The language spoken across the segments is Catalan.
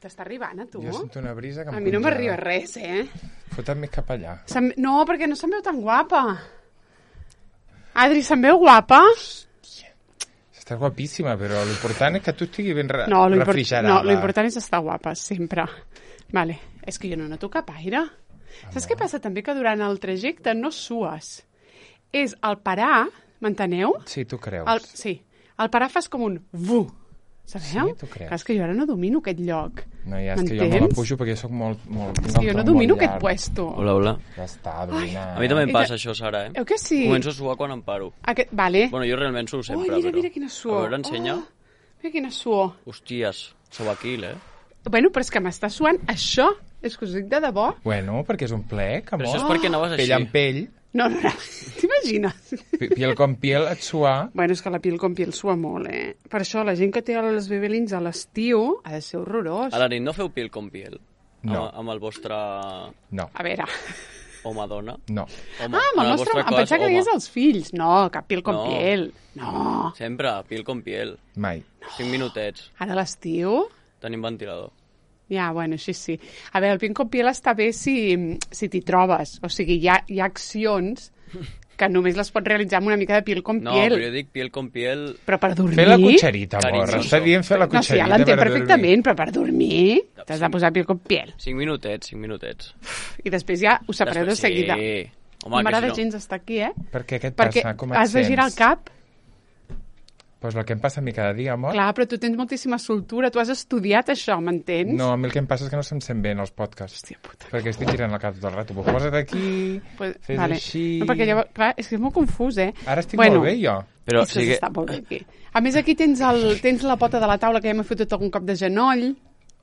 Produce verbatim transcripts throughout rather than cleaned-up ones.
T'està arribant, a tu? Jo sento una brisa que em A mi no congela. m'arriba res, eh? Fota't més cap allà. Se'm... No, perquè no se'm veu tan guapa. Adri, se'm veu guapa? Estàs guapíssima, però l'important és que tu estiguis ben re No, l'import... refrigerada. no, l'important és estar guapa, sempre. Vale, és que jo no noto cap aire. Amor. Saps què passa també? Que durant el trajecte no sues. És el parar, m'enteneu? Sí, tu creus. El... Sí, el parar fas com un vu. Sabeu? Sí, tu creus. Clar, és que jo ara no domino aquest lloc. No, ja és que jo me la pujo perquè jo soc molt... molt És que jo no domino aquest puesto. Hola, hola. Ja està, domina. A mi també em I passa de- això, Sara, eh? Eu que sí? Començo a suar quan em paro. Aquest... Vale. Bueno, jo realment suo sempre, oh, mira, però... mira quina suor. A veure, ensenya. Oh, mira quina suor. Hòsties, sobaquil, eh? Bueno, però és que m'està suant això. És que us dic de debò. Bueno, perquè és un plec, amor. Però això és perquè anaves així. Pell amb pell, No, no, no. T'imagines? pi- piel com piel, et suar. Bueno, és que la piel com piel sua molt, eh? Per això la gent que té els bebelins a l'estiu ha de ser horrorós. A la nit no feu piel com piel? No. Amb, amb el vostre No, A veure... home-dona? no. Home, Ah, amb en el nostre... vostre Em cas, pensava que home. deies els fills. No, cap piel com No. piel. No. Sempre, piel com piel. Mai. Cinc minutets. Ara a l'estiu... Tenim ventilador. Ja, bueno, així sí. A veure, el piel com piel està bé si, si t'hi trobes. O sigui, hi ha, hi ha accions que només les pots realitzar amb una mica de piel com No, piel. però jo dic piel com piel... Però per dormir... Fer la cotxerita, amor. Carinyoso. Està dient fer la No, sí, cotxerita ja l'entenc per perfectament, però per dormir t'has de posar piel com piel. Cinc minutets, cinc minutets. I després ja ho sabreu de Després, seguida. Sí. No Home, que m'agrada si no... gens estar aquí, eh? dormir. Per què? Què et Perquè passa? Com et has de girar el sents? cap. Pues el que em passa a mi cada dia, amor. Clar, però tu tens moltíssima soltura, tu has estudiat això, m'entens? No, a mi el que em passa és que no se'm sent bé en els podcasts. Hòstia puta. Perquè estic girant el cap tot el rato. Pues posa't aquí, Pues, fes vale. així... No, perquè llavors, clar, és que és molt confús, eh? Ara estic bueno, molt bé, jo. Però és sí que que... està molt bé aquí. A més, aquí tens, el, tens la pota de la taula que ja m'he fotut algun cop de genoll.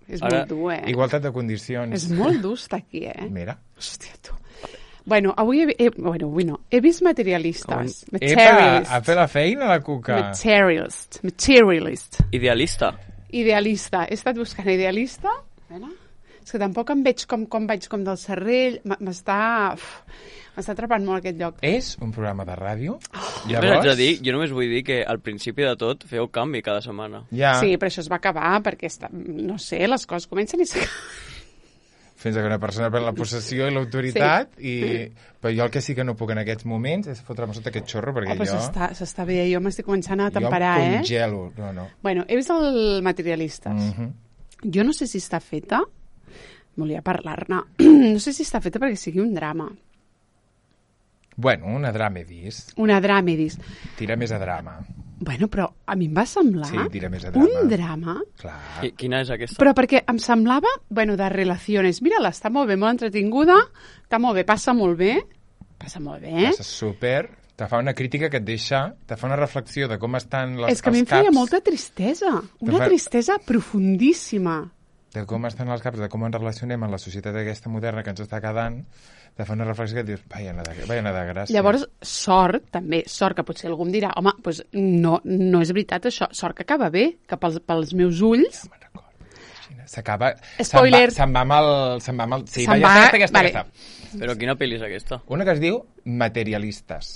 És Ara, molt dur, eh? Igualtat de condicions. És molt dur estar aquí, eh? Mira. Hòstia, tu. Bueno, avui he, he, bueno, avui no. He vist materialistes. Epa, Materialist. a fer la feina, la cuca. Materialist. Materialist. Idealista. Idealista. He estat buscant idealista. A veure. És que tampoc em veig com, com vaig com del Serrell. M- M'està... uf, M'està atrapant molt aquest lloc. És un programa de ràdio. Jo haig de dir, jo només vull dir que al principi de tot feu canvi cada setmana. Ja, Sí, però això es va acabar perquè, està, no sé, les coses comencen i s'acaben. fins que una persona pren la possessió i l'autoritat, sí. i... però jo el que sí que no puc en aquests moments és fotre'm sota aquest xorro, perquè Oh, però jo... s'està, s'està bé, jo m'estic començant a jo temperar, em eh? congelo. No, no. Bueno, he vist el Materialistes. Mm -hmm. Jo no sé si està feta, volia parlar-ne, no sé si està feta perquè sigui un drama. Bueno, una drama he vist. Una drama, he vist. Tira més a drama. Bueno, però a mi em va semblar Sí, tira més a drama. un drama, Clar. Qui- Quina és aquesta? però perquè em semblava, bueno, de relacions. Mira-la, està molt bé, molt entretinguda, està molt bé, passa molt bé, passa molt bé. Passa super... Te fa una crítica que et deixa... Te fa una reflexió de com estan les, És que a mi em els caps... feia molta tristesa, una fa- tristesa profundíssima. De com estan els caps, de com ens relacionem en la societat aquesta moderna que ens està quedant, te fa una reflexió que et dius, vaja, anar de, vaja, anar de gràcia. Llavors, sort, també, sort que potser algú em dirà, home, doncs no, no és veritat això, sort que acaba bé, que pels, pels meus ulls... Ja me'n recordo. Imagina, s'acaba... Spoiler. Se'n va, se'n va amb el... Se'n va amb el... Sí, Se'n va, va- ja està, aquesta, vale. aquesta. Però quina pel·li és aquesta? Una que es diu Materialistes.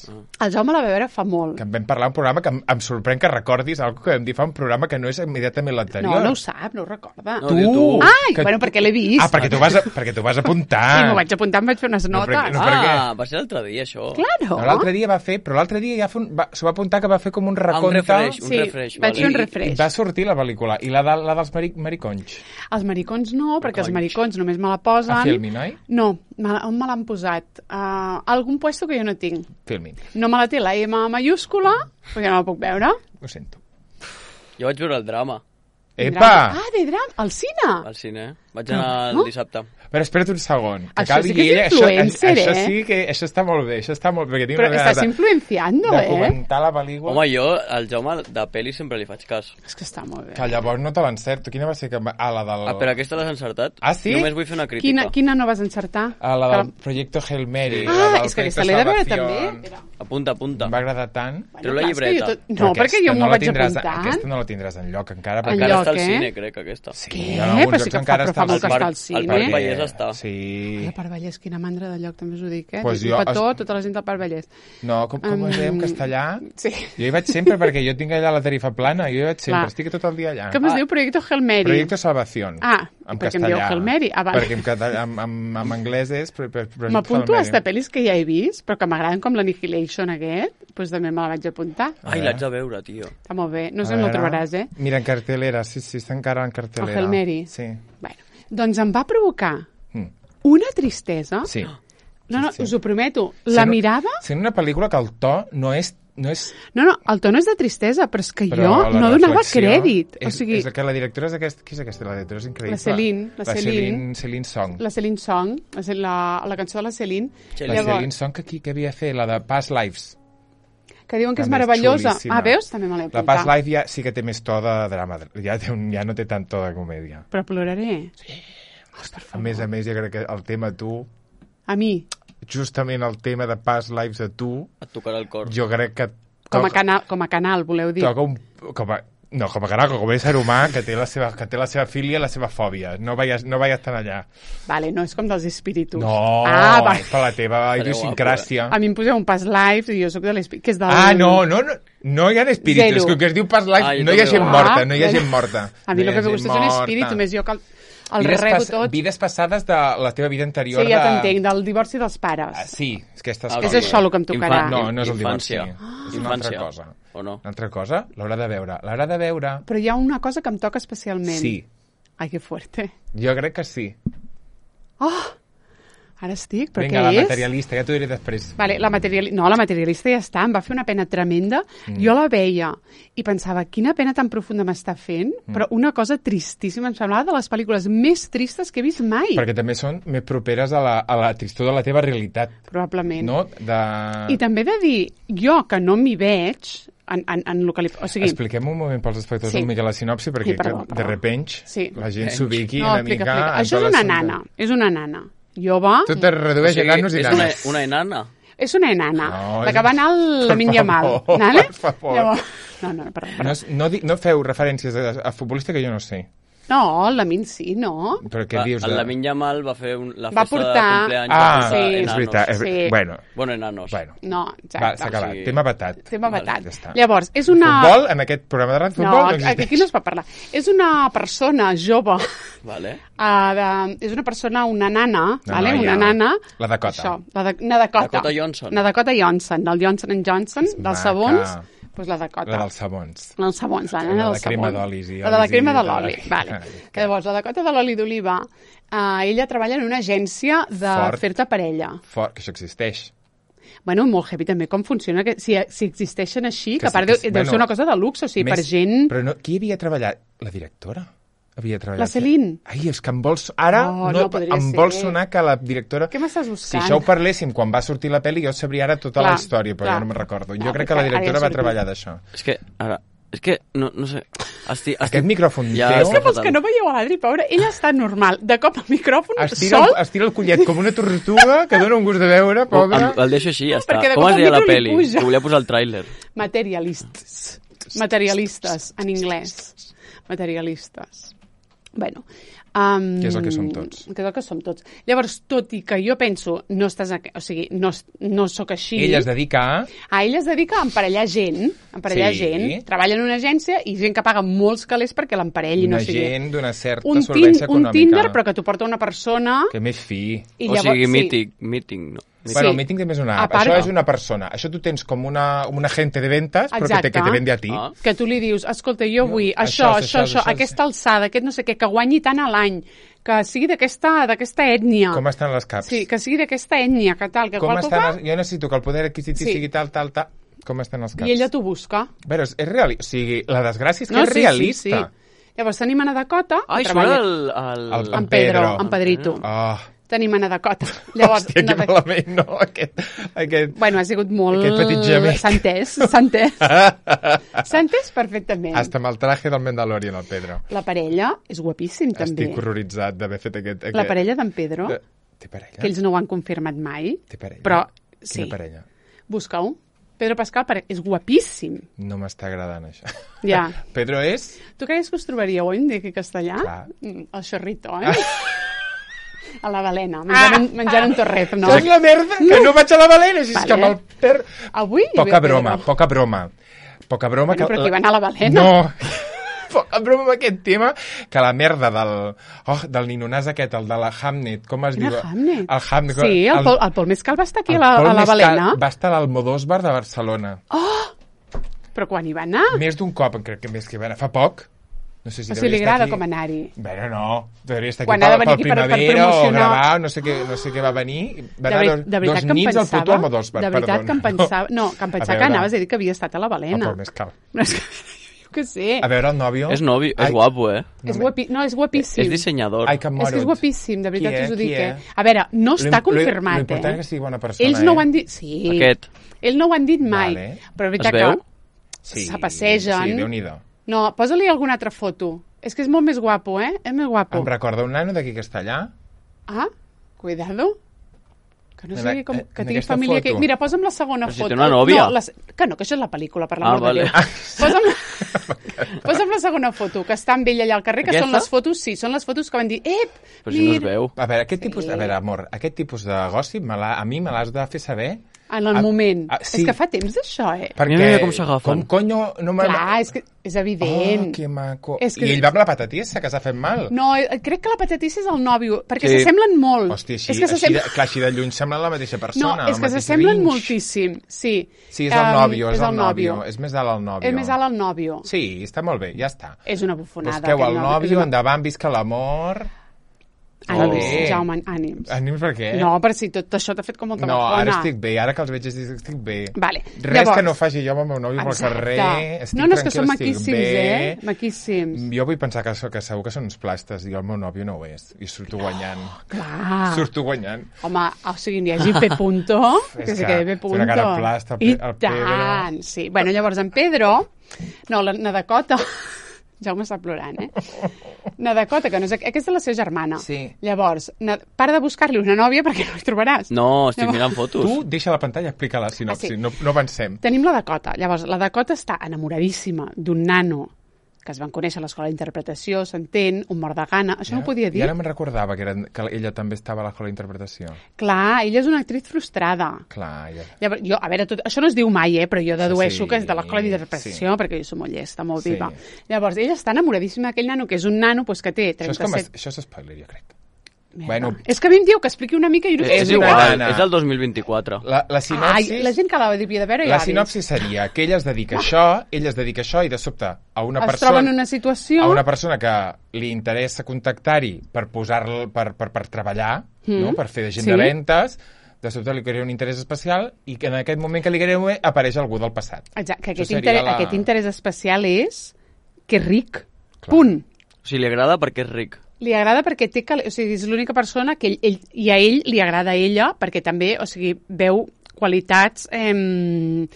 El Jaume la va veure fa molt. Que en vam parlar un programa que em, em sorprèn que recordis algo que vam dir fa un programa que no és immediatament l'anterior. No, no ho sap, no ho recorda. No, diu tu. Ai, que bueno, tu- perquè l'he vist. Ah, perquè tu vas, a, perquè tu vas apuntar. Sí, m'ho vaig apuntar, em vaig fer unes No, notes. perquè- no, per què? Ah, va ser l'altre dia, això. Claro. No, l'altre dia va fer, però l'altre dia ja fa un, va, s'ho va apuntar que va fer com un Ah, un recompte. refresh, un Sí, refresh. vaig fer un I, refresh. I va sortir la pel·lícula. I la, de, la dels mari, mariconys. Els maricons no, perquè els Maricons. maricons només me la posen... A Filmin, oi? No, me la- on me l'han posat? Uh, algun puesto que jo no tinc. Filmin. No me la té la M mayúscula, perquè no la puc veure. Ho sento. Jo vaig veure el drama Epa! Ah, de drama, al cine. al cine. Vaig anar No? el dissabte. Però espera't un segon. Que Això acabi sí que és ella. influencer, això, això eh? sí que... Això està molt bé, això està molt bé. Perquè tinc Però una estàs gana de, influenciando, de eh? comentar la pel·lícula. Home, jo, al Jaume, de pel·li sempre li faig cas. És que està molt bé. Que llavors no te l'encerto. Quina va ser? Que... va- Ah, la del... Ah, però aquesta l'has encertat? Ah, sí? Només vull fer una crítica. Quina, quina no vas encertar? Ah, la Que del Proyecto Hail Mary. Ah, la del és que Proyecto aquesta l'he de veure Salvación. també. Espera. Apunta, apunta. Em va agradar tant. Bueno, Treu la clar, és que llibreta. jo tot- No, Però perquè jo aquesta m'ho no la vaig tindràs, apuntant. Aquesta no la tindràs enlloc encara. En Perquè Encara lloc, està al eh? cine, crec, aquesta. Sí, Què? en alguns Però sí llocs que fa- encara però fa molt que Parc- està al al cine. Parc Vallès està. Sí. El Parc Vallès, quina mandra de lloc, també us ho dic, eh? Pues Dic jo- un petó, es- tota la gent del Parc Vallès. No, com, com es deia en castellà? Sí. Jo hi vaig sempre perquè jo tinc allà la tarifa plana, jo hi vaig sempre, Clar. estic tot el dia allà. Com es diu? Proyecto Hail Mary. Proyecto Salvación. Ah, en perquè em castellà. dieu Hail Mary. Ah, vale. Perquè en, català, en, en, en anglès és pro, pro, Proyecto M'apunto Hail a Mary. esta pel·lis que ja he vist, però que m'agraden com l'Annihilation aquest, doncs també me la vaig apuntar. Ai, l'haig de veure, tio. Està molt bé. No sé A on el veure. trobaràs, eh? Mira, en cartelera, sí, sí, està encara en El cartelera. Hail Mary. Sí. Bueno, doncs em va provocar Mm. una tristesa. Sí. No, no, Sí, sí. us ho prometo. La Sent- mirava... Sent una pel·lícula que el to no és... No és No, no, el to no és de tristesa, però és que però jo la no donava reflexió crèdit. És, O sigui, és que la directora és aquesta... Qui és aquesta? La directora és increïble. La Celine, la la Celine. Celine, Celine Song. la Celine Song, la, la, la cançó de la Celine, Celine. La Celine Song que, qui, que havia fet, la de Past Lives. que diuen que és També és meravellosa. xulíssima. Ah, veus? També me l'he La Past apuntat. Life ja sí que té més to de drama, ja, té un, ja no té tant to de comèdia. Però ploraré. A més a més, jo crec que el tema tu, A mi, justament el tema de Past Lives a tu, Et tocarà el cor. jo crec que com a, toca, canal, com a canal, voleu dir. toca un... Com a, no, com a caraco, com a ésser humà que té la seva, que té la seva filia i la seva fòbia. No vayas, no vayas tan allà. Vale, no és com dels espíritus. No, Ah, va. per la teva Estaré idiosincràsia. A mi em poseu un pas live i jo sóc de l'espíritu, que és del... Ah, no, no, no, no hi ha espíritus. Zero. És que el que es diu Past Life, Ah, jo no hi ha també gent ho- morta, Ah, no hi ha bueno. gent morta. A mi no el hi ha que me gent gusta és un morta. espíritu, més jo que el, el vides rebo pas- tot. Vides passades de la teva vida anterior. Sí, ja de... t'entenc, del divorci dels pares. Ah, sí, és que aquestes Ah, És coses. això el que em tocarà. No, no és el Infància. divorci. És una Infància. altra cosa. O no? Una altra cosa? L'haurà de veure. L'haurà de veure. Però hi ha una cosa que em toca especialment. Sí. Ai, que fuerte. Jo crec que sí. Oh! Ara estic, però Vinga, què la és? materialista, ja t'ho diré després. Vale, la materiali... No, la materialista ja està, em va fer una pena tremenda. Mm. Jo la veia i pensava, quina pena tan profunda m'està fent, mm. però una cosa tristíssima, em semblava de les pel·lícules més tristes que he vist mai. Perquè també són més properes a la, a la tristor de la teva realitat. Probablement. No? De... I també he de dir, jo que no m'hi veig, en, en, en el que li... O sigui, Expliquem un moment pels espectadors Sí. una mica la sinopsi, perquè Sí, perdó, que, perdó. de repente Sí. la gent s'ubiqui no, una explica, mica... explica. en Això tot és una l'assumpte. nana, és una nana. Jove, Tu te redueix a nanos i és una, nanes. una enana. és una enana, No, la és- que va anar al Per Lamin Yamal. favor, Vale? per favor. Llavors... No, no, perdó, perdó. No, és- no, di- no feu referències a, a futbolista que jo no sé. No, el Lamin sí, no? Però què Va, dius? el De... Lamin Yamal va fer un, la Va festa portar- de cumpleaños. Ah, va portar sí. és enanos. veritat. És... Sí. Bueno, Bueno, enanos. bueno. No, Va, exacte. s'ha acabat. sí. Tema batat. Tema Vale, batat. ja està. Llavors, és una... Futbol, en aquest programa de ràdio, No, futbol no, aquí existeix. aquí no es pot parlar. És una persona jove, Vale. uh, de, és una persona, una nana, Una vale? noia. una nana... La Dakota. Això, la de, una Dakota. Dakota Johnson. Una Dakota Johnson, del Johnson and Johnson, dels maca. sabons, doncs la Dakota. La dels sabons. La dels sabons, la La nana de dels crema sabons. d'olis i La de la olis i crema de tal. l'oli, vale. Ah, Que llavors, la Dakota de l'oli d'oliva, uh, ella treballa en una agència de Fort. fer-te parella. Fort, que això existeix. Bueno, molt heavy també com funciona, que si, si existeixen així, que, Que a part sí, deu, que sí. deu Bueno, ser una cosa de luxe, o sigui, per Més- gent... Però no, qui havia treballat? La directora? Havia treballat... La Celine. Ai, és que em vols... Ara No, no, no podria em ser. vol sonar que la directora... Què m'estàs Si buscant? això ho parléssim quan va sortir la pel·li, jo sabria ara tota Clar, la història, però clar. jo no me'n recordo. Jo Ah, crec que la ara ja directora va sortim. treballar d'això. És que, ara, és que, no, no sé... Estic, estic... Aquest micròfon Ja teu... És que està pels fatal. que no veieu a l'Adri, pobre, ella està normal. De cop al micròfon, Estira, sol, el, estira el collet com una tortuga que dona un gust de veure, Oh, pobra. el, el deixo així, ja No, està. perquè de Com cop es el deia la micro li peli? puja. Que volia posar el tràiler. materialistes. Materialistes, en anglès. Materialistes. Bueno, um, Que és el que som tots. Que és el que som tots. Llavors, tot i que jo penso, no estàs... A, o sigui, no, no sóc així... Ella es dedica a... A ella es dedica a emparellar gent, a emparellar Sí. gent, treballa en una agència i gent que paga molts calés perquè l'emparelli, Una no sigui... gent d'una certa un, tin, solvència un econòmica. Tinder, però que t'ho porta una persona... Que més fi. I O llavors, sigui, sí. meeting, meeting, no. Sí. Bueno, el meeting també és una A app. part- Això és una persona. Això tu tens com una, un agente de ventas, però que te, Exacte. que te vende a ti. Ah. Que tu li dius, escolta, jo vull això, això, això, això, això, això, aquesta alçada, aquest no sé què, que guanyi tant a l'any, que sigui d'aquesta d'aquesta ètnia. Com estan les caps? Sí, que sigui d'aquesta ètnia, que tal, que Com qual estan cosa... les... Jo necessito que el poder adquisitiu Sí. sigui tal, tal, tal. Com estan els caps? I ella t'ho busca. Però és, és realista. O sigui, la desgràcia és que No, és sí, realista. sí, sí. Llavors tenim Ana Dakota, Ai, que surt treballa... el... el... El- En Pedro, Pedro. en Pedrito. Oh, Tenim Ana Dakota. Llavors, hòstia, que Ana- malament, no? Aquest, aquest... Bueno, ha sigut molt... Aquest petit gemec. S'ha entès, s'ha entès. S'ha entès perfectament. Hasta amb el traje del Mandalorian, el Pedro. La parella és guapíssim, també. Estic horroritzat d'haver fet aquest... aquest... La parella d'en Pedro, De... Té parella? que ells no ho han confirmat mai, Té parella? però Quina sí. parella? Busca-ho. Pedro Pascal pare- és guapíssim. No m'està agradant, això. Ja. Pedro és... Tu creies que us trobaríeu, oi, en dic castellà? Clar. Mm, el xorrito, eh? A la balena, menjant, un, menjant un torret, no? Això és la merda, que no vaig a la balena, si és Vale. que amb el per... Avui hi Poca ve broma, Pedro. poca broma. Poca broma Bueno, que... però qui va anar a la balena? No, poca broma amb aquest tema, que la merda del... Oh, del ninonàs aquest, el de la Hamnet, com es Quina diu? Hamnet? El Hamnet. Sí, el, Pol, el Pol Mescal va estar aquí a la, Pol a la Mescal balena. Va estar a l'Almodóvar de Barcelona. Però quan hi va anar? Més d'un cop, crec que més que va anar. Fa poc. No sé si O sigui, li devia estar agrada aquí. com anar-hi. Bueno, no. Devia estar aquí Quan ha de pel, venir pel aquí per- per Primavera o promocionar- gravar, no sé què, no sé què va venir. Va De, anar veri- dos, de veritat dos que em nits al pensava... puto Almodóvar, de veritat perdona. que em pensava... No, que em A pensava que veure. anaves a dir que havia estat a la balena. El Pol Mescal. No, és que, jo què sé. A veure, el nòvio... És novi, és Ai, guapo, eh? És guapi... No, és guapíssim. És dissenyador. Ai, que És que és morut. guapíssim, de veritat Qui us ho és? dic, Qui eh? és? A veure, no està Lo- lo- confirmat, lo important eh? és que sigui bona persona, Ells no eh? ho han dit... Sí. Aquest. Ells no ho han dit mai. Vale. Però és Es veritat veu? que Sí, se passegen. Sí, Déu-n'hi-do. No, posa-li alguna altra foto. És que és molt més guapo, eh? És més guapo. Em recorda un nano d'aquí que està allà? Ah, cuidado. Que no En sé a- com, en que tingui aquesta família... foto. Que... Mira, posa'm la segona Però si foto. té una nòvia. No, la... Que no, que això és la pel·lícula, per Ah, l'amor vale. de Déu. Posa'm... posa'm la segona foto, que està amb ell allà al carrer, que Aquesta? són les fotos, sí, són les fotos que van dir, ep, Però si no es mira... veu. A veure, aquest Sí. tipus... A veure, amor, aquest tipus de gòssip me l'ha- a mi me l'has de fer saber... En el Ah, moment. ah, sí. És que fa temps d'això, eh? Perquè... Mira, mira com s'agafen. Com conyo no me... Clar, és que és evident. Oh, que maco. És que- I ell va amb la patatissa, que s'ha fet mal. No, eh, crec que la patatissa és el nòvio, perquè Sí. s'assemblen molt. Hòstia, així, és que així, s'assemblen... de, clar, així de lluny sembla la mateixa No, persona. és el que mateix s'assemblen Grinch. moltíssim, sí. Sí, és el Em, nòvio, és, el nòvio. És més alt el nòvio. És més alt el nòvio. Sí, està molt bé, ja està. És una bufonada. Busqueu el aquest nòvio. És nòvio, una- endavant, visca l'amor... Ànims, bé. Jaume, ànims. Ànims per què? No, però si tot això t'ha fet com molta No, bafona. ara estic bé, ara que els veig estic bé. Vale, Res llavors- que no faci jo amb el meu nòvio pel Exacte. carrer, estic No, no, és que tranquil, són estic maquíssims, bé. eh? Maquíssims. Jo vull pensar que, so- que segur que són uns plastes i el meu nòvio no ho és, i surto guanyant. Clar. Surto guanyant. Home, o sigui, n'hi hagi P. Punto, És que se que quede P. té Punto. una cara plasta, el I Pe- el Pedro. tant, sí. Bueno, llavors en Pedro, no, la, la Dakota, Jaume està plorant, eh? Na Dakota, que no és... Aquesta és la seva germana. Sí. Llavors, na, para de buscar-li una nòvia perquè no hi trobaràs. No, estic Llavors- mirant fotos. Tu deixa la pantalla, explica la sinopsi, Ah, sí. no, no avancem. Tenim la Dakota. Llavors, la Dakota està enamoradíssima d'un nano que es van conèixer a l'escola d'interpretació, s'entén, un mort de gana. Això no ho podia dir. I ara me'n recordava que, era, que ella també estava a l'escola d'interpretació. Clar, ella és una actriz frustrada. Clar, ja... Llavors, jo, a veure, tot, això no es diu mai, eh, però jo dedueixo Sí, que és de l'escola d'interpretació, sí. perquè jo soc molt llesta, molt Sí. viva. Llavors, ella està enamoradíssima d'aquell nano, que és un nano pues, que té Això és, com, trenta-set... això és spoiler, jo crec. Merda. Bueno. És que a mi em diu que expliqui una mica i no sé És És una igual, nana. és el dos mil vint-i-quatre. La, la sinopsi... Ai, la gent que l'ha devia de veure ja La ha vist. sinopsi seria que ella es dedica a això, ella es dedica a això i de sobte a una Es persona... troba en una situació... a una persona que li interessa contactar-hi per posar-lo per, per, per treballar, Mm. no? Per fer de gent Sí. de ventes, de sobte li crea un interès especial i que en aquest moment que li crea apareix algú del passat. Exacte, que Això aquest, seria interès, la- aquest interès especial és que és ric. Clar. Punt. O sigui, li agrada perquè és ric. Li agrada perquè té... cal- O sigui, és l'única persona que ell, ell... I a ell li agrada a ella perquè també, o sigui, veu qualitats... Eh,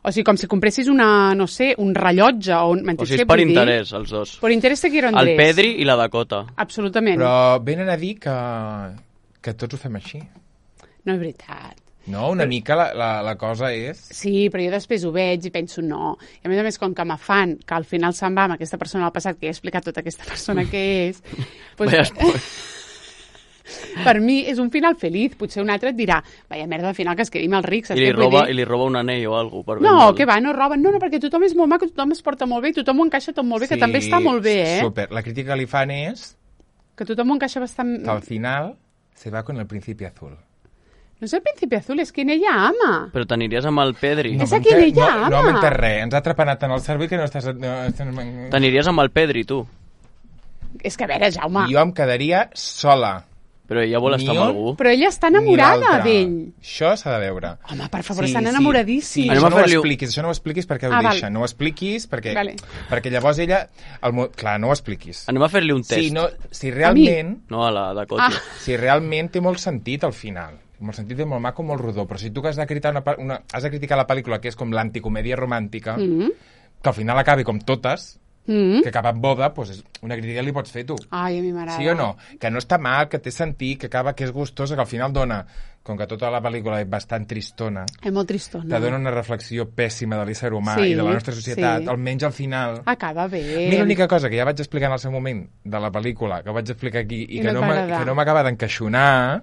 o sigui, com si compressis una, no sé, un rellotge o un... O sigui, és per interès, els dos. Per interès te quiero El Andrés. Pedri i la Dakota. Absolutament. Però venen a dir que, que tots ho fem així. No és veritat. No, una mica la, la, la cosa és... Sí, però jo després ho veig i penso no. I a més a més, com que m'afan que al final se'n va amb aquesta persona del passat, que ja he explicat tota aquesta persona que és, doncs, Vaya spoiler. per mi és un final feliç. Potser un altre et dirà, vaya merda, al final que es quedi amb els rics. I li, saps què vull roba, dir? I li roba un anell o alguna cosa. Per No, vendre'l. que va, no roben. No, no, perquè tothom és molt maco, tothom es porta molt bé, i tothom ho encaixa tot molt bé, que també està molt bé, eh? Super. La crítica que li fan és Que tothom ho encaixa bastant... que al final se va con el príncipe azul. No és el príncipe azul, és quien ella ama. Però t'aniries amb el Pedri. És m'ha a qui enter- ella no, no ama. m'ha entès res. Ens ha trepanat en el cervell que no estàs... No, estàs... T'aniries amb el Pedri, tu. És que, a veure, Jaume, Jo em quedaria sola. Però ella vol Ni estar amb un- algú. però ella està Ni enamorada l'altre. d'ell. Això s'ha de veure. Home, per favor, estan enamoradíssims. Sí, Anem això a no ho fer-li un- expliquis, això no ho expliquis perquè ho Ah, val. deixa. No ho expliquis perquè, Vale. perquè llavors ella... El, mo- clar, no ho expliquis. Anem a fer-li un test. Si, no, si realment... No, a la Dakota. Ah. Si realment té molt sentit al final. Molt sentit, molt maco, molt rodó. Però si tu que has de criticar, una, una, has de criticar la pel·lícula que és com l'anticomèdia romàntica, Mm -hmm. que al final acabi com totes, Mm. que acaba amb boda, doncs és una crítica li pots fer tu. Ai, a mi m'agrada. Sí o no? Que no està mal, que té sentit, que acaba, que és gustosa, que al final dona, com que tota la pel·lícula és bastant tristona, És molt tristona. te dona una reflexió pèssima de l'ésser humà Sí, i de la nostra societat, sí. almenys al final. Acaba bé. A mi l'única cosa que ja vaig explicar en el seu moment de la pel·lícula, que vaig explicar aquí, i, I que no no, et va m'a- agradar. que no m'acaba d'encaixonar,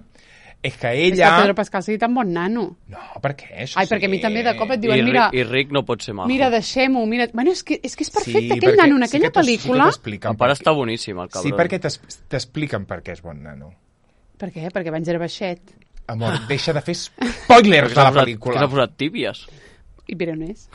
és que És que ella... Pedro Pascal sigui tan bon nano. No, per què? Això Ai, perquè a mi sí. també de cop et I, diuen, mira, Rick, I Rick no pot ser majo. mira, deixem-ho, mira... Bueno, és que és, que és perfecte, Sí, aquell perquè nano en sí aquella que t'es- pel·lícula... Sí que t'expliquen El pare per què- està boníssim, el Sí, cabrón. perquè t'es- t'expliquen per què és bon nano. Per què? Perquè abans era baixet. Amor, deixa de fer spoilers de s'ha la posat- pel·lícula. que s'ha posat tíbies. I Pironès.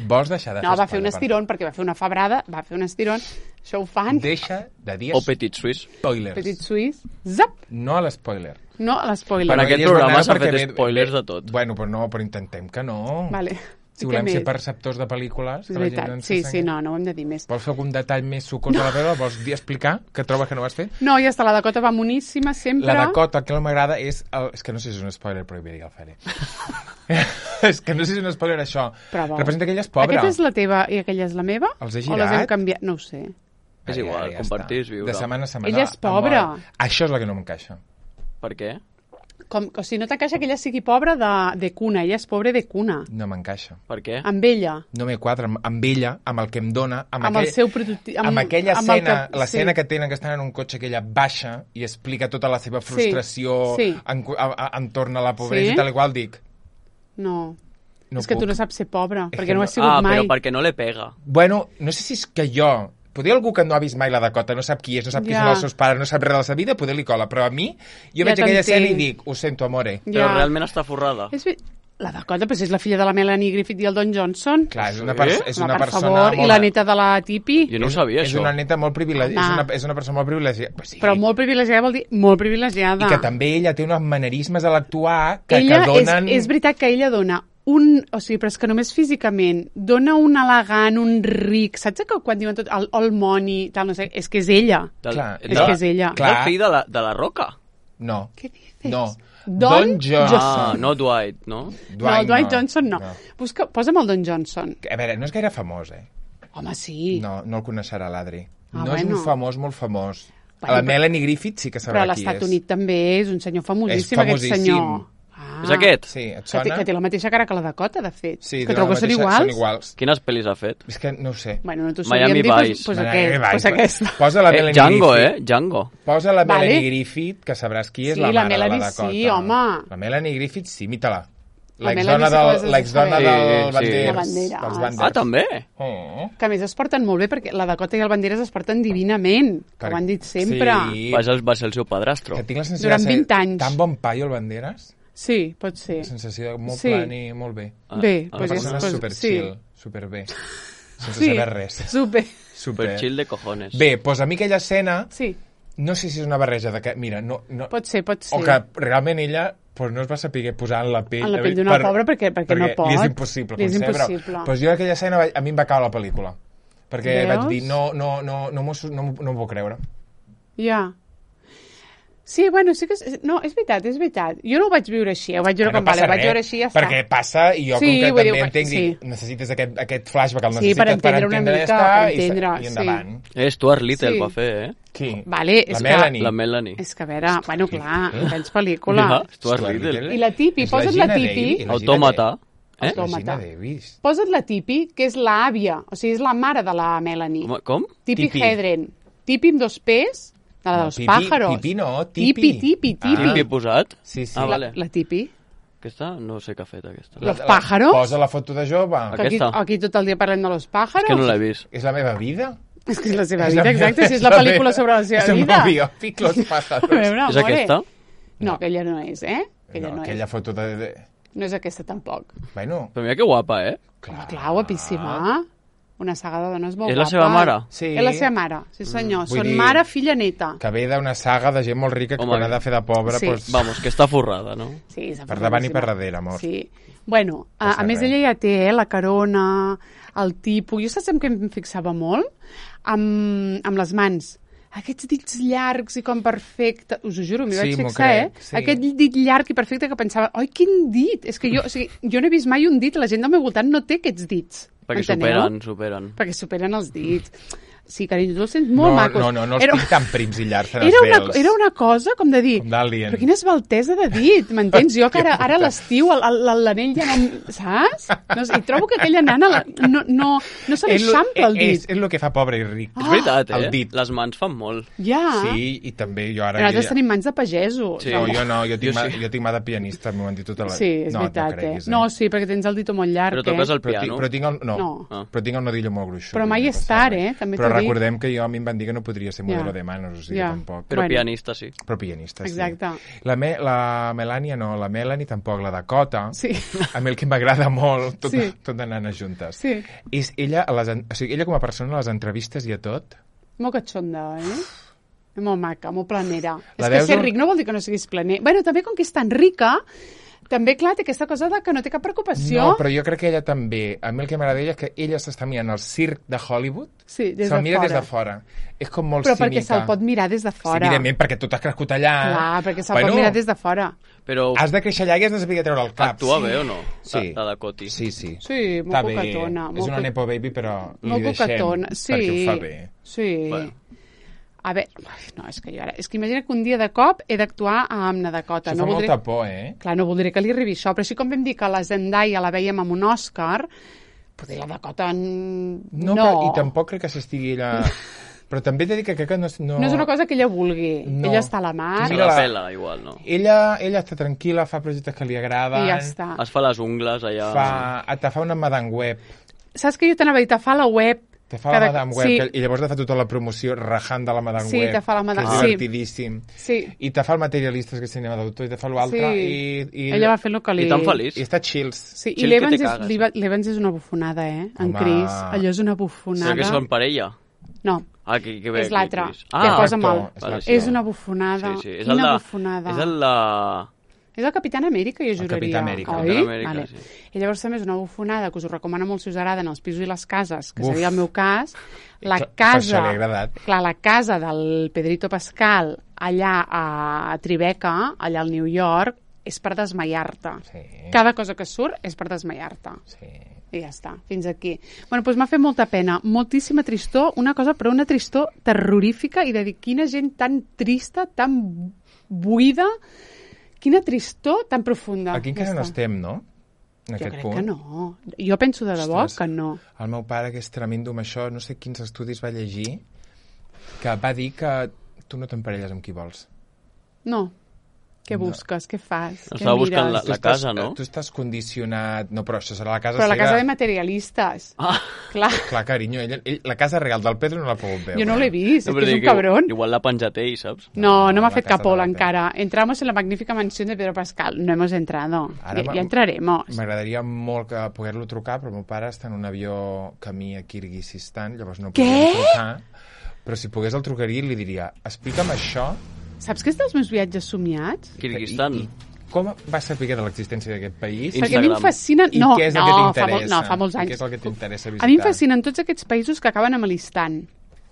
Vols deixar de No, fer va fer un spoilers? estirón, perquè va fer una febrada, va fer un estirón. Això ho fan. Deixa de dir O Petit Suisse. spoilers. Petit suís. Zap! No a l'espoiler. No a Per l'espoiler. aquest ella és programa bona s'ha perquè fet ve- spoilers ve- de tot. Bueno, però no, però intentem que no. Vale. Si I volem què ser més? perceptors de pel·lícules... És que la gent veritat. ens Sí, sengui. sí, no, no ho hem de dir més. Vols fer algun detall més sucós de la pel·lícula? Vols dir, explicar que trobes que no ho has fet? No, ja està, la Dakota va moníssima sempre. La Dakota, el que no m'agrada és... El... És que no sé si és un spoiler, però ja el faré. És que no sé si és un spoiler, això. Però, Representa que ella és pobra. Aquesta és la teva i aquella és la meva? Els he O les hem girat. canviat? No ho sé. És igual, compartir és viure. De setmana a setmana. Ella és pobra. amor. Això és el que no m'encaixa. Per què? Com, o sigui, no t'encaixa que ella sigui pobra de, de cuna. Ella és pobra de cuna. No m'encaixa. Per què? Amb ella. No me quadra amb, amb ella, amb el que em dona, amb, Amb aquell, el seu prototip. amb, aquella amb el escena, que- l'escena sí. que tenen, que estan en un cotxe que ella baixa i explica tota la seva frustració sí. En, a, a, entorn a la pobresa Sí. i tal i qual, dic, No. no és que puc. tu no saps ser pobra, És perquè que no ho no- has sigut Ah, mai. però perquè no le pega. Bueno, no sé si és que jo... Podria algú que no ha vist mai la Dakota, no sap qui és, no sap qui Ja. són els seus pares, no sap res de la seva vida, poder li cola. Però a mi, jo Ja veig aquella escena i t'entenc. dic, ho sento, amore. Però Ja. realment està forrada. És bé... La Dakota, però si és la filla de la Melanie Griffith i el Don Johnson. Clar, és una, Sí? perso és Home, una per persona favor, molt... i la neta de la Tipi. Jo no ho sabia, és això. una neta molt privilegiada, és, Home. una, és una persona molt privilegiada. Pues sí. Però molt privilegiada vol dir molt privilegiada. I que també ella té uns manerismes a l'actuar que, ella que donen... és, és veritat que ella dona un... O sigui, però és que només físicament dona un elegant, un ric... Saps que quan diuen tot el all money, tal, no sé, és que és ella. Del, Clar, de- és que és ella. És Clar. el fill de la, de la Roca. No. Què dices? No. Don, Johnson. Ah, no Dwight, no? no, Dwight Johnson no. no. Busca, posa'm el Don Johnson. A veure, no és gaire famós, eh? Home, sí. No, no el coneixerà l'Adri. Ah, no és bueno. un famós molt famós. Bueno, la però- Melanie Griffith sí que Però sabrà a qui és. l'Estat Unit també és un senyor famosíssim, És aquest famosíssim. senyor. Ah, És aquest? Sí, et Que té, sona? que té la mateixa cara que la Dakota, de fet. Sí, que té trobo la que són mateixa- iguals. Són iguals. Quines pel·lis ha fet? És que no ho sé. Bueno, no t'ho Miami sabíem dir, doncs, Vice. pues, Miami aquest, Vice. pues aquesta. Posa la Eh, Melanie Django, Griffith. eh? Django. Posa la Vale. Melanie Griffith, que sabràs qui és Sí, la la mare Melanie de la Dakota. sí, home. La Melanie Griffith, sí, imita-la. La L'exdona Melanie sí que ho has del, de l'exdona saber. del Sí, sí. Banderas. La Banderas. dels Ah, Banderas. Ah, també? Oh. Que a més es porten molt bé, perquè la Dakota i el Banderas es porten divinament, que ho han dit sempre. Sí. Va ser, va ser el seu padrastro. Que tinc la sensació Durant de ser vint anys. tan bon paio el Banderas. Sí, pot ser. La sensació de molt Sí. plan i molt bé. Ah, Bé, ah, Una pues és- persona pues, super sí. chill, super bé. Sense Sí, saber res. super. Super chill de cojones. Bé, doncs a mi aquella escena, Sí, no sé si és una barreja de que, mira, no, no, pot ser, pot ser. o que realment ella pues, no es va saber posar en la pell, En la pell d'una pobra perquè- perquè no pot. li és impossible Li és concebre. impossible. Però jo aquella escena va- a mi em va caure la pel·lícula, perquè Veus? vaig dir, no, no, no, no, m'ho- no, m'ho- no m'ho puc creure. Ja. Sí, bueno, sí que... És, no, és veritat, és veritat. Jo no ho vaig viure així, ho vaig veure no com vale, passa ho vaig res, veure així i ja està. perquè passa i jo Sí, com que vull dir, també entenc, sí. dic, necessites aquest, aquest flashback, el Sí, necessites per entendre una entendre mica, ja està, per i se- entendre, i endavant. Eh, Stuart Little Sí. va fer, eh? Qui? Vale, és La que... Melanie. La Melanie. És que, a veure, bueno, clar, Eh? tens pel·lícula. Ja, Stuart Stuart Little. Little. I la Tipi, És la posa't Gina la Tipi. Davis, la Gina Autòmata. Davis. Eh? Autòmata. La Gina Davis. Posa't la Tipi, que és l'àvia, o sigui, és la mare de la Melanie. Com- Com? Tipi Tipi. Hedren. Tipi amb dos P's, de la No, dels Pipi- pájaros. Pipi no, Tipi, Tipi. Tipi, Tipi. Tipi he posat? Sí, sí. Ah, La, vale. la Tipi. Aquesta no sé què ha fet, aquesta. Los pájaros? Posa la foto de jove. Que aquí, Aquesta. aquí tot el dia parlem de los pájaros. És que no l'he vist. És la meva vida. És que és la seva És vida, la exacte, meva- si és la la pel·lícula meva- sobre la seva és el vida. meu biòpic, Los pájaros. A veure, És amore. aquesta? No, aquella no és, eh? Aquella No, no, aquella és. foto de... de... No és aquesta tampoc. Bueno, Però mira que guapa, eh? Home, clar, guapíssima. Una saga de dones molt És la guapa. seva mare? sí. És la seva mare, sí senyor. Vull Són dir- mare, filla, neta. Que ve d'una saga de gent molt rica que Home, quan ha de fer de pobra, sí. doncs, Vamos, que està forrada, no? Sí, és per davant i per afortunadíssima. darrere, amor. Sí. Bueno, a, Passa a més res. ella ja té eh, la carona, el tipus... Jo saps en què em fixava molt? Amb, amb les mans. Aquests dits llargs i com perfecte... Us ho juro, m'hi Sí, vaig m'ho fixar, crec, eh? sí. Aquest dit llarg i perfecte que pensava, oi, quin dit! És que jo, o sigui, jo no he vist mai un dit, la gent del meu voltant no té aquests dits. Perquè Enteneu? superen, superen. Perquè superen els dits. Sí, carinyo, tu els sents molt no, macos. No, no, no els era... tinc tan prims i llargs, tan era una, esvelts. era una cosa com de dir, Com d'Alien. però quina esbaltesa de dit, m'entens? Jo que ara, ara a l'estiu el- el- l'anell ja no... Saps? No, sé, I trobo que aquella nana la, no, no, no se li És lo- eixampla el és, dit. és el que fa pobre i ric. És veritat, eh? el dit. Les mans fan molt. Ja. Sí, i també jo ara... Nosaltres ja- tenim mans de pagesos. Sí. No, jo no, jo tinc, Jo mà, sí. jo tinc mà de pianista, m'ho han dit tota la... Sí, és no, veritat, no creguis, eh? No, sí, perquè tens el dito molt llarg, Però toques eh? el Però, tinc, piano. però tinc el, no, No. Ah. però tinc el nodillo molt gruixut. Però mai no és passa tard, res. eh? També Però t'ho dic. recordem que jo a mi em van dir que no podria ser modelo Ja. de manos, o sigui, Ja. tampoc. Però Bueno. pianista sí. Però pianista, sí. Exacte. La, me, la Melania no, la Melanie tampoc, la Dakota. Sí. A mi el que m'agrada molt, tot, Sí. tot de nanes juntes. Sí. És ella, a les, en- o sigui, ella com a persona, a les entrevistes i a tot, Molt catxonda, eh? Molt maca, molt planera. La és que veus ser un- ric no vol dir que no siguis planer. Bueno, també com que és tan rica, també, clar, té aquesta cosa de que no té cap preocupació. no, però jo crec que ella també, a mi el que m'agrada d'ella és que ella s'està mirant el circ de Hollywood, Sí, des se'l de mira fora. des de fora. És com molt Però cínica. perquè se'l pot mirar des de Sí, fora. evidentment, perquè tu t'has crescut allà. Clar, perquè se'l pot mirar des de fora. Però Has de créixer allà i has de saber treure el cap. actua bé o no? Sí. La, la Dakota. Sí, sí. Sí, molt Està bé. cucatona. És molt una cu- nepo baby, però li Molt deixem cucatona. Sí. perquè ho fa bé. Sí. Bueno. A veure, no, és que jo ara... És que imagina que un dia de cop he d'actuar amb na Dakota. Això no fa voldré... molta por, eh? Clar, no voldré que li arribi això, però així com vam dir que la Zendaya la veiem amb un Òscar, poder la Dakota... n- No, No, però, i tampoc crec que s'estigui ella... Però també he de dir que crec que no... No, no és una cosa que ella vulgui. No. Ella està a la mar Se Mira la la- pela, igual, no? Ella, ella està tranquil·la, fa projectes que li agraden... i ja està. Es fa les ungles allà... Fa, te fa una Madame Web. Saps que jo t'anava a dir, te fa la web... Te fa la cada- Madame Web, sí. que, i llavors te fa tota la promoció rajant de la Madame Sí, Web. te fa la Madame- que és sí. divertidíssim. Sí. I te fa el Materialistes, que és cinema d'autor, i te fa l'altre, Sí. i, i... Ella va fer el que li... I tan feliç. I està chills. Sí, i Chill que l'Evans te és, cagues. l'Eva- l'Evans és una bufonada, eh? En Home. Chris. Allò és una bufonada. Serà que són parella? No, Ah, que, que bé, és l'altre. Chris. Que Ah, posa l'actor, mal. és vale, l'actor. sí. És una bufonada. Sí, sí. És Quina el de, bufonada. És el de... És el Capitán Amèrica, jo juraria. Capità Amèrica. Oi? Capitán Amèrica, vale. sí. I llavors també és una bufonada que us ho recomano molt si us agraden els pisos i les cases, que Uf. seria el meu cas. La Per casa... això li ha agradat. Clar, la casa del Pedrito Pascal allà a Tribeca, allà al New York, és per desmaiar-te. Sí. Cada cosa que surt és per desmaiar-te. Sí. I ja està, fins aquí. Bueno, doncs m'ha fet molta pena, moltíssima tristor, una cosa, però una tristor terrorífica i de dir quina gent tan trista, tan buida, quina tristor tan profunda. Aquí encara Ja no està. estem, no? En Jo aquest crec punt. que no. Jo penso de debò Ostres. que no. El meu pare, que és tremendo amb això, no sé quins estudis va llegir, que va dir que tu no t'emparelles amb qui vols. No. Què No. busques? Què fas? Què Estava buscant mires? La Tu casa, estàs, no? Tu estàs condicionat... No, però això serà la casa Però la seva. casa de materialistes. Ah, Clar, Clar, carinyo, ell, ell, la casa real del Pedro no l'ha pogut veure. jo no l'he vist, és però que és dic un que cabron. Igual l'ha penjat ell, saps? No, no No, m'ha la fet casa cap ola de la encara. Entramos en la magnífica mansión de Pedro Pascal. No hemos entrado. Ara Ja, m'ha- ja entraremos. M'agradaria molt que poder-lo trucar, però el meu pare està en un avió camí a Kirguizistan, llavors no Què? podem trucar. Però si pogués el trucaria i li diria, explica'm això... Saps que és dels meus viatges somiats? Kirguistan. I, i com vas saber de l'existència d'aquest país? I- Perquè a mi em Instagram. fascinen... I No, què és el no, que fa, molt, t'interessa? no, fa molts I anys. què és el que t'interessa A mi em visitar? fascinen tots aquests països que acaben amb l'Istan.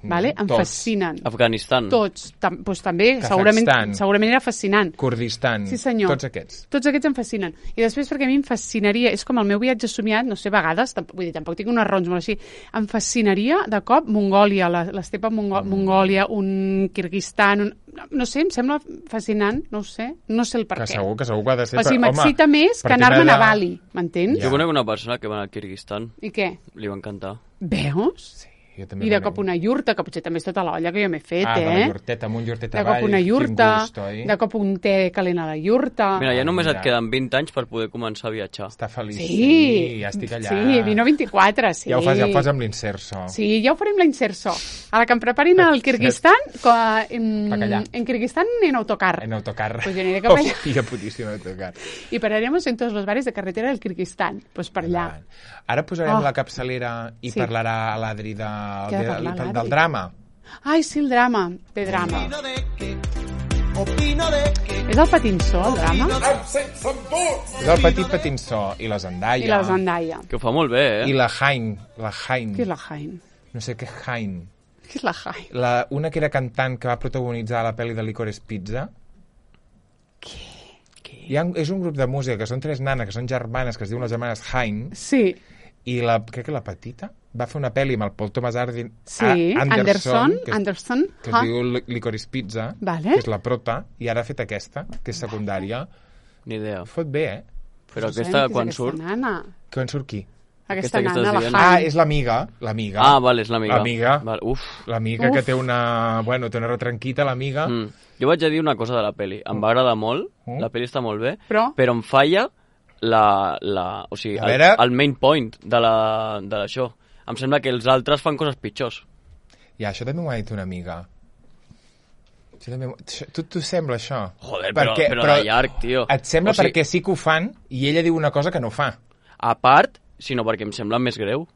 Vale? Em Tots. fascinen. Afganistan. Tots. Tam, doncs també, Kazakhstan. segurament, segurament era fascinant. Kurdistan, Sí, senyor. tots aquests. Tots aquests em fascinen. I després perquè a mi em fascinaria, és com el meu viatge somiat, no sé, a vegades, tampoc, vull dir, tampoc tinc unes raons molt així, em fascinaria de cop Mongòlia, la- l'estepa Mongo Mm. Mongòlia, un Kirguistan, un... no sé, em sembla fascinant, no ho sé, no sé el per Que què. segur, que segur que ha de ser... O sigui, però, home, m'excita més que partint anar-me'n a d'allà- Bali, m'entens? Ja. Jo conec una persona que va anar al Kirguistan. I què? Li va encantar. Veus? Jo també I de conec. cop una iurta, que potser també és tota l'olla que jo m'he fet, Ah, de la eh? iurteta, amb un iurtet De avall. cop una iurta, Quin gust, oi? de cop un té calent a la iurta. Mira, ja només mira. et queden vint anys per poder començar a viatjar. Està feliç. Sí, ja estic allà. Sí, vino vint-i-quatre, sí. Ja ho fas, ja ho fas amb l'inserso. Sí, ja ho farem la inserso. A la que em preparin al Kirguistan, que, en, Bacallà. en Kirguistan en autocar. En autocar. Pues yo aniré cap allà. Hòstia, putíssim, autocar. Y pararemos en todos los bares de carretera del Kirguistán. Pues per allà. Endavant. Ara posarem Oh. la capçalera i Sí. parlarà l'Adri de, Què ha de, de parlar, del, l'Adri? del drama. Ai, sí, el drama. De drama. Opino de que, opino de que, És el patinsó, el drama? És el petit patinsó i la Zendaya. I la Zendaya. Que ho fa molt bé, eh? I la Hain. La Hain. Què és la Jain? No sé què és Hain. Què és la Jain? La, una que era cantant que va protagonitzar la pel·li de Licorice Pizza. Hi ha, és un grup de música que són tres nanes, que són germanes, que es diuen les germanes Hain, Sí. i la, crec que la petita va fer una pel·li amb el Paul Thomas Anderson, Sí, Anderson, que, és, Anderson. que es Ah. diu Li- Licorice Pizza, Vale. que és la prota, i ara ha fet aquesta, que és secundària. Ni idea. Fot bé, eh? Però No sé aquesta, qui és quan aquesta surt... Nana. Quan surt qui? Aquesta, Aquesta que nana, estàs la dient. Han. Ah, és l'amiga, l'amiga. Ah, vale, és l'amiga. L'amiga. Vale, uf. L'amiga Uf. que té una... Bueno, té una retranquita, l'amiga. Mm. Jo vaig a dir una cosa de la peli. Em va agradar molt, Mm. la peli està molt bé, Però? però em falla la, la, o sigui, A el, veure- el main point de la- de l'això. Em sembla que els altres fan coses pitjors. Ja, això també m'ho ha dit una amiga. Això també... m'ho- això- Tu, tu sembla això? Joder, però, però, de llarg, tio. Et sembla O sigui, perquè sí que ho fan i ella diu una cosa que no fa. A part, sinó perquè em sembla més greu.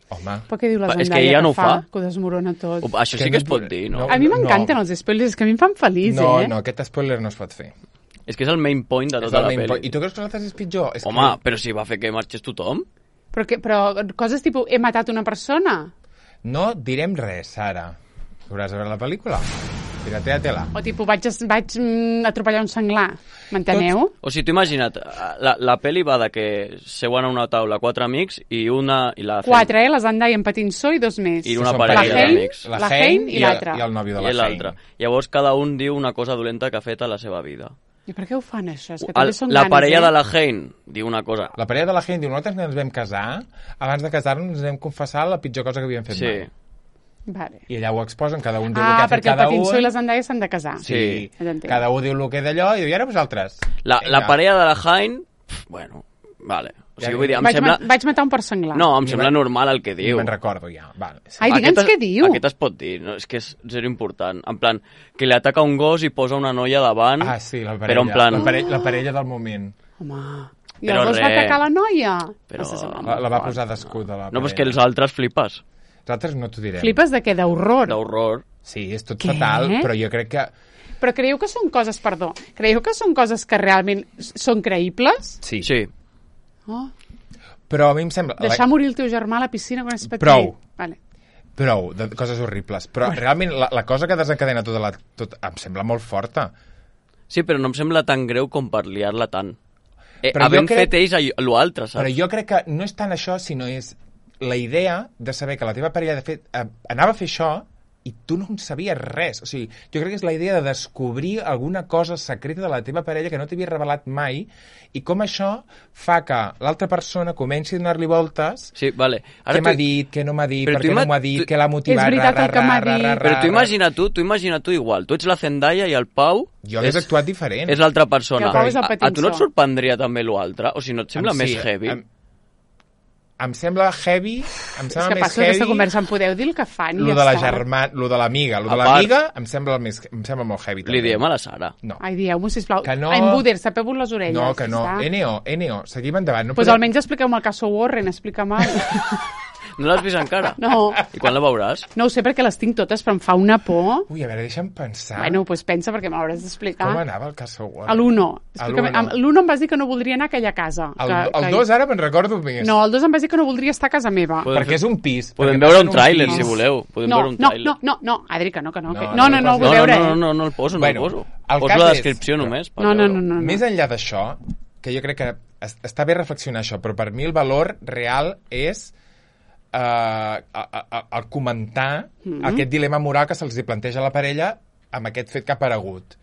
Home, Per què diu la És que Zendaya ella no ho fa? fa. Que ho desmorona tot. O- Això Que sí que es no- pot dir, no? no. A mi m'encanten els spoilers, és que a mi em fan feliç, no, eh? no, aquest spoiler no es pot fer. És que és el main point de És tota el la main pel·li. point. I tu creus que l'altre és pitjor? És Home, que... però si va fer que marxés tothom. Però, que, però coses tipus, he matat una persona? No direm res, Sara. Hauràs de veure la pel·lícula? Piratea-te-la. O tipus, vaig, vaig mm, atropellar un senglar? M'enteneu? O sigui, tu imagina't, la, la pel·li va de que seuen a una taula quatre amics i una... I la Quatre, eh? La Zendaya en Patinsó i dos més. I una Són parella La Hein, d'amics. La la Hein Hein i el- l'altre. I el nòvio de la I l'altre. Hein. Llavors cada un diu una cosa dolenta que ha fet a la seva vida. I per què ho fan, això? És que El, també són la ganes, parella eh? de la Hein diu una cosa. La parella de la Hein diu, nosaltres ens vam casar, abans de casar-nos ens vam confessar la pitjor cosa que havíem fet Sí. mai. Vale. I allà ho exposen, cada un diu Ah, el que ha fet perquè el cada un. Patinsó i la Zendaya s'han de casar. Sí. Ja t'entenc. Cada un diu el que d'allò i diu, i ara vosaltres. La, la Vinga. parella de la Hein, pf, bueno, vale. O sigui, Ja, vull dir, em Vaig, sembla... ma vaig matar un porc senglar. No, em Ni sembla me'n- normal el que Ni diu. me'n recordo ja. Vale. Sí. Ai, digue'ns Aquest es- què diu. Aquest es pot dir, no? És que és zero important. En plan, que li ataca un gos i posa una noia davant, Ah, sí, la parella. però en plan... La, parella, la parella del moment. Home. I Però el gos va res. atacar la noia? Però- Això sembla La, molt la va fort. posar d'escut a la No, però és que parella. els altres flipes, Els altres no t'ho direm. Flipes de què? D'horror? d'horror. Sí, és tot Què? fatal, però jo crec que... Però creieu que són coses, perdó, creieu que són coses que realment s- són creïbles? Sí. Sí. Oh, Però a mi em sembla... deixar morir el teu germà a la piscina quan és petit. Prou. Vale. Prou, de coses horribles. Però realment la, la cosa que desencadena tota la... Tot, em sembla molt forta. Sí, però no em sembla tan greu com per liar-la tant. Eh, Però jo havent crec- fet ells allò- lo altre, saps? Però jo crec que no és tant això, sinó és la idea de saber que la teva parella de fet eh, anava a fer això i tu no en sabies res. O sigui, jo crec que és la idea de descobrir alguna cosa secreta de la teva parella que no t'havia revelat mai i com això fa que l'altra persona comenci a donar-li voltes. Sí, vale. Què m'ha tu- dit, què no m'ha dit, Però per tu què no ima- m'ho ha dit, tu- què l'ha motivat... És veritat ra, el que m'ha ra, dit. ra, ra, Però tu ra. imagina tu, tu imagina tu igual. Tu ets la Zendaya i el Pau Jo hagués és, actuat diferent. és l'altra persona. I el Pau és el a, a tu Patinsó. no et sorprendria també l'altre? O sigui, no et sembla Em- més sí, heavy? Em, em sembla heavy, em És sembla que més passa aquesta heavy... conversa, em podeu dir el que fan i Lo ja de la està. germà, lo de l'amiga, lo de A part- l'amiga em sembla el més, em sembla molt heavy. Li també. diem a la Sara. No. Ai, dieu-m'ho, sisplau. Que no. En Buder, sapeu-vos les orelles. No, que no. ja està. N O, N O, seguim endavant. No Pues podem- almenys expliqueu-me el cas Warren, explica-me. No l'has vist encara? No. I quan la veuràs? No ho sé perquè les tinc totes, però em fa una por. Ui, a veure, deixa'm pensar. Bueno, doncs pensa perquè m'hauràs d'explicar. Com anava el Castle War? A l'uno. A Explícame- l'uno. amb- L'uno em vas dir que no voldria anar a aquella casa. El, que, el que... dos ara me'n recordo més. No, el dos em vas dir que no voldria estar a casa meva. Podem perquè és un pis. Podem perquè veure passa un en tràiler, pis. si voleu. Podem no, veure un no, tràiler. no, no, no, Adri, que no, que no. No, que... no, No, no, no no, ho posis- vull No, veure, no, no, eh? no, no el poso, no Bueno, el poso. el Poso cas la és- descripció només. per No, no, veure-ho. no, no. no. Més enllà d'això, que jo crec que es- està bé reflexionar això, però per mi el valor real és eh, a, a, a, a comentar Mm-hmm. aquest dilema moral que se'ls hi planteja a la parella amb aquest fet que ha aparegut.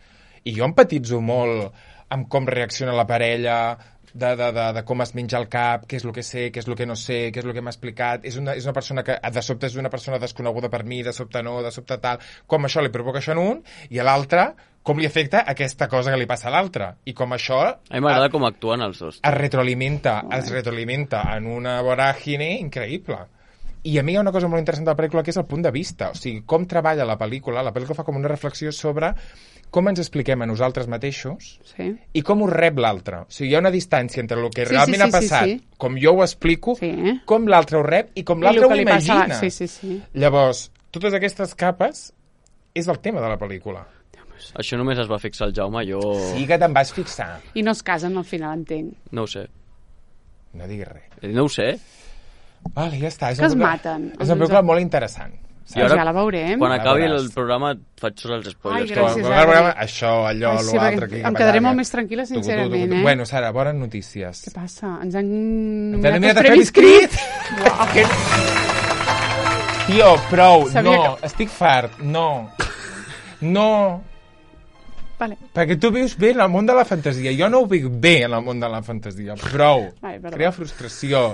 I jo empatitzo molt amb com reacciona la parella, de, de, de, de com es menja el cap, què és el que sé, què és el que no sé, què és el que m'ha explicat. És una, és una persona que de sobte és una persona desconeguda per mi, de sobte no, de sobte tal. Com això li provoca això en un, i a l'altre com li afecta aquesta cosa que li passa a l'altre. I com això A mi m'agrada com actuen els dos. es retroalimenta, es retroalimenta en una voràgine increïble. I a mi hi ha una cosa molt interessant de la pel·lícula que és el punt de vista, o sigui, com treballa la pel·lícula. La pel·lícula fa com una reflexió sobre com ens expliquem a nosaltres mateixos Sí. i com ho rep l'altre. O sigui, hi ha una distància entre el que Sí, realment sí, sí, ha passat, sí, sí. com jo ho explico, Sí, eh? com l'altre ho rep i com I l'altre el ho que li passa a la- imagina. Sí, sí, sí. Llavors, totes aquestes capes és el tema de la pel·lícula. Això només es va fixar el Jaume, jo... Sí que te'n vas fixar. I no es casen al final, entenc. No ho sé. No diguis res. Eh, No ho sé. Vale, ja està. És Que una es pel·lícula- maten. És una pel·lícula molt interessant. I ara, ja la veurem. quan acabi veuràs. el programa et faig tots els spoilers. Ai, que gràcies, va- Adri. Programa, això, allò, Ai, sí, l'altre... perquè em quedaré molt més tranquil·la, Tu, tu, tu, tu, sincerament, tu. eh? Bueno, Sara, bones notícies. Què passa? Ens han Ens nominat han els nominat a Premis Premis Crit. Que- Tio, prou, Sabia no, estic fart, no. No, Vale. perquè tu vius bé en el món de la fantasia. Jo no ho vic bé en el món de la fantasia. Prou. Ai, perdó. Crea frustració.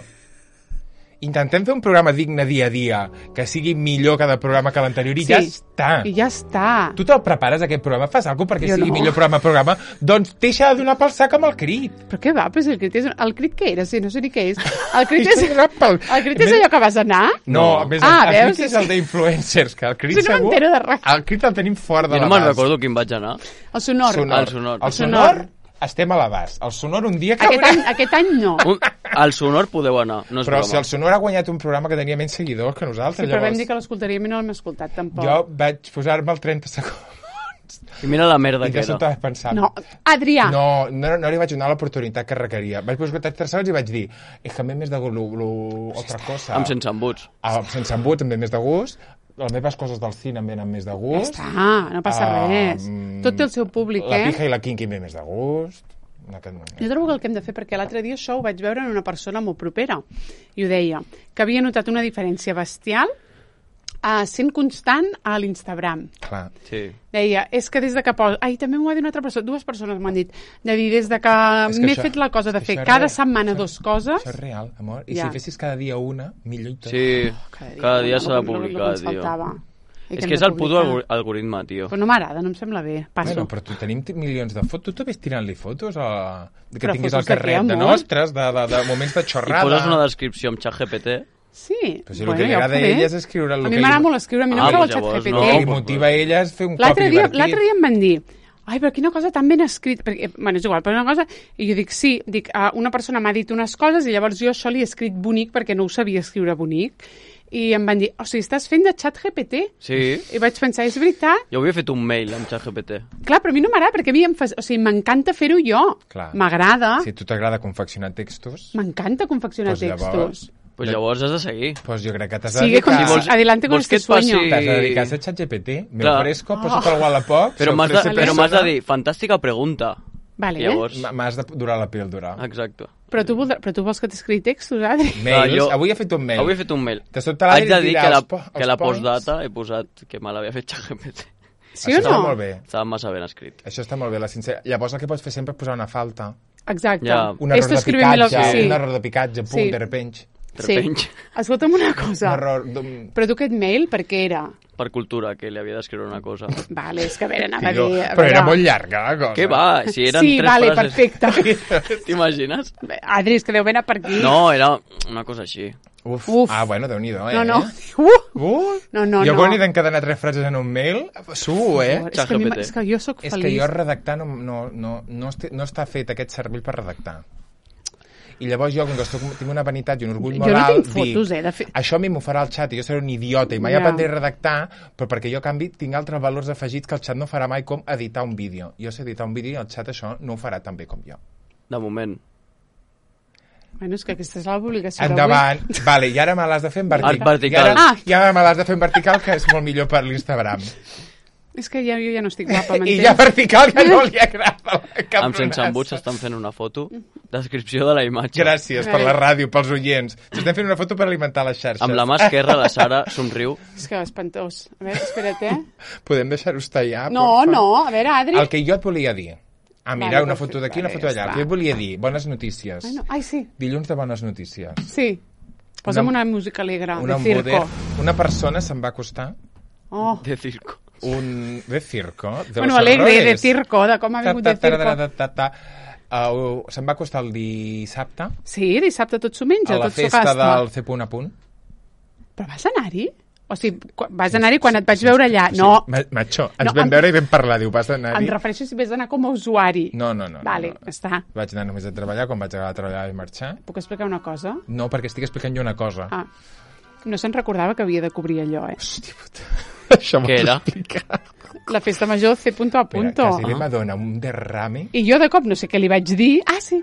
Intentem fer un programa digne dia a dia, que sigui millor cada programa que l'anterior i Sí. ja està. I ja està. Tu te'l prepares, aquest programa? Fas alguna cosa perquè Jo sigui no. millor programa a programa? Doncs deixa de donar pel sac amb el crit. Però què va? Pues el crit, és... el crit què era? Sí, no sé ni què és. El crit és, Deixa de donar pel- el crit és allò que vas anar? No, a més, Ah, el veus? crit és el d'influencers, que el crit Si no segur... m'entero de res. El crit el tenim fora de Jo no l'abast. me'n recordo quin vaig anar. El sonor. Sonor. El sonor. El El sonor, sonor. estem a l'abast. El sonor un dia que... Aquest any, aquest any no. Un, al sonor podeu anar, no és Però broma. si el sonor ha guanyat un programa que tenia menys seguidors que nosaltres, Sí, però vam llavors... dir que l'escoltaríem i no l'hem escoltat, tampoc. Jo vaig posar-me el trenta segons I mira la merda i que de era. sobte vaig pensar... No, Adrià. No, no, no li vaig donar l'oportunitat que requeria. Vaig posar trenta segons i vaig dir és que em ve més de gust lo, lo, altra cosa. Amb sense embuts. Ah, sense embuts em ve més de gust. Les meves coses del cine em venen més de Ja gust. està, no passa Ah, res. mm, Tot té el seu públic, La eh? pija i la kinky em ve més de gust. En aquest moment. Jo trobo que el que hem de fer, perquè l'altre dia això ho vaig veure en una persona molt propera, i ho deia, que havia notat una diferència bestial uh, sent constant a l'Instagram. Clar. Sí. Deia, és que des de que poso... Ai, també m'ho va dir una altra persona, dues persones m'ho han dit, de dir, des de que, És que m'he això- fet la cosa de és que fer això és cada real. setmana Això- dos coses... Això és real, amor. I Ja. si fessis cada dia una, millor i tot. Sí, cada dia s'ha de el que publicar, ens tio. faltava. I És hem que és de el puto publicar. algor- algoritme, tio. Però no m'agrada, no em sembla bé. Passo. Bueno, però tu tenim t- milions de fotos. Tu ves tirant-li fotos a... que Però tinguis fotos al de carrer què, de amor? nostres, de, de, de moments de I xorrada. poses una descripció amb ChatGPT. Sí. Però si el que li agrada a ella és escriure el A mi que m'agrada li- molt escriure, a mi no Ah, m'agrada el doncs llavors xat G P T. no, El que li pues, motiva a ella és fer un cop L'altre dia, divertit. l'altre dia em van dir ai, però quina cosa tan ben escrit. Perquè, bueno, és igual, però una cosa... I jo dic, sí, dic, uh, una persona m'ha dit unes coses i llavors jo això li he escrit bonic perquè no ho sabia escriure bonic. I em van dir, o sigui, estàs fent de xat G P T? Sí. I vaig pensar, és veritat? Jo havia fet un mail amb ChatGPT. Clar, però a mi no m'agrada, perquè a mi em fa... O sigui, m'encanta fer-ho jo. Clar. M'agrada. Si a tu t'agrada confeccionar textos, M'encanta confeccionar Pues textos. llavors- Pues llavors has de seguir. pues jo crec que t'has de Sigue con... dedicar... Si vols- Adelante con vols que este et passi- sueño. T'has de dedicar a ser ChatGPT. Me Clar. ofrezco, posa't al Wallapop... Però se m'has de, ofrece però m'has de persona. dir, fantàstica pregunta. Vale, I llavors... M- M'has de durar la píldora. Exacte. però, tu voldrà... però tu vols que t'escrigui textos, Adri? Mails. jo- Avui he fet un mail. Avui he fet un mail. De sobte l'Adri Haig de dir dirà que la, els po- que els la points. postdata he posat que me l'havia fet ChatGPT. Sí Això o està no? molt bé. Estava massa ben escrit. Això està molt bé, la sincera. Llavors el que pots fer sempre és posar una falta. Exacte. Ja. Un error Esto de escríbemelo- picatge, sí. un error de picatge, pum, Sí. de repente. De Sí. repente. Escolta'm una Un cosa. error... d'un- Però tu aquest mail, per què era? Per cultura, que li havia d'escriure una cosa. Vale, és que a veure, anava a Tio, dir... a però era veure. molt llarga, la cosa. Què va? Si eren Sí, tres vale, frases... perfecte. T'imagines? Adri, és que deu anar per aquí. No, era una cosa així. Uf. Uf. Ah, bueno, Déu-n'hi-do, eh? No, no. Uh! Uh! No, no, jo no. quan he d'encadenar tres frases en un mail, suo, eh? És que, a mi, ChatGPT. és que jo sóc És feliç. que jo redactar no, no, no, no, este, no està fet aquest cervell per redactar. I llavors jo, com que soc, tinc una vanitat i un orgull Jo no moral, tinc fotos, dic, eh, de fer- això a mi m'ho farà el xat i jo seré un idiota i mai Ja. aprendré a redactar, però perquè jo, a canvi, tinc altres valors afegits que el xat no farà mai, com editar un vídeo. Jo sé editar un vídeo i el xat això no ho farà tan bé com jo. De moment. Bueno, és que aquesta és la publicació d'avui. Endavant. Vale, i ara me l'has de fer en vertical. En vertical. I ara, Ah. I ara me l'has de fer en vertical, que és molt millor per l'Instagram. És que ja, jo ja no estic guapa, I m'entens? ja vertical ja no li agrada. Cap Amb sense embuts estan fent una foto. Descripció de la imatge. Gràcies per la ràdio, pels oients. S'estem fent una foto per alimentar les xarxes. Amb la mà esquerra, la Sara somriu. És que espantós. A veure, espera't, eh? Podem deixar-ho estar ja? No, porfa? no, a veure, Adri. El que jo et volia dir. Ah, mira, Vale, una perfecte, foto d'aquí, una vale, foto d'allà. ja El que jo et volia dir, bones notícies. Ai, no. Ai, sí, Dilluns de bones notícies. sí. Posa'm Una- una, música alegre, Una de circo. moder- Una persona se'n va acostar Oh. De circo. un... de circo. De Bueno, los alegre, de horrores. circo, de com ha vingut de Ta, ta, ta, circo. ta, ta, ta, ta. Uh, se'n va acostar el dissabte Sí, dissabte tot s'ho menja, a la tot s'ho festa gasta. del C punt a punt. Però vas anar-hi? O sigui, quan- vas anar-hi quan et vaig veure allà. No, Ma- Macho, ens No, vam em- veure i vam parlar. Diu, vas em anar-hi? refereixo si vas anar com a usuari. No, no, no. Vale, no, no. està. Vaig anar només a treballar, quan vaig acabar de treballar i marxar. Puc explicar una cosa? No, perquè estic explicant jo una cosa. Ah, no se'n recordava que havia de cobrir allò, eh? Hòstia puta. Això m'ho Què era? explicar. La festa major C punto a punto. Quasi li m'adona un derrame. I jo de cop no sé què li vaig dir. Ah, sí.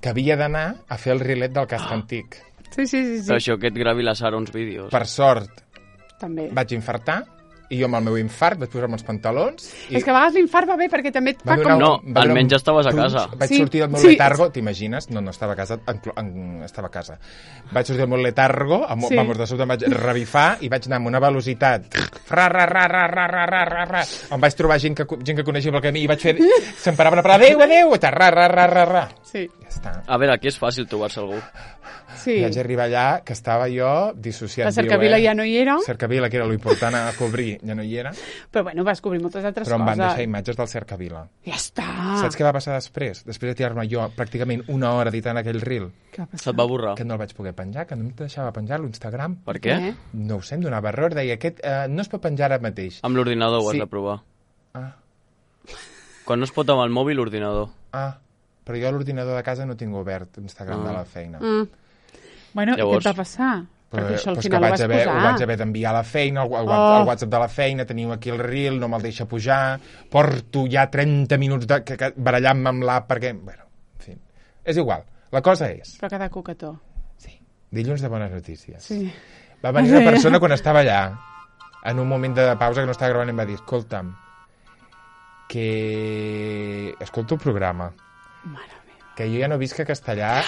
que havia d'anar a fer el rilet del casc antic. Sí, sí, sí. sí. Però això que et gravi la Sara uns vídeos. Per sort, També. vaig infartar, i jo amb el meu infart vaig posar-me els pantalons... I És que a vegades l'infart va bé perquè també et va fa donar com... No, un- va donar almenys un estaves a punx. casa. Vaig Sí, sortir del meu sí. letargo, t'imagines? No, no estava a casa, en, en, estava a casa. Vaig sortir del meu letargo, amb, Sí. sí. vamos, de sobte em vaig revifar i vaig anar amb una velocitat... Ra, ra, ra, ra, ra, ra, ra, ra, ra. Em vaig trobar gent que, gent que coneixia pel camí i vaig fer... Se'm paraven a parar, adéu, adéu, i ta, ra, ra, ra, ra, ra. Sí, Ja està. A veure, aquí és fàcil trobar-se algú. sí. I vaig arribar allà, que estava jo dissociat. La cercavila ja no hi era, Cercavila, que era l'important a cobrir, ja no hi era, però bueno, vas cobrir moltes altres però em van coses. deixar imatges del cercavila. Ja està. Saps què va passar després? Després de tirar-me jo pràcticament una hora editant aquell reel, Què va passar? Se't va borrar. que no el vaig poder penjar, que no em deixava penjar a l'Instagram. Per què? Eh? No ho sé, em donava error, deia, aquest eh, no es pot penjar ara mateix. Amb l'ordinador ho has Sí. de provar. Ah, Quan no es pot amb el mòbil, l'ordinador. ah, però jo a l'ordinador de casa no tinc obert Instagram Ah. de la feina. Mm. Bueno, Llavors- i què et va passar? Però, Perquè això al però és final que ho vaig vas haver, posar. ho vaig haver d'enviar a la feina, al, al, Oh. al WhatsApp de la feina, teniu aquí el reel, no me'l deixa pujar, porto ja trenta minuts de, que, que, barallant-me amb l'app perquè... Bueno, en fi, és igual. La cosa és... Però cada coquetó. Sí, dilluns de bones notícies. Sí. Va venir una persona quan estava allà, en un moment de pausa que no estava gravant, i em va dir, escolta'm, que escolto el programa, Mare meva. que jo ja no visc a Castellà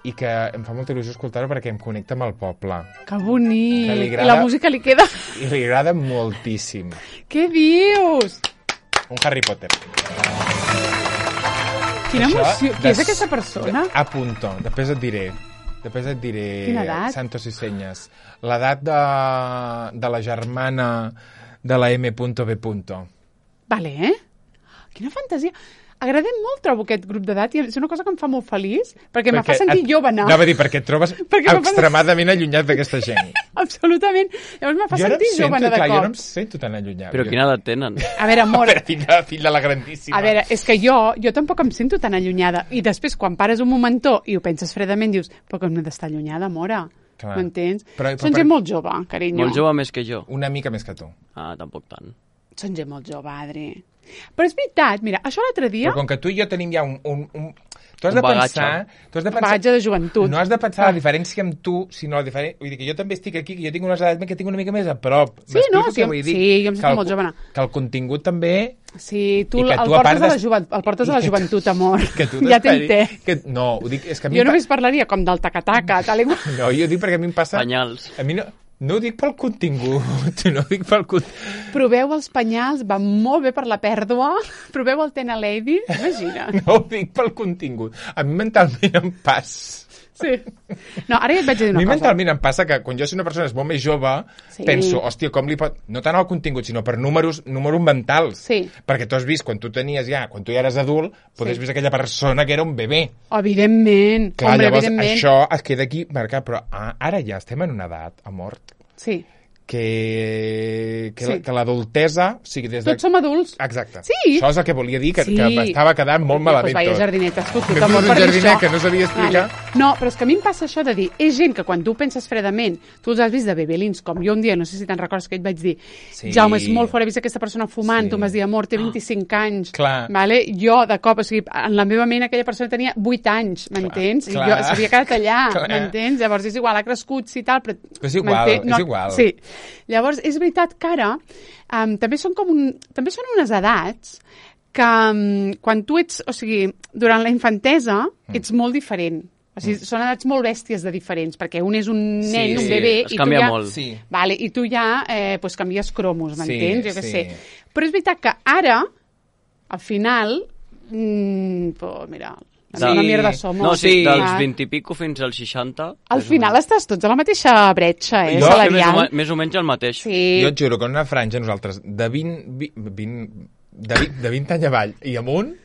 i que em fa molta il·lusió escoltar-ho perquè em connecta amb el poble. Que bonic. Que li I agrada- la música li queda... I li agrada moltíssim. Què dius? Un Harry Potter. Quina Això emoció. Qui de- és aquesta persona? A punto. Després et diré. Després et diré... Quina edat? Santos i senyes. L'edat de, de la germana de la M B. Vale, eh? Quina fantasia. Agradem molt, trobo, aquest grup d'edat i és una cosa que em fa molt feliç perquè, me fa sentir et- jove, no? Anava a dir, perquè et trobes Perquè me fa- extremadament allunyat d'aquesta gent. Absolutament. Llavors me fa jo no em sentir sento, jove, de clar, jo no em cop. sento tan allunyat. Però jo... quina edat tenen? A veure, amor, Però fill de, fill de la grandíssima. a veure, és que jo, jo tampoc em sento tan allunyada. I després, quan pares un momentó i ho penses fredament, dius, però que no he d'estar allunyada, mora. Clar. M'entens? Però- però Són per- gent molt jove, carinyo. Molt jove més que jo. Una mica més que tu. Ah, tampoc tant. Són gent molt jove, Adri. Però és veritat, mira, això l'altre dia... Però com que tu i jo tenim ja un... un, un... Tu has Un de bagatge. pensar... Tu has de Un pensar... bagatge de joventut. No has de pensar Ah. la diferència amb tu, sinó la diferència... Vull dir que jo també estic aquí, que jo tinc unes edats que tinc una mica més a prop. Sí, M'explico no, què sí, vull dir? sí, jo em sento Que el- molt jove, no. Que el contingut també... Sí, tu, I que el, tu, a portes part a la de- jovent, el portes i a la que tu- joventut, amor. Que tu Ja t'esperi- t'entenc. Que... No, ho dic... És que a mi Jo em pa- només parlaria com del taca-taca, tal i qual. No, jo ho dic perquè a mi em passa... Panyals. A mi no... No ho dic pel contingut, no ho dic pel contingut. Proveu els penyals, va molt bé per la pèrdua. Proveu el Tena Lady, imagina. No ho dic pel contingut. A mi mentalment em passa... Sí. No, ara ja et vaig dir A una mi cosa. mentalment em passa que quan jo soc una persona és molt més jove, Sí. penso, hòstia, com li pot... No tant al contingut, sinó per números, números mentals. Sí. Perquè tu has vist, quan tu tenies ja, quan tu ja eres adult, Sí. podés vist aquella persona que era un bebè. Evidentment. Clar, Hombre, llavors evidentment. això es queda aquí marcat, però ah, ara ja estem en una edat, amor, Sí. que, que, Sí. la, que l'adultesa, o sigui, des de... Tots som adults. Exacte. Sí. Això és el que volia dir, que, Sí. que m'estava quedant molt malament Pues vaya tot. jardinet, has fotut, Que amor, fos un per dir jardinet això. que no sabia explicar. Vale. No, però és que a mi em passa això de dir, és gent que quan tu penses fredament, tu els has vist de bebelins, com jo un dia, no sé si te'n recordes que et vaig dir, Sí. Jaume, és molt fort, he vist aquesta persona fumant, Sí. tu em vas dir, amor, té vint-i-cinc anys. Clar. Vale? Jo, de cop, o sigui, en la meva ment aquella persona tenia vuit anys, m'entens? I clar. jo s'havia quedat allà, Clar. m'entens? Llavors és igual, ha crescut, sí, tal, però... És igual, m'entens? és igual. Sí. Llavors, és veritat que ara um, també són com un... també són unes edats que um, quan tu ets, o sigui, durant la infantesa ets molt diferent. O sigui, són edats molt bèsties de diferents, perquè un és un Sí, nen, un sí, bebè, es i canvia tu ja... molt. Sí. Vale, i tu ja eh, pues, canvies cromos, m'entens? Sí, jo què sí. sé. Però és veritat que ara, al final, mmm, pues, mira, Sí. una mierda somos. No, sí, Sí. dels vint i pico fins als seixanta. Al final estàs tots a la mateixa bretxa, eh, Jo- Més o, salarial. més o menys el mateix. Sí. Jo et juro que en una franja nosaltres de vint, vint, de vint, de vint anys avall i amunt,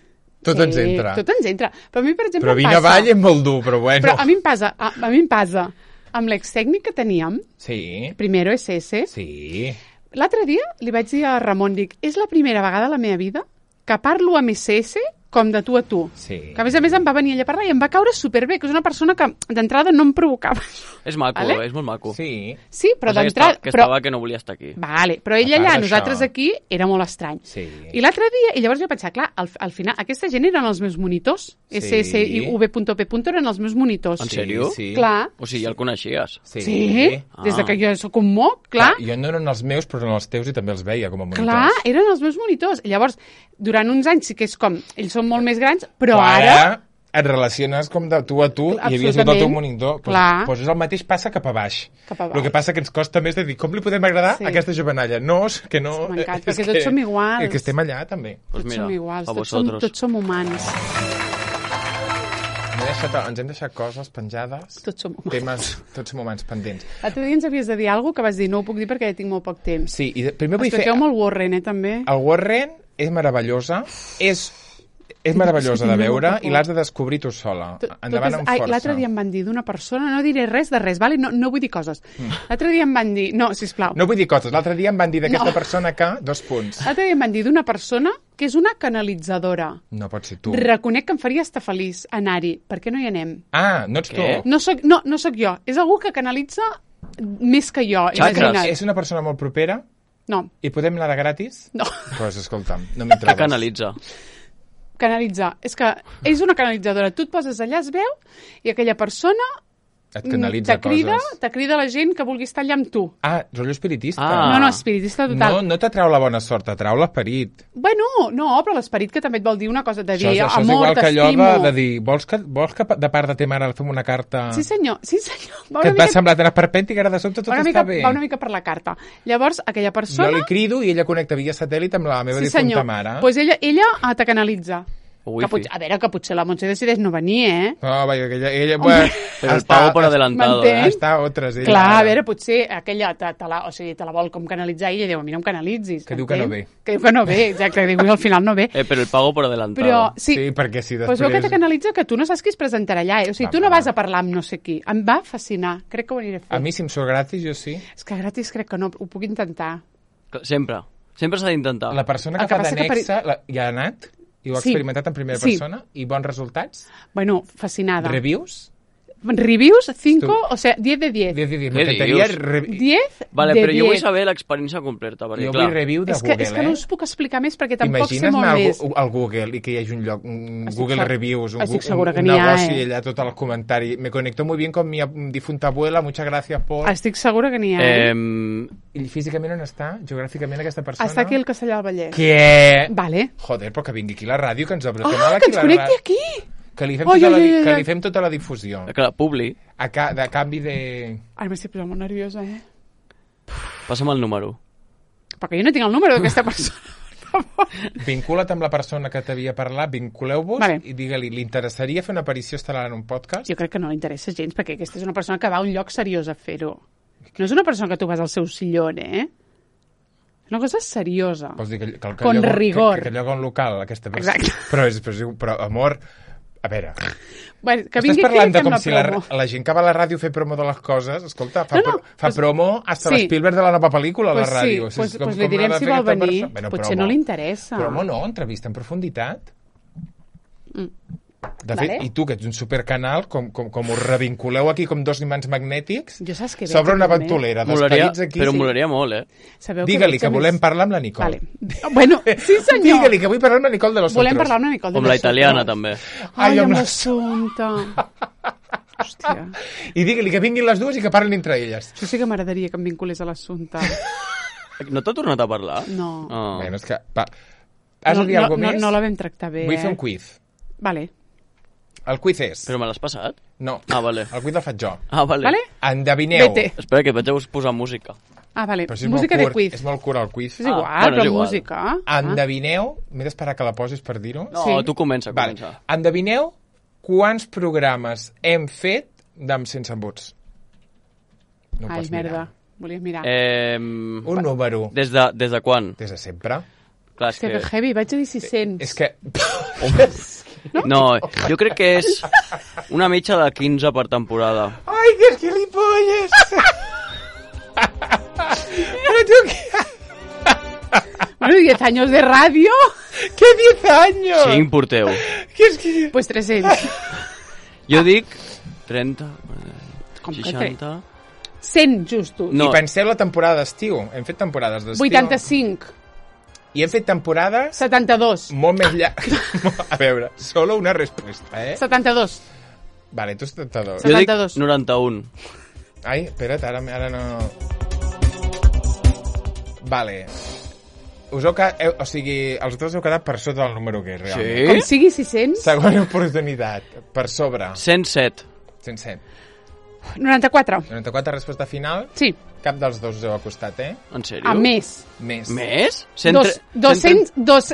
tot sí, ens entra. Tot ens entra. Però a mi, per exemple, Però em vint passa... avall és molt dur, però bueno. Però a mi em passa, a, a mi em passa, amb l'extècnic que teníem, Sí, Primero S S, sí. l'altre dia li vaig dir a Ramon, dic, és la primera vegada a la meva vida que parlo amb S S com de tu a tu. Sí. Que a més a més em va venir ella a parlar i em va caure superbé, que és una persona que d'entrada no em provocava. És maco, Vale? és molt maco. Sí. Sí, però Passa que d'entrada... esta- que Però... estava que no volia estar aquí. Vale, però ella A part allà, d'això. nosaltres aquí, era molt estrany. Sí. I l'altre dia, i llavors jo pensava, clar, al, al final, aquesta gent eren els meus monitors. Sí. S S I V punto P eren els meus monitors. En Sí, sèrio? sí. Clar. O sigui, ja el coneixies. Sí. Sí, Ah. des de que jo sóc un moc, clar. Jo no eren els meus, però eren els teus i també els veia com a monitors. Clar, eren els meus monitors. I llavors, durant uns anys sí que és com... Ells són molt més grans, però Clar, ara... et relaciones com de tu a tu i havia sigut el teu Absolutament. monitor. Pues, Clar. pues és el mateix passa cap a baix. Cap a baix. El que passa que ens costa més de dir com li podem agradar Sí. a aquesta jovenalla. No, és que no... M'encanta, és perquè tots som iguals. És que estem allà, també. Pues Tots mira, som iguals, a tots som, vosotros. tots som humans. M'he deixat, ens hem deixat coses penjades. Tots som humans. Temes, tots som humans pendents. L'altre dia ens havies de dir alguna cosa que vas dir, no ho puc dir perquè ja tinc molt poc temps. Sí, i de, primer vull fer... Expliqueu molt Warren, eh, també. El Warren és meravellosa, és, és meravellosa de veure i l'has de descobrir tu sola. Tot- Endavant totes- amb ai, força. L'altre dia em van dir d'una persona, no diré res de res, vale? no, no vull dir coses. L'altre dia em van dir, no, sisplau, No vull dir coses. L'altre dia em van dir d'aquesta No. persona que... Dos punts. l'altre dia em van dir d'una persona que és una canalitzadora. No pot ser tu. Reconec que em faria estar feliç anar-hi. Per què no hi anem? Ah, no ets Què? tu. No soc, no, no sóc jo. És algú que canalitza més que jo. Xacres. imagina't. És una persona molt propera No, i podem anar de gratis? no. Doncs pues, escolta'm, no m'hi Que trobes. canalitza. Canalitzar. És que és una canalitzadora. Tu et poses allà, es veu, i aquella persona Et mm, canalitza te crida, coses. te crida la gent que vulgui estar allà amb tu. Ah, rotllo espiritista. Ah. No, no, espiritista total. No, no t'atrau la bona sort, t'atrau l'esperit. Bueno, no, però l'esperit que també et vol dir una cosa, de dir Això, és- això és amor, igual que allò t'estimo. de, de dir, vols que, vols que de part de ta mare fem una carta Sí, senyor, sí, senyor. Va que una et va mica, semblar tan esperpèntic, ara de sobte tot va una està mica, bé. va una mica per la carta. Llavors, aquella persona... Jo li crido i ella connecta via satèl·lit amb la meva sí, difunta senyor. mare. Pues ella, ella ah, te canalitza. Wifi. Que pot, a veure, que potser la Montse decideix no venir, eh? No, vaja, que ella... ella bueno, Però el pago per adelantado, m'entens? eh? Està a altres, ella. Clar, a ara. veure, potser aquella te, te, la, o sigui, te la vol com canalitzar i ella diu, a mi no em canalitzis. Que diu que no ve. Que diu que no ve, exacte, que diu que al final no ve. Eh, però el pago per adelantado. Però, sí, Sí, perquè si pues després... veu que te canalitza que tu no saps qui es presentarà allà, eh? O sigui, Va, tu no va. vas a parlar amb no sé qui. Em va fascinar, crec que ho aniré a fer. A mi, si em surt gratis, jo sí. És que gratis crec que no, ho puc intentar. Clar, Sempre. Sempre s'ha d'intentar. La persona El que que fa passa que per- d'annexa la... ja ha anat i ho ha Sí. experimentat en primera Sí. persona i bons resultats. Bueno, fascinada. Reviews? Reviews, cinco, Tu- o sea, diez de diez. diez de diez. Què M'encantaria... dius? Re... diez Vale, de però jo vull diez. saber l'experiència completa, perquè, Jo clar... vull review de És que, Google, és que no eh? us puc explicar més perquè tampoc sé Imagines molt anar al, més. Gu- al Google i que hi hagi un lloc, un Estic Google seg- Reviews, un, estic gu- segura un, que un n'hi ha, negoci eh? allà tot el comentari. Me conecto muy bien con mi ab- difunta abuela, muchas gracias por... Estic segura que n'hi ha. Eh? Eh, I físicament on està? Geogràficament aquesta persona? Està aquí al Castellà del Vallès. Què? Vale. Joder, però que vingui aquí la ràdio, que ens obre. Ah, que ens connecti aquí! Que li fem, Ai, tota, ai, la, di- ai, que ai. li fem tota la difusió. clar, Publi, A, ca, de canvi de... Ara m'estic posant molt nerviosa, eh? passa'm el número. Perquè jo no tinc el número d'aquesta persona, per favor. Vincula't amb la persona que t'havia parlat, vinculeu-vos Vale. i digue-li, li interessaria fer una aparició estel·lar en un podcast? Jo crec que no li interessa gens, perquè aquesta és una persona que va a un lloc seriós a fer-ho. No és una persona que tu vas al seu sillón, eh? És una cosa seriosa. Vols dir que, que, que Con lloga, rigor. Que, que lloga un local, aquesta persona. Exacte. Però, és, però, és- però, amor, a veure, Bueno, que estàs vingui aquí parlant i de fem com la si la, promo. la gent que va a la ràdio a fer promo de les coses, escolta, fa, No, no, pro, fa pues- promo hasta sí. l'Spielberg de la nova pel·lícula a la Pues ràdio. sí, pues, És com- pues li com direm l'ha de si fer vol aquesta venir. persona. Bueno, Potser promo. no li interessa. Promo no, entrevista en profunditat. Mm. De fet, Vale. i tu, que ets un supercanal, com, com, com us revinculeu aquí com dos imants magnètics, Jo saps què veig, s'obre una també? ventolera Molaria, d'esperits aquí. però Sí. molaria molt, eh? Sabeu Digue-li veig que a volem més- parlar amb la Nicole. Vale. Bueno, sí senyor. Digue-li que vull parlar amb la Nicole de los Volem otros. parlar una mica de Com la nosotros. italiana, també. Ai, Ai, amb amb la- l'assumpte. Hòstia. I digue-li que vinguin les dues i que parlin entre elles. Això sí que m'agradaria que em vinculés a l'assumpte. No t'ha tornat a parlar? No. Ah. Bueno, és que... Va. Has no, de dir no, alguna no, més? no la vam tractar bé, Vull eh? fer un quiz. Vale. El quiz és... Però me l'has passat? No. Ah, vale. El quiz el faig jo. Ah, vale. Vale? Endevineu. Vete. Espera, que vaig a posar música. Ah, vale. Però si és Música molt de curt, quiz. És molt curt el quiz. És igual, Ah, bueno, però és igual. música. Ah. Endevineu... M'he d'esperar que la posis per dir-ho. No, Sí. tu comença, Vale. comença. Endevineu quants programes hem fet d'Amb Sense Embuts. No ho Ai, pots mirar. merda. Volies mirar. Eh, Un número. des, de, des de quan? Des de sempre. Clar, és Hòstia, que que... heavy, vaig a dir sis-cents. És que... No, jo crec que és una mitja de quinze per temporada. Ai, que gilipolles! Però tu què? Bueno, diez años de radio. ¿Qué diez años? cinc porteu. Que és que... Pues tres-cents. Jo dic trenta, Com que seixanta... cent justos. No. I penseu la temporada d'estiu. Hem fet temporades d'estiu. vuitanta-cinc. I hem fet temporades setanta-dos. molt més llargues. A veure, solo una respuesta, eh? setanta-dos. Vale, tu setanta-dos. Jo dic setanta-dos. noranta-un. Ai, espera't, ara, ara no... Vale. Us heu quedat... Heu, o sigui, els dos heu quedat per sota del número que és, realment. Com sigui sis-cents. Segona oportunitat. Per sobre. cent set. cent set. noranta-quatre. noranta-quatre, resposta final. Sí, Cap dels dos us heu acostat, eh? En sèrio? a més. Més. Més? cent Dos, dos-cents, dos,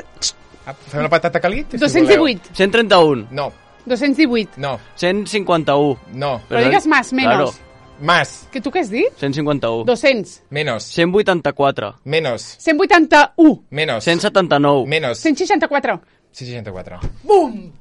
Ah, fem la patata calit? si dos-cents voleu. divuit. cent trenta-un. No, dos-cents divuit. no, cent cinquanta-un. no. Però digues más, menos. Claro, Más, Que tu què has dit? cent cinquanta-un. dos-cents. menos, cent vuitanta-quatre. menos, cent vuitanta-u. menos, cent setanta-nou. menos, cent seixanta-quatre. cent seixanta-quatre. Bum!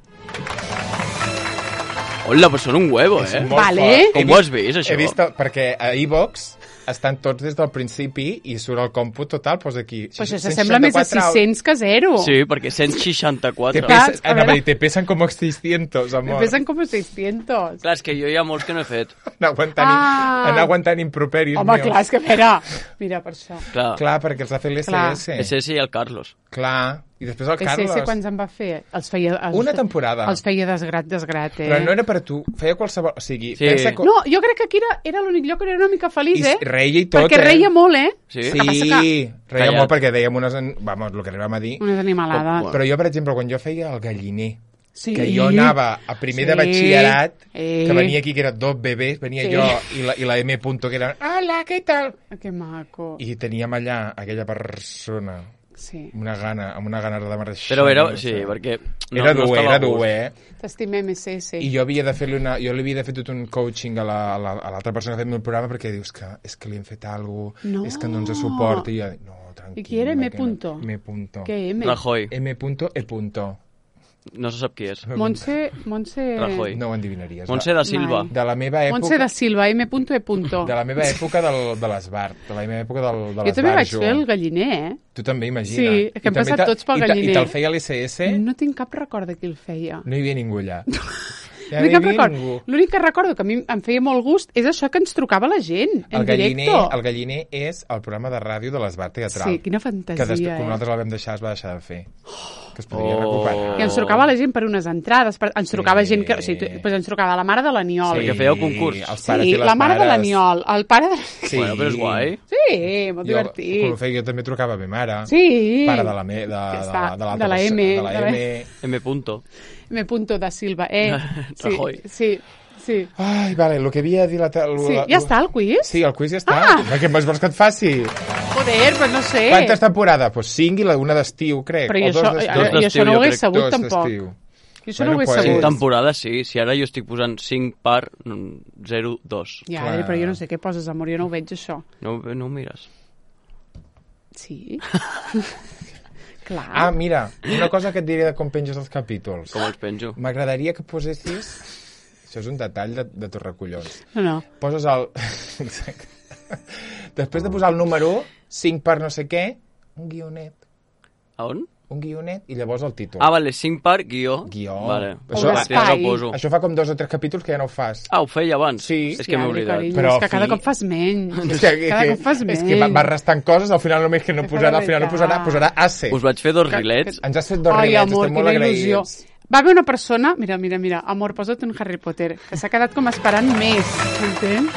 Hola, però són un huevo, És eh? molt Vale. fort. Com He ho has vist, això? He vist, perquè a iVox estan tots des del principi i surt el còmput total, posa aquí. Però això s'assembla més a sis-cents que zero. Sí, perquè cent Te seixanta-quatre. Clar, pesan, a anava a veure. dir, te pesan como seiscientos, Me amor. pesen com seiscientos. Clar, és que jo hi ha molts que no he fet. Anar aguantant, Ah. anar aguantant improperis Home, meus. clar, és que a veure... Mira, per això. Clar, Clar, perquè els ha fet l'S Clar. S. és ese i el Carlos. Clar. I després el S Carlos. S quants en va fer? Els feia... Els Una fe- temporada. Els feia desgrat, desgrat, eh? Però no era per tu. Feia qualsevol... O sigui, Sí. pensa que... No, jo crec que aquí era, era l'únic lloc on era una mica feliç, I eh? reia i tot, Perquè eh? reia molt, eh? Sí? Sí, que passa que- reia Callat. molt perquè dèiem unes... En... Vamos, el que arribàvem a dir. Una animalada. Com- Però jo, per exemple, quan jo feia el galliner, Sí. que jo anava a primer de Sí. batxillerat, Eh. que venia aquí, que era dos bebès, venia Sí. jo i la, i la M. Punto, que era, hola, què tal? Ah, que maco. I teníem allà aquella persona Sí. amb una gana, amb una gana de marxar. Però era... no Sí, sé. perquè... No, Era no dur, estava era a gust. dur, eh? T'estimem, S S. I jo havia de fer-li una... Jo li havia de fer tot un coaching a la- a la- a l'altra persona que ha fet el programa perquè dius que és que li hem fet alguna cosa, No. és que no ens suporta. I jo, no, tranquil. I qui era M. Punto? M. Punto. Què, M? Rajoy. M. Punto E. Punto. No se sap qui és. Montse... Montse... Rajoy. No ho endevinaries. Montse da Silva. Mai. De la meva època... Montse da Silva, M. E. Punto. De la meva època del, de l'Esbart. De la meva època del, de Jo l'Esbart. també vaig Jo. fer el galliner, eh? Tu també, imagina. Sí, que I hem també passat te- tots pel i te- galliner. I te'l feia l'S S? No tinc cap record de qui el feia. No hi havia ningú allà. Ja No tinc no cap hi havia record. ningú. L'únic que recordo que a mi em feia molt gust és això que ens trucava la gent, en El galliner, directo. el galliner és el programa de ràdio de l'Esbart Teatral. Sí, quina que fantasia, després, eh? quan nosaltres el vam deixar, es va deixar de fer. Que es podria Oh. recuperar. I ens trucava la gent per unes entrades, per, ens trucava Sí. gent que... O sigui, tu- pues ens trucava la mare de l'Aniol. Sí. que fèieu concurs. els pares Sí, i les la mare de mares. l'Aniol, el pare de... Sí. Bueno, però és guai. Sí, molt Jo, divertit. quan ho feia, jo també trucava a ma mare. Sí. Pare de la, me, de, Ja de, està, de, de, de la M, De la de la- M. M. Punto. M. Punto da Silva, eh? Sí, Rajoy. sí, sí. Ai, vale, el que havia de dir la... la Sí, ja està el quiz? Sí, el quiz ja està. Ah! Què més vols que et faci? Joder, però no sé. Quantes temporades? Pues cinc i la una d'estiu, crec. Però o jo dos això, d'estiu. jo, jo això no ho jo hagués crec, sabut Dos tampoc. d'estiu. Jo això Bueno, no ho hagués pues- Cinc sabut. temporades, sí. Si ara jo estic posant cinc per zero dos. Ja, Clar. però jo no sé què poses, amor, jo no ho veig, això. No, no ho mires. Sí? Clar. Ah, mira, una cosa que et diré de com penges els capítols. Com els penjo? M'agradaria que posessis... Això és un detall de, de tus recollons. No, no. Poses el... Exacte. Després de posar el número cinc per no sé què, un guionet. A on? Un guionet i llavors el títol. Ah, vale, cinc per guió. Guió. Vale. Això- O ja l'espai. ho poso. Això fa com dos o tres capítols que ja no ho fas. Ah, ho feia abans? Sí. És que m'he Diable, oblidat. carinyo, Però, és que cada fi- cop fas menys. És que, cada cop fas és menys. que va, va restant coses, al final només que no Que posarà, al fa final no posarà, veritat. posarà ace. Us vaig fer dos Que- rilets. Ens has fet dos Ai, rilets, amor, estem molt quina il·lusió. agraïts. Va haver una persona... Mira, mira, mira. Amor, posa't un Harry Potter, que s'ha quedat com esperant més, entens?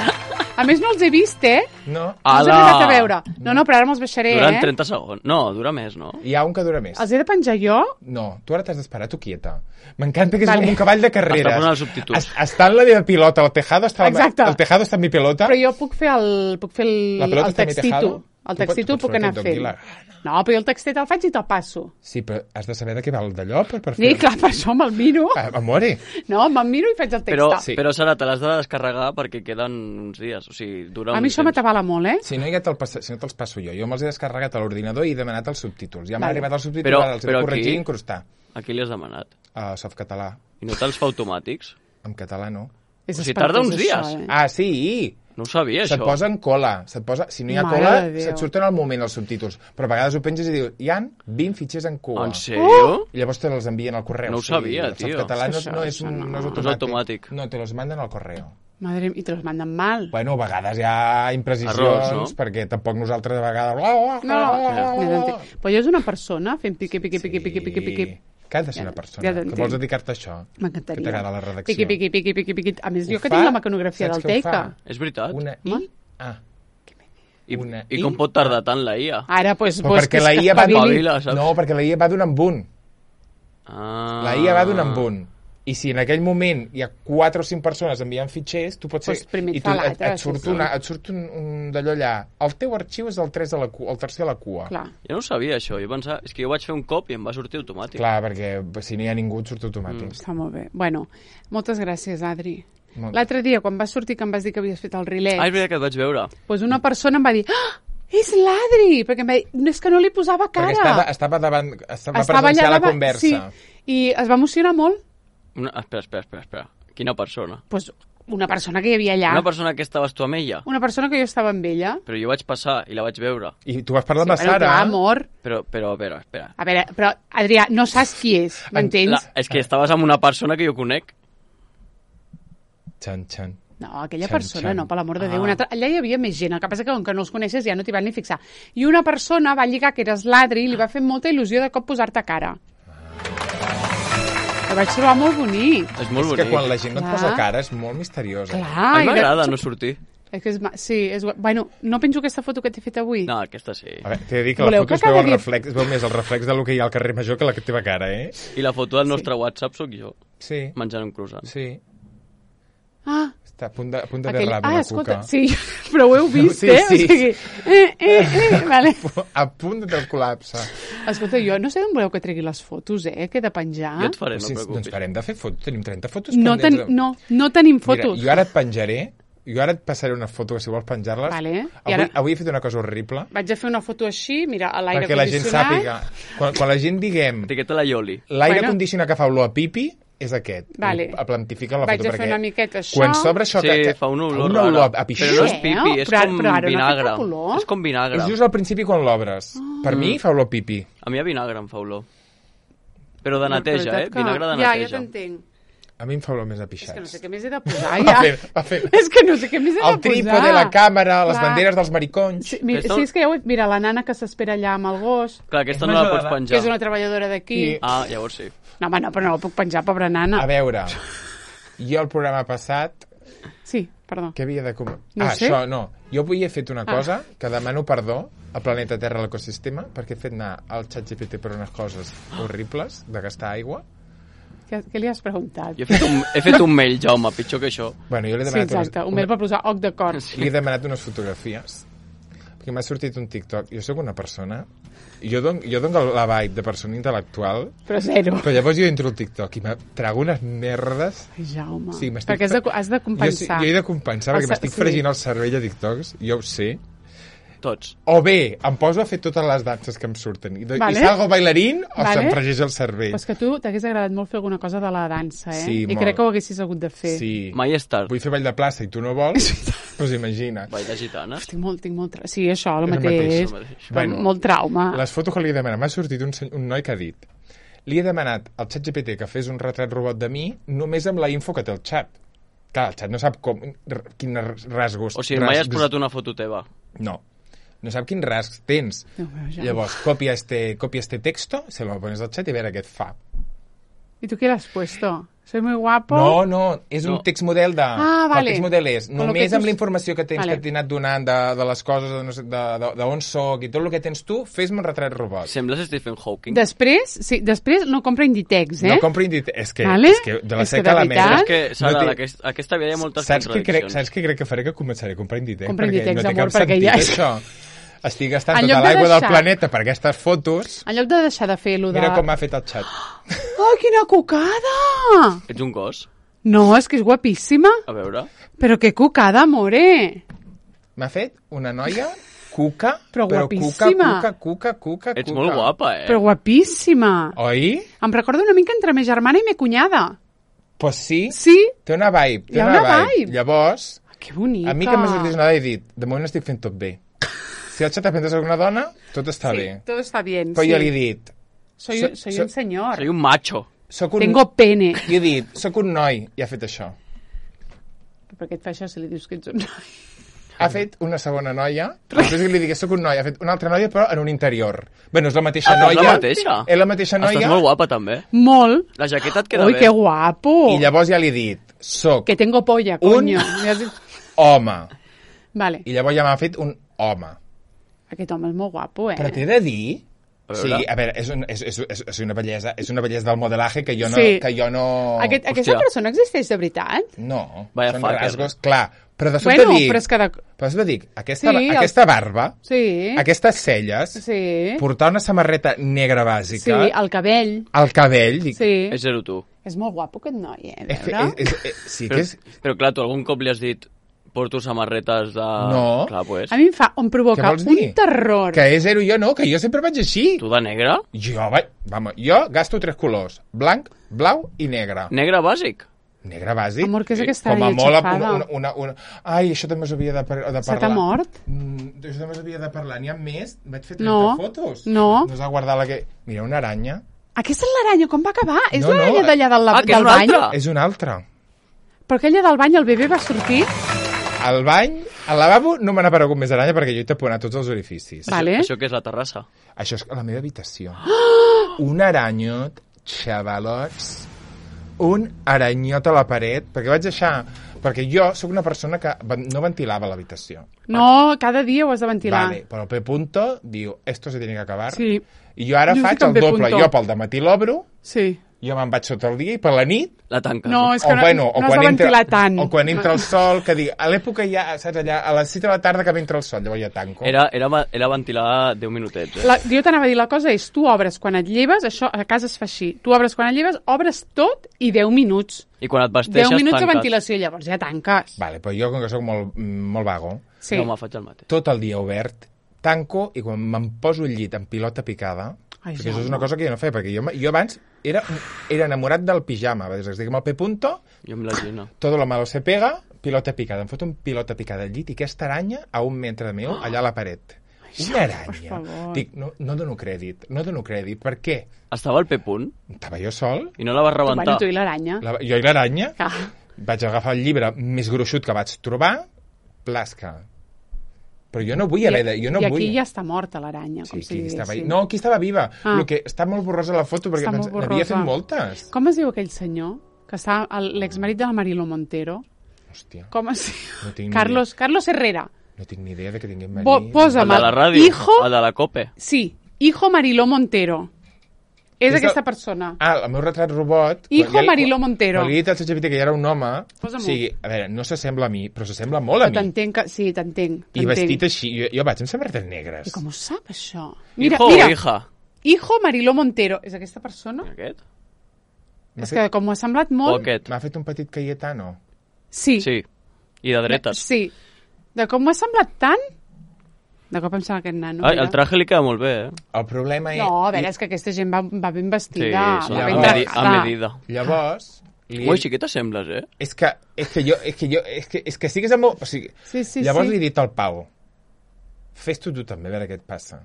A més, no els he vist, eh? No? No els he Ala! arribat a veure. No, no, però ara me'ls baixaré, Duran eh? trenta segons. No, dura més, no? Hi ha un que dura més. Els he de penjar jo? No, tu ara t'has d'esperar, tu quieta. M'encanta que és Vale. com un cavall de carreres. Està posant els subtítols. Es- Està en la meva pilota, el tejado està, la, Exacte. el tejado està en mi pilota. Però jo puc fer el, puc fer el, La pelota el està en mi textito. tejado? El Tu pots- textito el pots puc fer anar el que et doni fent. la gana. No, però jo el textet el faig i te'l passo. Sí, però has de saber de què va el d'allò per, per Sí, fer... clar, per això me'l miro. Ah, amore. No, me'l miro i faig el Però, text. Sí. però Sara, te l'has de descarregar perquè queden uns dies. O sigui, dura A un mi això temps. m'atabala molt, eh? Si no, ja te'l passa, si no te'ls passo jo. Jo me'ls he descarregat a l'ordinador i he demanat els subtítols. Ja m'ha Vale. arribat els subtítols, Però- ara els he de però corregir aquí- i incrustar. A qui li has demanat? A Softcatalà. I no te'ls fa automàtics? En català no. És O sigui, espantós, tarda uns això, dies. eh? Ah, sí! No ho sabia, Se't això. posa en cola. Se't posa, si no hi ha Mare cola, de Déu. se't surten al moment els subtítols. Però a vegades ho penges i dius, hi han vint fitxers en cua. En sèrio? I llavors te els envien al correu. No ho sabia, el tio. softcatalà no, Això, no, és, això un, no. no és No és automàtic. automàtic. No, te los manden al correo. Madre, i te los manden mal. Bueno, a vegades hi ha imprecisions, Errors, no? perquè tampoc nosaltres a vegades... No, No, però jo és una persona fent piqui, piqui, piqui, piqui, piqui, piqui. Que has de ser una Ja persona que t'entenc. vols dedicar-te a això. M'encantaria. Que t'agrada la redacció. Piqui, piqui, piqui, piqui, piqui. A més, Ho jo que fa? tinc la mecanografia Saps del què ho fa? Teika. És veritat? Una I... Home. Ah. I, Una I I- com pot tardar tant la I A? Ara, doncs, Però pues, perquè la I A va espavili. Espavila, saps? No, perquè la I A va d'un en un. Ah. La I A va d'un en un. I si en aquell moment hi ha quatre o cinc persones enviant fitxers, tu pots ser... Pues primer I et fa tu, et, l'altre, et surt, sí, sí. una, et surt un, un d'allò allà. El teu arxiu és el, tres de la cua, el tercer de la cua. Clar. Jo no ho sabia, això. Jo pensava... És que jo vaig fer un cop i em va sortir automàtic. Clar, perquè si no hi ha ningú et surt automàtic. Mm. Està molt bé. Bueno, moltes gràcies, Adri. Molt- L'altre dia, quan vas sortir, que em vas dir que havies fet el rilet, Ah, és veritat que et vaig veure. doncs una persona em va dir ah, és l'Adri! Perquè em va dir, no, és que no li posava cara. Perquè estava, estava davant, estava, Estava presenciar allà la davant, conversa. Sí, i es va emocionar molt. Una... Espera, espera, espera, espera. Quina persona? Pues una persona que hi havia allà. Una persona que estaves tu amb ella? Una persona que jo estava amb ella. Però jo vaig passar i la vaig veure. I tu vas parlar amb la Bueno, Sara. clar, amor. Però, però, a veure, espera. A veure, però, Adrià, no saps qui és, m'entens? La, és que estaves amb una persona que jo conec. Xan, xan. No, aquella Xan, persona xan. no, per l'amor de Déu. Ah. Una altra... Allà hi havia més gent, el que passa que com que no els coneixes ja no t'hi van ni fixar. I una persona va lligar que eres l'Adri i li va fer molta il·lusió de cop posar-te cara. Ho vaig trobar molt bonic. És molt És bonic. que quan la gent no et Clar. posa cara és molt misteriosa. Clar. A mi i de- m'agrada no sortir. És que és... ma- Sí, és... gua- Bueno, no penjo aquesta foto que t'he fet avui. No, aquesta sí. A veure, t'he de dir que la Voleu foto que es veu, cada el dia- reflex, es veu més el reflex del que hi ha al carrer Major que la teva cara, eh? I la foto del nostre WhatsApp sóc jo, Sí, menjant un croissant. sí. Ah, Està a punt de, a punt de aquell... derrame Ah, la escolta, cuca. sí, però ho heu vist, Sí, eh? sí. O sigui, eh, eh, eh, vale. A punt del col·lapse. Escolta, jo no sé on voleu que tregui les fotos, eh, que he de penjar. Jo et faré, no Sí, et doncs preocupis. parem de fer fotos. Tenim trenta fotos No, ten... pendents. no, no tenim fotos. Mira, jo ara et penjaré, jo ara et passaré una foto que si vols penjar-les. Vale. I Avui, ara- avui he fet una cosa horrible Vaig a fer una foto així, mira, a l'aire perquè la gent condicionat. sàpiga. Quan, quan la gent diguem Etiqueta la Yoli. l'aire Bueno. condicionat que fa olor a pipi, és aquest. Vale. A plantificar la Vaig foto. a fer perquè una miqueta això. Quan s'obre això... Sí, que, que, fa una olor una rara. olor a pixó. Però no és Eh? pipi, és Però- com però ara no té vinagre. cap olor. És com vinagre. És just al principi quan l'obres. Per mi fa olor a pipi. A mi a vinagre em fa olor. Però de La neteja, veritat eh? que- Vinagre de Ja, ja neteja. t'entenc. A mi em fa olor més a És pixats. que no sé què més he de posar, Va ja. fent, va fent. És que no sé què més he de posar. El trípode, la càmera, les Clar. banderes dels maricons. Sí, mira, Aquesta- sí, és que ja ho he... Mira, la nana que s'espera allà amb el gos, Clar, aquesta És no la major pots d'edat. que penjar. és una treballadora d'aquí. I- Ah, llavors sí. No, home, no, però no la puc penjar, pobra A nana. veure, jo el programa passat, Sí, perdó. què havia de... Com... No ah, sé. això, no. Jo avui he fet una Ah. cosa que demano perdó al planeta Terra, a l'ecosistema, perquè he fet anar al xat G P T per unes coses horribles, de gastar aigua. Què, què li has preguntat? Jo he fet, un, he fet un mail, Jaume, pitjor que això. Bueno, jo li he Sí, demanat, exacte. Un mail per posar oc d'acord. unes, li he demanat unes fotografies, perquè m'ha sortit un TikTok. Jo sóc una persona... Jo dono, jo dono la vibe de persona intel·lectual, Però zero. però llavors jo entro al TikTok i me trago unes merdes. Ai, Jaume. Sí, m'estic Perquè has de, fe- has de Jo, compensar. jo he de compensar, El perquè sa- m'estic sí. fregint el cervell a TikToks, jo ho sé. Tots. O bé, em poso a fer totes les danses que em surten. I, do- Vale. i salgo bailarín o Vale. se'm fregeix el cervell. Però és que tu t'hagués agradat molt fer alguna cosa de la dansa, eh? Sí, I molt. crec que ho haguessis hagut de fer. Sí. Mai és tard. Vull fer ball de plaça i tu no vols? Doncs imagina't. Ball de gitanes. Tinc molt, tinc molt... Tra... Sí, això, el És el mateix. mateix, el mateix. Però Bueno, molt trauma. Les fotos que li he demanat, m'ha sortit un, seny- un noi que ha dit li he demanat al xat G P T que fes un retrat robot de mi només amb la info que té el xat. Clar, el xat no sap com, r- quins rasgos... O sigui, mai has rasgs- posat una foto teva. No. No sap quins rasgs tens. Déu meu, ja. Llavors, copia este, copia este texto, se lo pones al xat i a veure què et fa. I tu què l'has puesto? Soy muy guapo. No, no, és un No. text model de... Ah, vale. El text model és Con lo només que tu- amb la informació que tens Vale. que t'he anat donant de, de les coses, de, no sé, de, de, de on soc i tot el que tens tu, fes-me un retrat robot. Sembles Stephen Hawking. Després, sí, després no compra Inditex, eh? No compro Inditex. És que, Vale? és que de la És que seca de a la veritat? merda... És que, Sara, no té- d'aquest- aquesta vida hi ha moltes saps què, crec, contradiccions. saps què crec que faré? Que començaré a comprar Inditex. Compra perquè Inditex, no té amor, cap perquè sentit, ja és- això. Estic gastant En tota lloc de l'aigua del deixar- planeta per aquestes fotos. En lloc de deixar de fer lo de... Mira com m'ha fet el xat. Oh, quina cucada! Ets un gos? No, és que és guapíssima. A veure. Però que cucada, more! M'ha fet una noia cuca, Però però guapíssima. cuca, cuca, cuca, cuca. Ets molt guapa, eh? Però guapíssima. Oi? Em recorda una mica entre ma germana i ma cunyada. Pues sí, Sí? té una vibe. Té Hi ha una, una vibe. Llavors, Que bonica. A mi que m'ha sortit una dona he dit, de moment estic fent tot bé. Si el xat aprende a ser una dona, tot està sí, bé. tot està bien, Però sí. jo li he dit... Soy, so, soy so, un señor. Soy un macho. Soc un... Tengo pene. I he dit, soc un noi, i ha fet això. Per què et fa això si li dius que ets un noi? Ha fet una segona noia, després que li digués soc un noi, ha fet una altra noia, però en un interior. Bé, és la mateixa Ah, és noia. la mateixa? És la mateixa noia. Estàs molt guapa, també. Molt. La jaqueta et queda Ui, bé. que guapo. I llavors ja li he dit, soc Que tengo polla, Un- coño. Un... home. Vale. I llavors ja m'ha fet un home. Aquest home és molt guapo, eh? Però t'he de dir... A Sí, veure. a veure, és, un, és, és, és, és una bellesa, és una bellesa del modelaje que jo no... Sí. Que jo no... Aquest, aquesta Hòstia. persona existeix de veritat? No, Vaya són fucker. rasgos, clar. Però de sobte Bueno, dic... però és que... De... Però de sobte dic, aquesta, Sí, el- aquesta barba, Sí. aquestes celles, Sí. portar una samarreta negra bàsica, Sí, el cabell. el cabell, dic... Sí. És zero tu. És molt guapo aquest noi, eh? És que, veure? és, és, és, sí Però, que és... però clar, tu algun cop li has dit porto samarretes de... No. Clar, pues. A mi em fa, em Què provoca vols un dir? terror. Que és zero jo no, que jo sempre vaig així. Tu de negre? Jo, vaig, vamos, jo gasto tres colors, blanc, blau i negre. Negre bàsic? Negre bàsic. Amor, què és Sí, aquesta Com a àrea molt, xafada? una, una, una, Ai, això també us havia de, par de parlar. Se t'ha mort? Mm, això també us havia de parlar. N'hi ha més? Vaig fer trenta No. fotos. No. No us ha guardat la que... Mira, una aranya. Aquesta és l'aranya, com va acabar? És No, no, l'aranya d'allà del, Ah, que és del una bany? altra? És una altra. Però aquella del bany, el bebè va sortir? Al bany, al lavabo, no m'han aparegut més aranya perquè jo he taponat tots els orificis. Vale. Això que és la terrassa? Això és a la meva habitació. Un aranyot, xavalots, un aranyot a la paret, perquè vaig deixar... Perquè jo sóc una persona que ven- no ventilava l'habitació. No, cada dia ho has de ventilar. Vale, però el P. Punto diu, esto se tiene que acabar. Sí. I jo ara Jo faig estic amb el P. doble. Punto. Jo pel dematí l'obro, Sí. jo me'n vaig sota el dia i per la nit La tanques. No, és que o, no, bueno, o, no has quan de entra, ventilar tant. o quan entra el sol, que dic, a l'època ja, saps, allà, a les sis de la tarda que entra el sol, llavors ja tanco. Era, era, va- era ventilar deu minutets, eh? La, jo t'anava a dir, la cosa és, tu obres quan et lleves, això a casa es fa així, tu obres quan et lleves, obres tot i deu minuts. I quan et vesteixes, deu minuts de tanques. ventilació, llavors ja tanques. Vale, però jo, com que sóc molt, molt vago, Sí. Jo me faig el mateix. tot el dia obert, tanco i quan me'n poso al llit amb pilota picada, Ai, perquè això és Jaume. una cosa que jo no feia, perquè jo, jo abans era, era enamorat del pijama, des que estic amb el P. Punto, Jo amb la Gina. todo lo malo se pega, pilota picada. Em foto un pilota picada al llit i aquesta aranya a un metre meu, allà a la paret. Una aranya. favor. Dic, no, no dono crèdit, no dono crèdit. Per què? Estava al P-punt Estava jo sol, i no la vas Bueno, rebentar. tu i l'aranya. la, jo i l'aranya, Clar. vaig agafar el llibre més gruixut que vaig trobar, plasca. Però jo no vull haver de... Jo no I aquí vull... ja està morta l'aranya, Sí, com si aquí estava... diguéssim. No, aquí estava viva. Ah. Lo que està molt borrosa la foto, perquè Està pens- molt n'havia borrosa. fet moltes. Com es diu aquell senyor? Que està el- l'exmarit de la Marilo Montero. Hòstia, Com es diu? No tinc ni Carlos, Carlos Herrera. no tinc ni idea de que tinguem Bo, marit. posa'm El de la ràdio, Hijo, el de la COPE. sí, hijo Mariló Montero. És És de- aquesta persona. Ah, el meu retrat robot... Hijo quan ja li- Mariló Montero. Quan li he dit al ChatGPT que ja era un home, o Posa-m'ho. sigui, a veure, no s'assembla a mi, però s'assembla molt a Però mi. t'entenc que... Sí, t'entenc. I t'entenc. vestit així, jo, jo vaig amb samarretes negres. I com ho sap, això? Mira, Hijo mira. o hija? Hijo Mariló Montero. És aquesta persona? Aquest? M'ha És fet, que com ho ha semblat O molt... aquest? m'ha fet un petit Cayetano. Sí. Sí. I de dretes. Sí. De com m'ha semblat tant... De cop em sembla aquest nano. Ai, mira. el traje li queda molt bé, eh? El problema és... No, a veure, és que aquesta gent va, va ben Sí, vestida. són va a ben medi- a tractada. medida. Llavors... Li Ui, sí que t'assembles, eh? És que, és que jo... És que, jo, és que, és que sigues amb... O sigui, Sí, sí, llavors sí. li he dit al Pau, fes-t'ho tu també, a veure què et passa.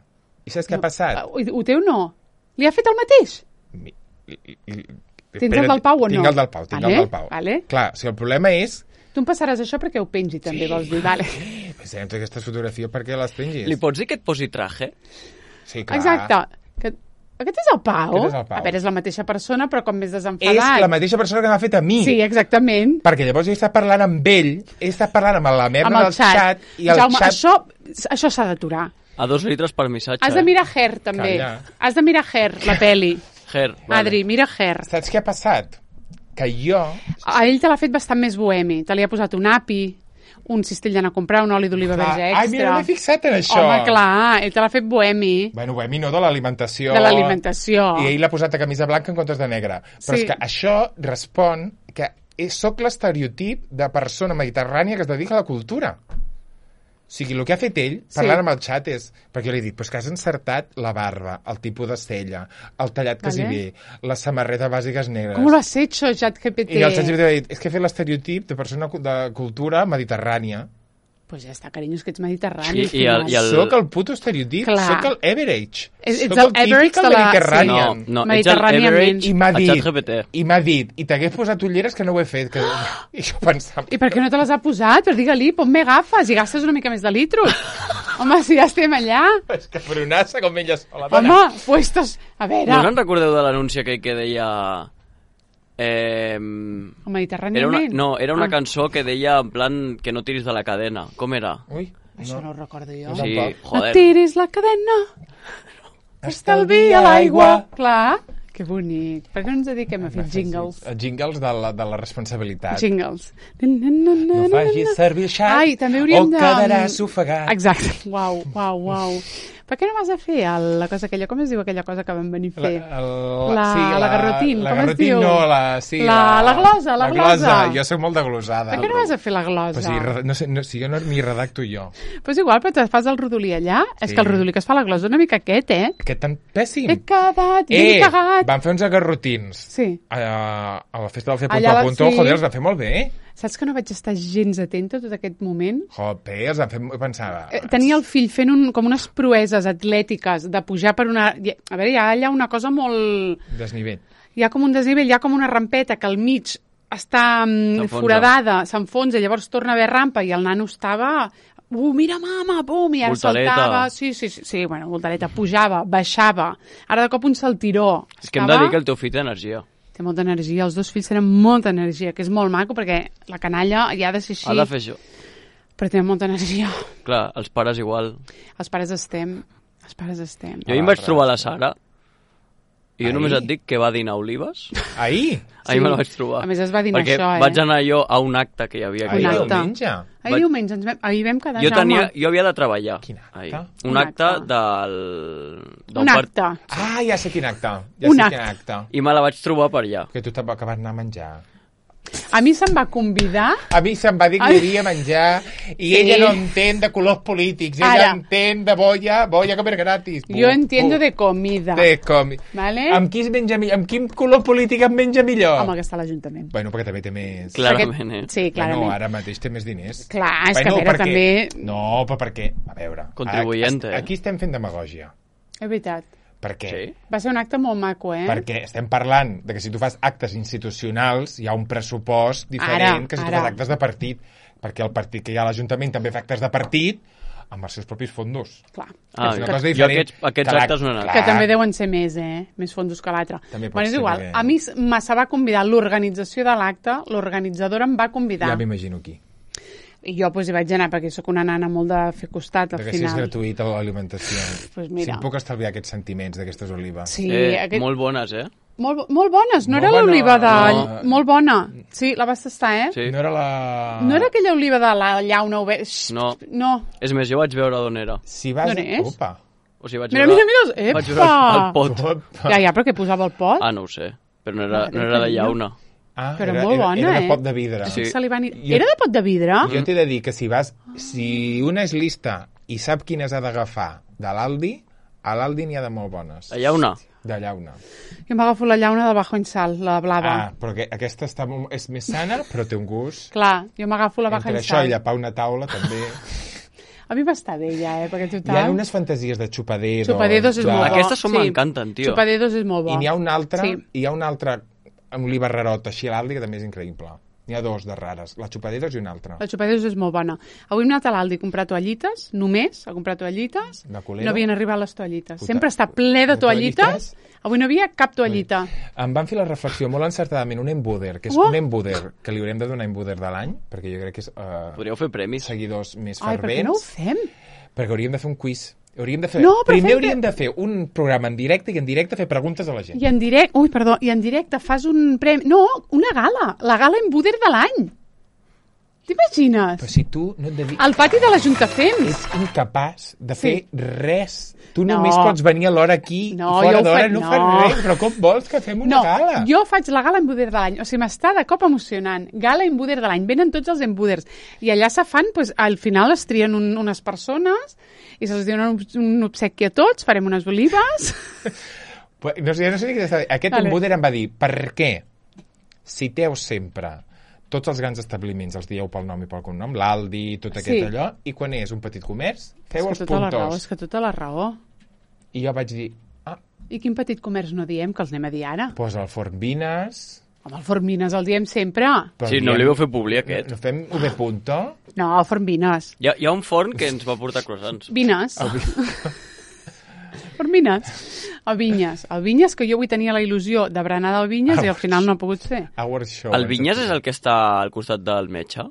I saps què ha passat? Ho, ho teu no? Li ha fet el mateix? Mi- i- i- i- Tens el espera't, del Pau o no? Tinc el del Pau, tinc Vale, el del Pau. vale. Clar, si el problema és... Tu em passaràs això perquè ho pengi, també, vols dir. Vale. Eh, pensem en aquestes fotografies perquè les pengis. Li pots dir que et posi traje? Sí, clar. Exacte. Que... Aquest és el Pau? Aquest és el Pau. A veure, és la mateixa persona, però com més És desenfadat. la mateixa persona que m'ha fet a mi. Sí, exactament. Perquè llavors jo he estat parlant amb ell, he estat parlant amb la merda Amb el del xat. xat, i el Jaume, xat... això, això s'ha d'aturar. A dos litres per missatge. Has de mirar Her, també. Calla. Has de mirar Her, la peli. Her, vale. Adri, mira Her. Saps què ha passat? Que jo... A ell te l'ha fet bastant més bohemi. Te li ha posat un api, un cistell d'anar a comprar, un oli d'oliva Clar, verge extra. ai, mira, no m'he fixat en això. Home, clar, ell te l'ha fet bohemi. Bueno, bohemi no, de l'alimentació. De l'alimentació. I ell l'ha posat a camisa blanca en comptes de negra. Però Sí. és que això respon que és- sóc l'estereotip de persona mediterrània que es dedica a la cultura. O sigui, el que ha fet ell, parlant sí. amb el xat, és... Perquè jo li dic, pues que has encertat la barba, el tipus de cella, el tallat que vale. s'hi ve, la samarreta bàsiques negres... Com lo has hecho, ChatGPT? I el ChatGPT va dir, és que he fet l'estereotip de persona de cultura mediterrània. Pues ja està, carinyo, és que ets mediterrani. I- i el- i el- Soc el puto estereotip, Clar. soc el average. Ets- ets Soc el average típic de la- mediterranean. No, no, ets el Mediterràniament. average I m'ha a dit, ChatGPT. i m'ha dit, i t'hagués posat ulleres que no ho he fet. Que... I jo pensava... I per què no te les ha posat? Però digue-li, ponme gafes i gastes una mica més de litros. Home, si ja estem allà. És que fronassa com ella sola. Home, puestos... A veure, No us en recordeu de l'anunci aquell que deia... Eh, el era mediterràniament. una, no, era una ah, cançó que deia en plan que no tiris de la cadena. Com era? Ui, Això no ho recordo jo. No Sí, tampoc. No joder. tiris la cadena, estalvia l'aigua. Clar, que bonic. Per què no ens dediquem a fer jingles? Jingles de la, de la responsabilitat. Jingles. No facis servir el xat Ai, també hauríem o de... quedaràs ofegat. Exacte. Uau, uau, uau. Per què no vas a fer el, la cosa aquella? Com es diu aquella cosa que vam venir a fer? La, el, La- sí, la garrotín, la com es garrotín diu? no, la, sí, La- la glosa, la glosa. Jo soc molt de glosada. Per què no vas a fer la glosa? Pues sí, re- no sé, no, si jo no m'hi redacto jo. Pues igual, però te fas el rodolí allà. És Sí. que el rodolí que es fa a la glosa és una mica aquest, eh? Aquest tan pèssim. He quedat, ben Eh, cagat. van fer uns garrotins. Sí. A, a la festa del Fer Allà Punto a la- Punto, sí. joder, els van fer molt bé. Saps que no vaig estar gens atenta tot aquest moment? Joder, els van fer... Jo pensava... Eh, Tenia el fill fent un, com unes proeses atlètiques de pujar per una... A veure, hi ha allà una cosa molt... Desnivell. Hi ha com un desnivell, hi ha com una rampeta que al mig està mm, S'enfonsa. foradada, s'enfonsa, llavors torna a haver rampa i el nano estava... Uh, mira, mama, bum, i ara Voltareta. saltava. Sí, sí, sí, sí, bueno, voltareta, pujava, baixava. Ara de cop un saltiró. És que hem de dir que el teu fill té energia. Té molta energia, els dos fills tenen molta energia, que és molt maco, perquè la canalla ja ha de ser així, Ha de fer això. però té molta energia. Clar, els pares igual. Els pares estem, els pares estem. Jo ahir em vaig trobar la Sara i jo Ahir? només et dic que va dinar olives. Ahir? Ahir me la vaig trobar. A més, es va dinar Perquè això, eh? vaig anar jo a un acte que hi havia aquí. Ahir acte. diumenge? Ahir vaig- diumenge, ens vam, ahir vam quedar, Jo, tenia, Jaume. jo havia de treballar. Quin acte? ahir. Un Un acte acte. del... d'un Un part- acte. Ah, ja sé quin acte. Ja Un sé acte. quin acte. I me la vaig trobar per allà. Que tu te'n vas acabar anar a menjar. A mi se'm va convidar... A mi se'm va dir que Ai. hi havia menjar i Sí. ella no entén de colors polítics, ella Ara. entén de boia, boia comer gratis. Jo entiendo de comida. De com... Vale? Amb qui es menja millor? Amb quin color polític em menja millor? Home, que està a l'Ajuntament. Bueno, perquè també té més... Clarament, eh? Sí, clarament. Bueno, ara mateix té més diners. Clar, és que a veure, perquè... també- No, però perquè... A veure... Contribuyente, a- eh? Aquí estem fent demagògia. És veritat. Per què? Sí? Va ser un acte molt maco, eh? Perquè estem parlant de que si tu fas actes institucionals hi ha un pressupost diferent Ara, que si tu ara. fas actes de partit, perquè el partit que hi ha a l'Ajuntament també fa actes de partit amb els seus propis fondos. Clar. Ah, és una jo cosa diferent. aquests, aquests Clar, actes no he anat. clar. Que també deuen ser més, eh? Més fondos que l'altre. També pot Bueno, és ser igual. que- A mi me se va convidar l'organització de l'acte, l'organitzadora em va convidar. Ja m'imagino qui. I jo pues, hi vaig anar perquè sóc una nana molt de fer costat al Perquè si és final. gratuïta l'alimentació. Pues Si mira. em puc estalviar aquests sentiments d'aquestes olives. Sí, Eh, aquest... Molt bones, eh? molt, bo- molt bones. No Molt era bona, l'oliva de... no. Molt bona. Sí, la vas tastar, eh? Sí. No era la... No era aquella oliva de la llauna oberta. No. No. És més, jo vaig veure d'on era. Si vas... D'on és? Opa. O sigui, vaig Mira, veure... mira, mira. Vaig veure el, el pot. Opa. Ja, ja, però què posava el pot? Ah, no ho sé. Però no era, Madre no era de carinyo. llauna. Ah, Però era, molt era, bona, era de eh? pot de vidre. Estic salivant i- Jo- Era de pot de vidre? Jo t'he de dir que si vas... Si una és lista i sap quines ha d'agafar de l'Aldi, a l'Aldi n'hi ha de molt bones. La llauna. De llauna. Jo m'agafo la llauna de Bajo en Sal, la blava. Ah, però que aquesta està molt, és més sana, però té un gust. Clar, jo m'agafo la Bajo Entre en això Sal. i llapar una taula, també. A mi m'està bé ja, eh? Perquè Hi ha total... unes fantasies de xupadedos. Xupadedos és de... molt bo. Aquestes són m'encanten, tio. Xupadedos és molt bo. I n'hi ha una altra, Sí. i hi ha una altra oliva rarota així a l'Aldi que també és increïble. N'hi ha dos de rares, la xupadedos i una altra. La xupadedos és molt bona. Avui hem anat a l'Aldi a comprar toallites, només a comprar toallites. De colero? No havien arribat les toallites. Puta. Sempre està ple de De toallites. toallites? Avui no havia cap toallita. Em van fer la reflexió molt encertadament, un embuder, que és Oh! un embuder, que li haurem de donar embuder de l'any, perquè jo crec que és uh, Podríeu fer premis. seguidors més Ai, per què fervents. no ho fem? Perquè hauríem de fer un quiz. Hauríem de fer... No, però Primer fem hauríem de fer un programa en directe i en directe fer preguntes a la gent. I en directe, ui, perdó, i en directe fas un premi... No, una gala, la gala Embuder de l'any. T'imagines? Però si tu no et dediques... Al pati de la Juntafems. Ets incapaç de fer Sí. res. Tu No. només pots venir a l'hora aquí No, i fora jo ho d'hora faig- no, no. fas res. Però com vols que fem una No, gala? jo faig la gala embuder de l'any. O sigui, m'està de cop emocionant. Gala embuder de l'any. Venen tots els embuders. I allà se fan, doncs, al final es trien un, unes persones i se'ls donen un, un obsequi a tots, farem unes olives... Pues, no sé, no sé què t'està dient. Aquest Vale. embuder em va dir, per què citeu sempre tots els grans establiments, els dieu pel nom i pel cognom, l'Aldi, tot aquest Sí. allò, i quan és un petit comerç, feu és els que tota la raó, puntors. és que tota la raó. I jo vaig dir, ah, I quin petit comerç no diem, que els anem a dir ara? doncs el Forn Vines... Home, el Forn Vines el diem sempre. però Sí, no diem- li vau fer publi, aquest. No fem V punto? No, el Forn Vines. Hi ha, hi ha un forn que ens va portar croissants. Vines. Forn Vines. El Vinyes. El Vinyes, que jo avui tenia la il·lusió de berenar del Vinyes i al final no ha pogut ser. Our show. El Vinyes és el que està al costat del metge?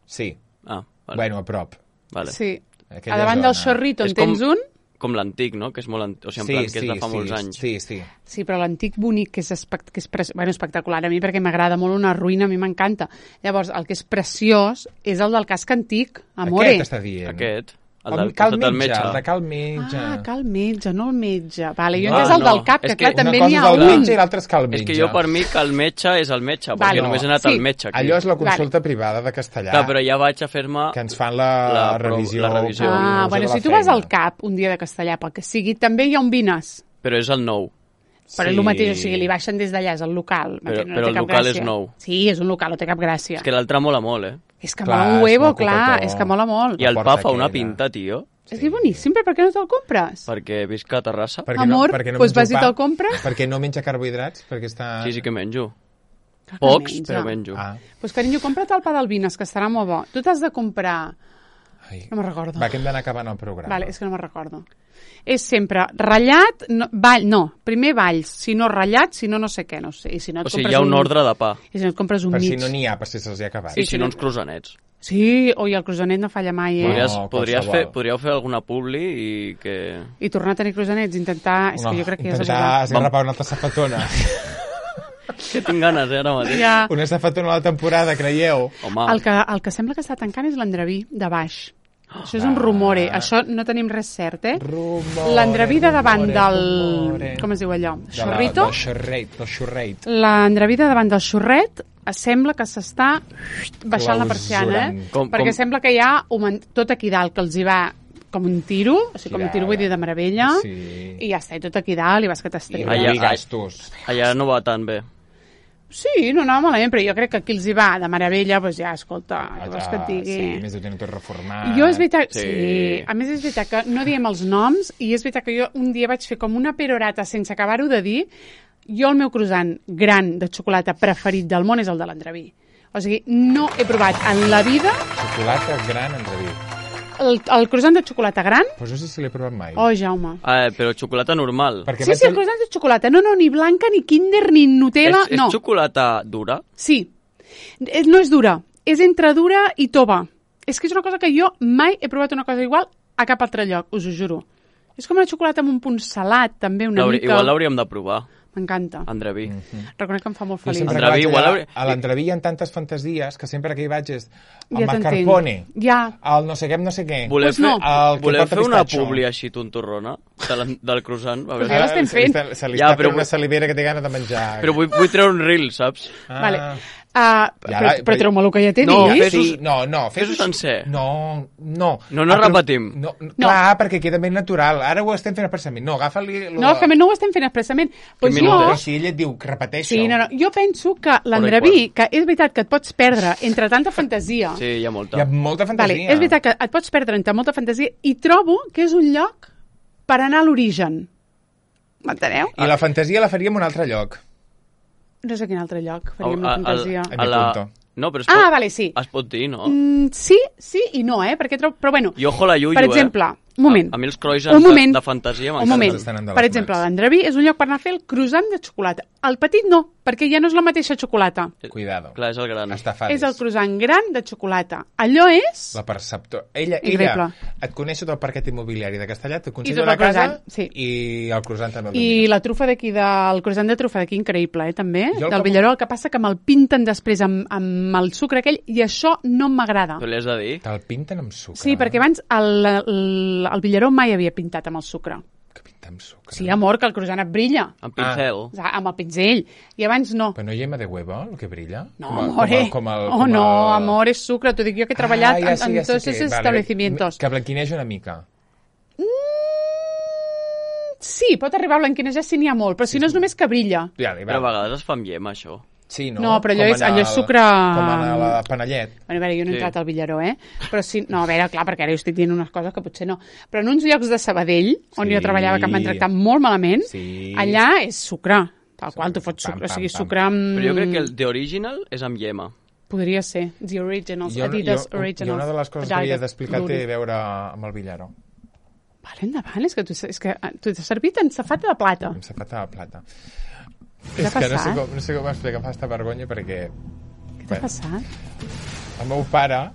Sí, Ah, vale. bueno, a prop. vale. Sí. Aquella A davant del zona. xorrito en És com- tens un. Com l'antic, no? Que és molt antic, o sigui, en Sí, plan, que sí, és de fa sí, molts anys. sí, sí. Sí, però l'antic bonic, que és, espect que és pre bueno, espectacular a mi, perquè m'agrada molt una ruïna, a mi m'encanta. Llavors, el que és preciós és el del casc antic, Amore. Aquest està dient. Aquest, el El, del cal costat del metge, metge. el de cal metge. Ah, cal metge, no el metge. Vale, jo he Ah, entès el no. del cap, que, És clar, que també una n'hi cosa ha és el un. metge i l'altre és cal És metge. que jo per mi que el metge és el metge, perquè Vale. només he anat Sí. al metge aquí. Allò és la consulta privada de castellà, Clar, però ja vaig a fer-me... que ens fan la, La pro- revisió. la revisió. curiosa Ah, de bueno, la si tu vas feina. al cap un dia de castellà, pel que sigui, també hi ha un Vines. Però és el nou. Però és el mateix, o sigui, li baixen des d'allà, és el local. Però- m'entens? No però té el cap local és gràcia. nou. Sí, és un local, no té cap gràcia. És que l'altre mola molt, eh? És que Clar, mola un és huevo, molt clar, cocotó. és que mola molt. I el porta pa fa una aquella. pinta, tio, És que és boníssim, però per què no te'l compres? perquè visc a Terrassa. Perquè Amor, no, perquè no doncs menjo vas i pa, te'l compres? Perquè no menja carbohidrats, perquè està... Sí, sí que menjo. Clar que Pocs, menja. però menjo. Ah, Doncs, carinyo, compra't el pa del Vines, que estarà molt bo. Tu t'has de comprar... ai. No me'n recordo. Va, que hem d'anar acabant el programa. Vale, és que no me'n recordo. És sempre ratllat, no, ball, no, primer balls, si no ratllat, si no no sé què, no sé. I si no et O sigui, compres hi ha un ordre de pa. I si no et compres un Per mig. si no n'hi ha, per si se'ls ha acabat. I si no, uns croissanets. Sí, oi, el croissanet no falla mai, eh? Podries, No, podries, qualsevol. fer, podríeu fer alguna publi i que... I tornar a tenir croissanets, intentar... És que jo crec que ja és intentar abusat. esgarrapar una altra safatona. Que tinc ganes, eh, ara mateix. Ja. Una safatona a la temporada, creieu? Home, El que, el que sembla que està tancant és l'Andreví, de baix. Això és un rumore. Això no tenim res cert, eh? Rumore, L'Andreví de davant rumore, del... rumore. Com es diu allò? De la- Xorrito? Del xorreit, del xorreit. L'Andreví de davant del xorret sembla que s'està baixant la persiana, eh? Clausurant. Com- Perquè com- sembla que hi ha un, tot aquí dalt, que els hi va com un tiro, o sigui, com un tiro vull dir de meravella, Sí. i ja està, i tot aquí dalt, i vas que I t'estrella. Allà- Allà, gastos. allà no va tan bé. Sí, no anava malament, però jo crec que aquí els hi va de meravella, doncs ja, escolta, què vols que et Allà, digui? sí, més de tenir tot reformat. Jo és veritat, sí. Sí. sí. A més és veritat que no diem els noms i és veritat que jo un dia vaig fer com una perorata sense acabar-ho de dir. Jo el meu croissant gran de xocolata preferit del món és el de l'Andreví. O sigui, no he provat en la vida Xocolata gran en reví. el, el croissant de xocolata gran. Però no sé si l'he provat mai. Oh, Jaume. Ah, però xocolata normal. Perquè Sí, vaig sí, el tenir- croissant de xocolata. No, no, ni blanca, ni Kinder, ni Nutella, és, és no. xocolata dura? Sí. És- No és dura. És entre dura i tova. És que és una cosa que jo mai he provat una cosa igual a cap altre lloc, us ho juro. És com una xocolata amb un punt salat, també, una L'hauri- mica... Igual l'hauríem de provar, M'encanta. Andreví. Reconec que em fa molt Jo feliç. sempre Andreví, que vaig igual allà, hauria- a l'Andreví hi ha tantes fantasies que sempre que hi vaig és el Ja mascarpone, t'entenc. Ja. el no sé què, amb no sé què. Voleu Pues fer, no. El que voleu porta fer una pistatxo. publi així tontorrona de la, del croissant? A Pues veure. ja l'estem Se li fent. està- Se li Ja, està però fent una vull- salivera que té gana de menjar. Però vull, vull treure un reel, saps? Ah. Vale. Uh, Ja però, la- però treu-me el que ja t'he No, dit. fes-ho- Sí, no, no. fes-ho sencer. No, no. No, no Ah, però- repetim. No, no, clar, perquè queda ben natural. Ara ho estem fent expressament. No, agafa-li... lo No, és de- que no ho estem fent expressament. Pues Que jo... minuts, Però si ell et diu que repeteixo... Sí, no, no. Jo penso que l'Andreví, que és veritat que et pots perdre entre tanta fantasia... Sí, hi ha molta. Hi ha molta Vale, fantasia. és veritat que et pots perdre entre molta fantasia i trobo que és un lloc per anar a l'origen. M'enteneu? I la fantasia la faríem a un altre lloc. No sé quin altre lloc faríem A- la a- fantasia. a- A mi la- punto. No, però es Ah, pot, vale, sí. es pot dir, no? Mm, sí, sí i no, eh? Perquè trobo... Però bueno, I ojo la Yuyu, per eh? exemple, Un moment. A, a mi els croissants Un moment. de, de fantasia Un m'encanten. moment. estan endavant, Per exemple, Max. l'Andreví és un lloc per anar a fer el croissant de xocolata. El petit no, perquè ja no és la mateixa xocolata. Cuidado. Clar, és el gran. Estafades. És el croissant gran de xocolata. Allò és... La perceptor. Ella, Increïble. ella et coneix tot el parquet immobiliari de Castellà, I t'aconsella tot la el casa croissant, sí. i el croissant també el I domina. la trufa d'aquí, del croissant de trufa d'aquí, increïble, eh, també, Jo el del que- Villaró. El que passa que me'l pinten després amb, amb el sucre aquell i això no m'agrada. Tu li has de dir? Te'l pinten amb sucre. Sí, perquè abans el, el, el Villaró mai havia pintat amb el sucre. Que pinta amb sucre. Sí, amor, que el croissant et brilla. Amb pincel. O sigui, amb el pinzell. I abans no. Però no hi yema de huevo, el que brilla? No, Com a- amore. Com el, com el, Oh, com no, el... amor, és sucre. T'ho dic jo que he treballat ah, ja en, sé, en ja sé tots que- esos vale, establecimientos. Que blanquineix una mica. Sí, pot arribar a blanquinejar si n'hi ha molt, però si no és només que brilla. Ja, Però a vegades es fa amb llet, això. Sí, no? No, però allò Com és- en allò és el- sucre- Com en la panellet. Bueno, a veure, jo no he Sí. entrat al Villaró, eh? Però sí, no, a veure, clar, perquè ara jo estic dient unes coses que potser no. Però en uns llocs de Sabadell, on Sí. jo treballava, que em van tractar molt malament, Sí. allà és sucre. Tal qual, tu fots Pam, sucre, o pam, sigui, pam. sucre amb... Però jo crec que el The Original és amb llema. Podria ser. The Originals, Jo, Adidas jo, Originals. jo una de les coses que havia Adidas, d'explicar té Luri. a veure amb el Villaró. Vale, endavant, és que tu, és que ah, tu t'has servit en safata de plata. Amb safata de plata. Què t'ha És que no sé, passat? com, no sé com explicar, fa esta vergonya perquè Què t'ha passat? el meu pare,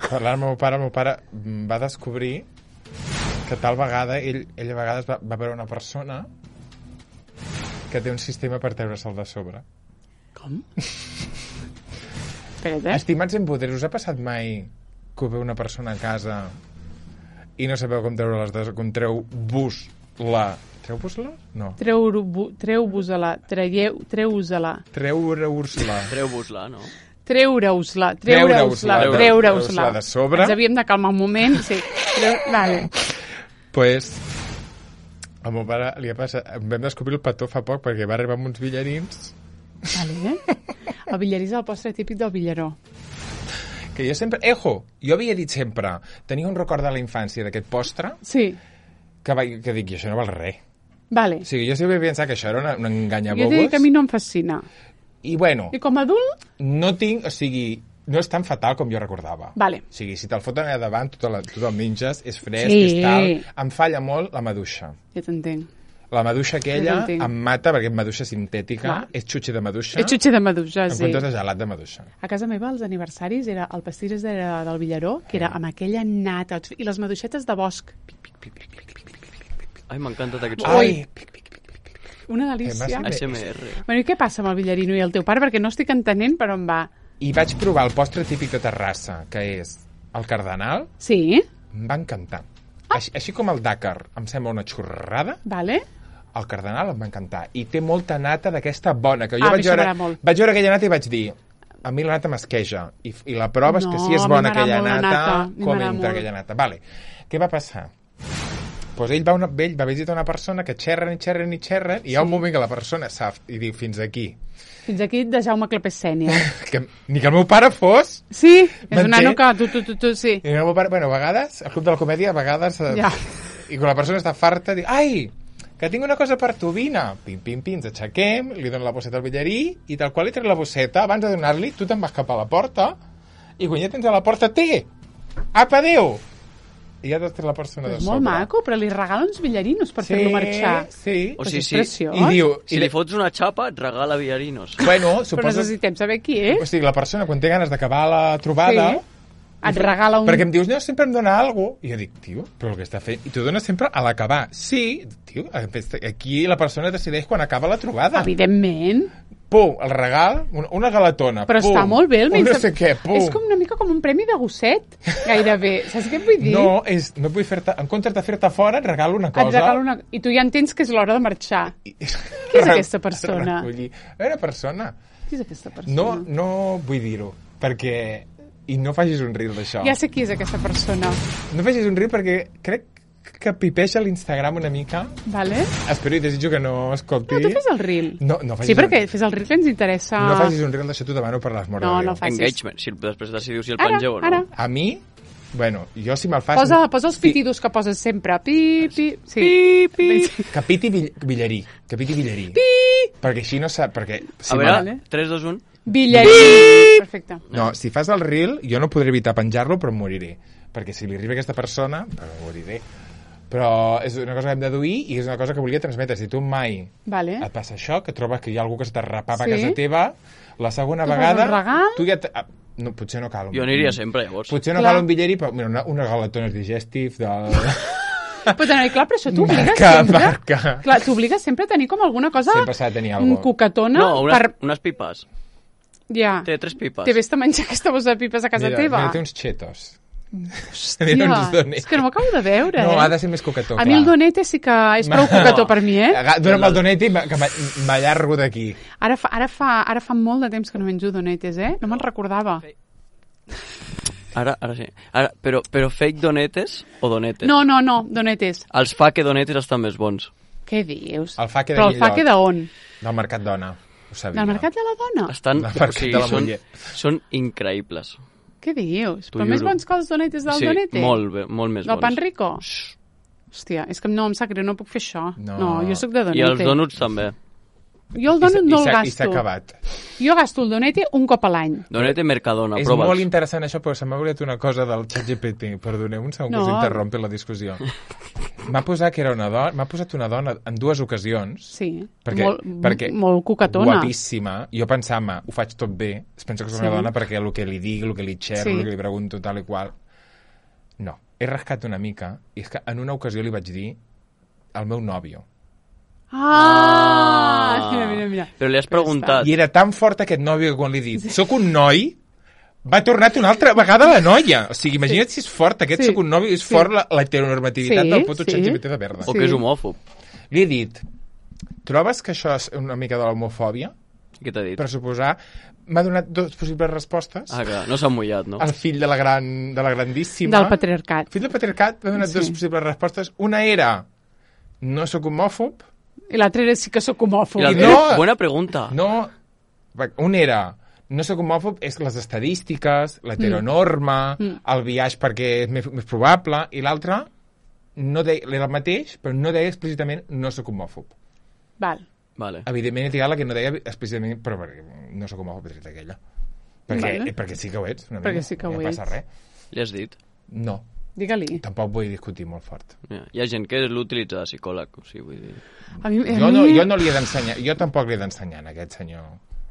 parlant amb el meu pare, el meu pare mm, va descobrir que tal vegada, ell, ell a vegades va, va veure una persona que té un sistema per treure-se'l de sobre. Com? Espera't, eh? Estimats en poder, us ha passat mai que veu una persona a casa i no sabeu com treure les de... com treu-vos la... Treu-vos-la? No. Treu-vos Treu-vos-la, traieu, treu-vos-la, Treure-us-la. Treu-vos-la, no? treure-us-la, Treure-us-la, treure-us-la, treure-us-la treure-us-la. de sobre. Ens havíem de calmar un moment, sí. Treu... Vale. Pues, al meu pare li ha passat... Vam descobrir el petó fa poc perquè va arribar amb uns villarins Vale, eh? El Villarí és el postre típic del Villaró. que jo sempre... Ejo! Jo havia dit sempre... Tenia un record de la infància d'aquest postre Sí, que, va, que dic, i això no val res. vale. O sigui, jo sempre havia pensat que això era una, una Jo enganyabobos. dic que a mi no em fascina. I bueno, I com a adult, no tinc... O sigui, no és tan fatal com jo recordava. Vale. O sigui, si te'l foten allà davant, tu, te la, tu te'l menges, és fresc, Sí. és tal... Em falla molt la maduixa. ja t'entenc. La maduixa aquella Ja t'entenc. em mata perquè és maduixa sintètica, Clar. és xutxi de maduixa, És xutxi de maduixa, en sí. comptes de gelat de maduixa. A casa meva, els aniversaris, era el pastís era del Villaró, que era amb aquella nata, i les maduixetes de bosc. Ai, m'encanta aquest Ai! Una Eh, delícia. m'has- A S M R. Bueno, i què passa amb el Villarino i el teu pare? Perquè no estic entenent per on va. I vaig provar el postre típic de Terrassa, que és el cardenal, Sí? em va encantar. Així, així com el Dakar em sembla una xorrada, Vale? el cardenal em va encantar. I té molta nata d'aquesta bona, que jo Ah, a mi vaig, això veure, m'agrada molt. vaig veure aquella nata i vaig dir a mi la nata m'esqueja. I, I la prova és que No, si és a mi bona m'agrada aquella molt la nata, nata, a mi com m'agrada entra molt. aquella nata. Vale. Què va passar? Pues ell va, una, ell va visitar una persona que xerren i xerren i xerren i hi ha un moment que la persona sap i diu fins aquí. Fins aquí de Jaume Clapés Sènior. Que, ni que el meu pare fos... Sí, és un M'entén? nano que tu, tu, tu, tu, sí. I el meu pare, bueno, a vegades, al Club de la Comèdia, a vegades... eh, Ja. I quan la persona està farta, diu, ai, que tinc una cosa per tu, vine. Pim, pim, pim, ens aixequem, li dono la bosseta al Villarí, i tal qual li trec la bosseta, abans de donar-li, tu te'n vas cap a la porta, i quan ja tens a la porta, té! Apa, adéu! I ja t'has tret la persona És de molt sobre. maco, però li regala uns villarinos per Sí, fer-lo marxar. sí. O Pues sigui, és sí. preciós. I diu... Si i li de- fots una xapa, et regala villarinos. Bueno, Però suposo... necessitem saber qui és. O sigui, la persona, quan té ganes d'acabar la trobada... Sí. Et regala un... Perquè em dius, no, sempre em dona alguna cosa. I jo dic, tio, però el que està fent... I t'ho dones sempre a l'acabar. Sí, tio, aquí la persona decideix quan acaba la trobada. Evidentment. Pum, el regal, una, una galatona. Però pum, està molt bé. El un no menys- sé què, pum. És com una mica com un premi de gosset, gairebé. Saps què et vull dir? No, és, no vull fer-te... En comptes de fer-te fora, et regalo una cosa. Et regala una... I tu ja entens que és l'hora de marxar. I- Qui és aquesta persona? Recollir. Una persona. Qui és aquesta persona? No, no vull dir-ho, perquè... I no facis un reel d'això. Ja sé qui és aquesta persona. No facis un reel perquè crec que pipeja l'Instagram una mica. Vale? Espero i desitjo que no escolti. No, tu fes el reel. No, no facis Sí, perquè un... fes el reel que ens interessa... No facis un reel d'això, t'ho demano per l'amor No, de Déu. no facis. Engagement. Si després decidiu si el Ara, pengeu o no. ara. A mi, bueno, jo si me'l fas... Posa, posa els pitidos que poses sempre. Pi, pi... Sí. Pi, pi. Capiti Vill- Villarí. Capiti Villarí. Pi. Perquè així no sap... Perquè si A veure, Vale. tres, dos, un. Villarí. Perfecte. No, si fas el reel, jo no podré evitar penjar-lo, però em moriré. Perquè si li arriba a aquesta persona, em moriré. Però és una cosa que hem de deduir i és una cosa que volia transmetre. Si tu mai Vale. et passa això, que trobes que hi ha algú que s'està rapant Sí. a casa teva, la segona Tu fas vegada... un regal? Tu ja... Te... ah, No, potser no cal un... Jo aniria sempre, llavors. Potser no Clar. cal un billeri, però mira, una, unes galetones digestive de... Però, també, clar, però això t'obliga Marca, sempre... marca. Clar, t'obliga sempre a tenir com alguna cosa... Sempre s'ha de tenir mm, alguna cosa. coquetona No, unes, per... unes pipes. Ja. Té tres pipes. Te vés a menjar aquesta bossa de pipes a casa mira, teva? Mira, té uns chetos. Hòstia, mira uns donetes. és que no m'acabo de veure, No, eh? ha de ser més coquetó, A mi el donete sí que és prou coquetó per mi, eh? Aga- Dóna'm el donete i m'a- que m'a- m'allargo d'aquí. Ara fa, ara, fa, ara fa molt de temps que no menjo donetes, eh? No me'n recordava. Ara, ara sí. Ara, però, però fake donetes o donetes? No, no, no, donetes. Els fake donetes estan més bons. Què dius? El faque de Però el Guillot. faque d'on? Del Mercat Dona. Ho sabia. Del mercat de la dona? Estan, Del o mercat sigui, de la són, muller. són increïbles. Què dius? T'ho Però més juro. bons que els donetes del sí, donete? molt, bé, molt més Del bons. pan rico? Hòstia, és que no, em sap greu, no puc fer això. No. No, jo sóc de donete. I els donuts també. Jo el I s'ha- donut no i el s'ha- I s'ha gasto. acabat. Jo gasto el donete un cop a l'any. Donete Mercadona, És prova'ls. molt interessant això, però se m'ha oblidat una cosa del ChatGPT. Perdoneu un segon que No. us interrompi la discussió. M'ha posat que era una dona, m'ha posat una dona en dues ocasions. Sí, Perquè, molt, perquè molt coquetona. guapíssima. Jo pensava, ho faig tot bé. Es pensa que soc Sí. una dona perquè el que li dic, el que li xerro, Sí. el que li pregunto, tal i qual. No. He rascat una mica i és que en una ocasió li vaig dir al meu nòvio. Ah! Mira, mira, mira. Però li has preguntat. I era tan fort aquest nòvio que quan li he dit soc un noi, va tornar una altra vegada la noia. O sigui, imagina't si és fort, aquest Sí. soc un nòvio, és Sí. fort la, la heteronormativitat Sí, del puto sí. ChatGPT de merda. O que és homòfob. Li he dit, trobes que això és una mica de l'homofòbia? Què t'ha dit? Per suposar, m'ha donat dues possibles respostes. Ah, clar, no s'ha mullat, no? El fill de la, gran, de la grandíssima... Del patriarcat. El fill del patriarcat m'ha donat Sí. dues possibles respostes. Una era, no sóc homòfob. I l'altre era sí que sóc homòfob. I la, no. Bona pregunta. No, un era, no sóc homòfob, és les estadístiques, l'heteronorma, Mm. el biaix perquè és més, més probable, i l'altre no deia, era el mateix, però no deia explícitament no sóc homòfob. Val. Vale. Evidentment he triat la que no deia explícitament, però perquè no sóc homòfob, he triat aquella. Perquè, Vale. eh, perquè sí que ho ets. Una Perquè mica, sí que no ho passa ets. res. Li has dit? No, Digue-li. tampoc vull discutir molt fort. Ja. Hi ha gent que l'utilitza de psicòleg, o sigui, vull dir... A mi, a Jo mi... no, jo no li he d'ensenyar, jo tampoc li he d'ensenyar a aquest senyor,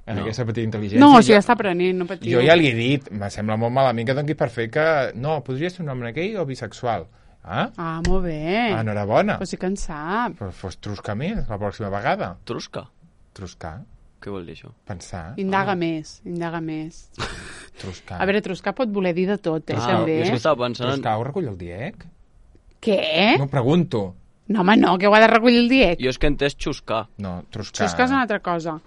a No. aquesta petita intel·ligència. No, o sigui, Jo- ja està aprenent, no patiu. Jo ja li he dit, me sembla molt malament que doni per fer que... No, podria ser un home gay o bisexual. Ah, Ah, molt bé. ah enhorabona. Però sí que en sap. Però fos truscar més la pròxima vegada. Trusca? Truscar, Què vol dir això? pensar, Indaga més, indaga més. truscar. A veure, truscar pot voler dir de tot, eh, Ah, també. jo és que estava pensant... En... Truscar ho recull el diec? Què? No, pregunto. No, home, no, que ho ha de recollir el diec. Jo és que he entès xuscar. No, truscar. Truscar és una altra cosa.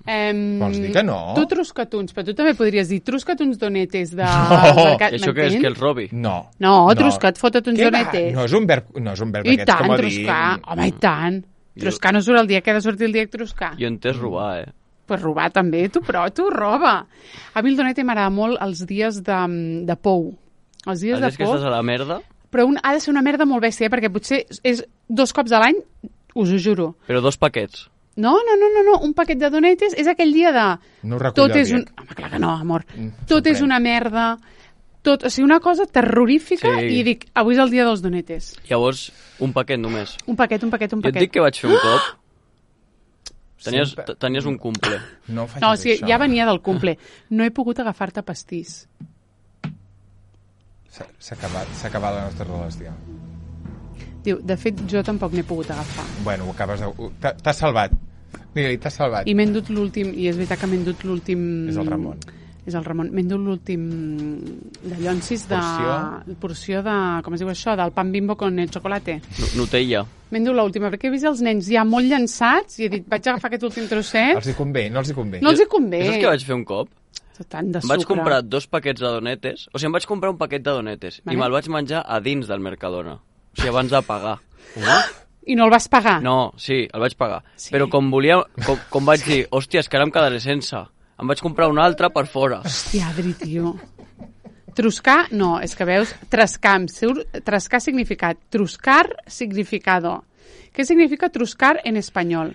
Em, Vols dir que no? Tu truscatuns, però tu també podries dir truscatuns donetes de... No. de... I això què és, que els robi? No. No, truscat, fota't uns Què va? donetes. No és un verb, no és un verb I d'aquests tant, com a dir... truscar. Home, i tant. Jo- Truscar no surt el dia que ha de sortir el dia que truscar. Jo he entès robar, eh? Pues robar també, tu, però tu roba. A mi el donete m'agrada molt els dies de, de pou. Els dies Els de dies que pou, estàs a la merda, però un, ha de ser una merda molt bèstia, eh? Perquè potser és dos cops a l'any, us ho juro. però dos paquets. No, no, no, no, no, un paquet de donetes és aquell dia de... No ho recull Tot el és un... diec. Home, clar que no, amor. Mm, Tot és sorprèn. una merda. Tot, o sigui, una cosa terrorífica Sí. i dic, avui és el dia dels donetes. Llavors, un paquet només. Un paquet, un paquet, un Jo et paquet. dic que vaig fer un cop. Tenies, Sempre- tenies un cumple. No facis No, o sigui, això. ja venia del cumple. No he pogut agafar-te pastís. S'ha s'ha acabat, s'ha acabat la nostra relació. Diu, de fet, jo tampoc n'he pogut agafar. Bueno, ho acabes de... ho- t'ha- T'has salvat. Digue-li, t'has salvat. I m'he endut l'últim, i és veritat que m'he endut l'últim... És el Ramon. És el Ramon. M'he endut l'últim de llonsis de... Porció? Porció de... Com es diu això? Del pan Bimbo con el chocolate. Nu- Nutella. M'he endut l'última, perquè he vist els nens ja molt llançats i he dit, vaig agafar aquest últim trosset. Els hi convé, no els hi convé. No els hi convé. Saps què vaig fer un cop? Tant de Em vaig sucre. comprar dos paquets de donetes. O sigui, em vaig comprar un paquet de donetes Vale. i me'l vaig menjar a dins del Mercadona. O sigui, abans de pagar. I no el vas pagar? No, sí, el vaig pagar. Sí. Però com volia, com, com vaig dir, hòstia, és que ara em quedaré sense. Em vaig comprar un altre per fora. Hòstia, Adri, tio. Truscar, no, és que veus, trascar, em surt- trascar significat, truscar significado. Què significa truscar en espanyol?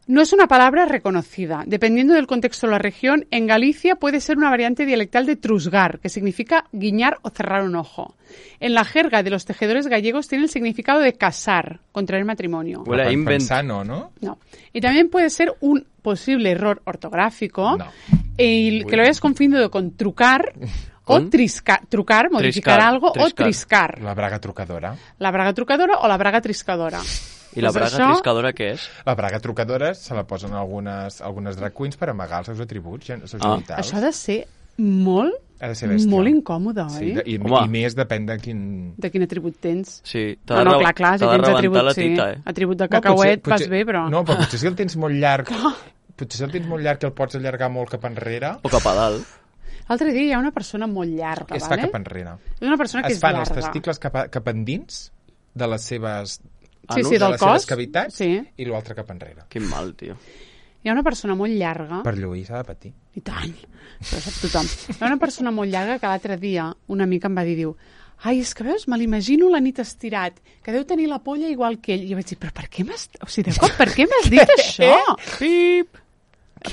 No es una palabra reconocida. Dependiendo del contexto de la región, en Galicia puede ser una variante dialectal de trusgar, que significa guiñar o cerrar un ojo. En la jerga de los tejedores gallegos tiene el significado de casar, contraer matrimonio. Huele a invent. Pensano, ¿no? No. Y también puede ser un posible error ortográfico, No. y que lo hayas confundido con trucar o ¿Con? trisca, trucar, modificar Triscar, algo, triscar. o triscar. La braga trucadora. La braga trucadora o la braga triscadora. I la Pues braga això- triscadora què és? La braga trucadora se la posen algunes, algunes drag queens per amagar els seus atributs, els seus Ah. genitals. Això ha de ser molt, Ha de ser bèstia. molt incòmode, oi? Sí, de, i, Home. i més depèn de quin... De quin atribut tens. Sí, t'ha No, de no, re- clar, clar, si t'ha de tens rebentar atribut, la sí. tita, eh? Atribut de No, cacauet potser- vas bé, però... No, però potser si el tens molt llarg... potser si el tens molt llarg i el pots allargar molt cap enrere, O cap a dalt. L'altre dia hi ha una persona molt llarga, es fa vale? cap enrere. És una persona que Es és fan llarga. els testicles cap, a, cap endins de les seves, Sí, anus, sí, de del les seves cos. cavitats Sí. i l'altre cap enrere. Quin mal, tio. Hi ha una persona molt llarga... Per lluir s'ha de patir. I tant, això ho sap tothom. Hi ha una persona molt llarga que l'altre dia una amica em va dir, diu, ai, és que veus, me l'imagino la nit estirat, que deu tenir la polla igual que ell. I jo vaig dir, però per què m'has... O sigui, de cop, per què m'has dit això? Pip!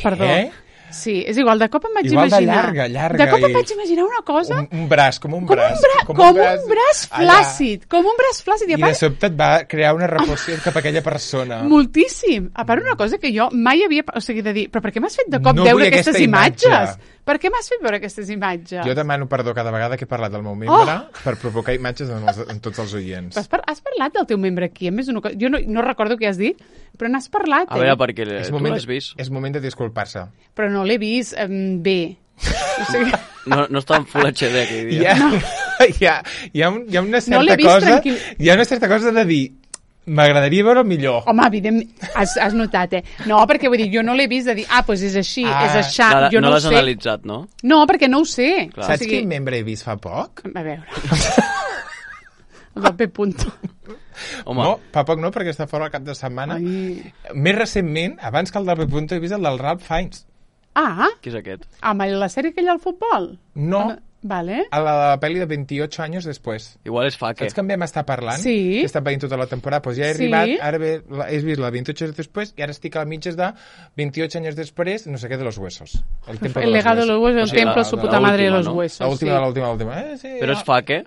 Perdó. Què? Sí, és igual, de cop em vaig Igual de imaginar... llarga, llarga De cop em i- vaig imaginar una cosa... Un, un braç, com un com braç. un, bra com un braç allà. flàcid, com un braç flàcid. I, I a de part, sobte et va crear una repulsió cap a aquella persona. moltíssim. A part, una cosa que jo mai havia... O sigui, de dir, però per què m'has fet de cop No veure vull aquestes aquesta imatge. imatges? Per què m'has fet veure aquestes imatges? Jo demano perdó cada vegada que he parlat del meu membre Oh! per provocar imatges en, els, en tots els oients. Has, par has parlat del teu membre aquí? A més, una cosa... Jo no, no recordo què has dit, però n'has parlat. A eh? veure, perquè És tu moment, l'has vist. és moment de disculpar-se. Però no l'he vist eh, bé. O sigui, No, no està en Full H D aquell Hi dia. ha, hi, ha, hi, ha, un- hi ha una No l'he certa vist cosa... tranquil. Hi ha una certa cosa de dir m'agradaria veure millor. home, evidentment, has, has notat, eh? No, perquè vull dir, jo no l'he vist de dir, ah, doncs és així, Ah. és aixà, Clar, jo no no, ho l'has sé. analitzat, no? No, perquè no ho sé. Clar. Saps quin membre he vist fa poc? A veure. El del P. Punto. Home, No, fa poc no, perquè està fora el cap de setmana. Ai. Més recentment, abans que el del P. Punto, he vist el del Ralph Fiennes. Ah, qui és aquest? amb la sèrie aquella al futbol? No, Ah, vale. a la pel·li de veintiocho anys després. Igual és fa, què? Saps que en vam estar parlant? Sí. He estat veient tota la temporada. Pues ja he Sí. arribat, ara ve, la, he vist la veintiocho anys després i ara estic a la mitges de veintiocho anys després, no sé què, de los huesos. El, templo El legado de los huesos, el O sigui, templo, la- su la puta madre de última, los no? huesos. L'última, sí. l'última, l'última. Eh, sí, Però és fa, què?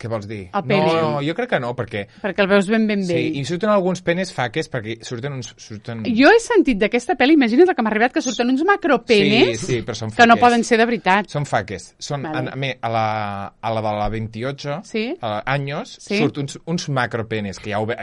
Què vols dir? A peli. No, jo crec que no, perquè... Perquè el veus ben ben bé. Sí, i surten alguns penes faques, perquè surten uns... Surten... Jo he sentit d'aquesta pel·li, imagina't el que m'ha arribat, que surten uns macropenes Sí, sí, però són que no faques. poden ser de veritat. Són faques. Són, Vale. vale. a, a, mi, a, la, a la de la veintiocho Sí. a la, anys, Sí. surt uns, uns macropenes, que ja ho, ve,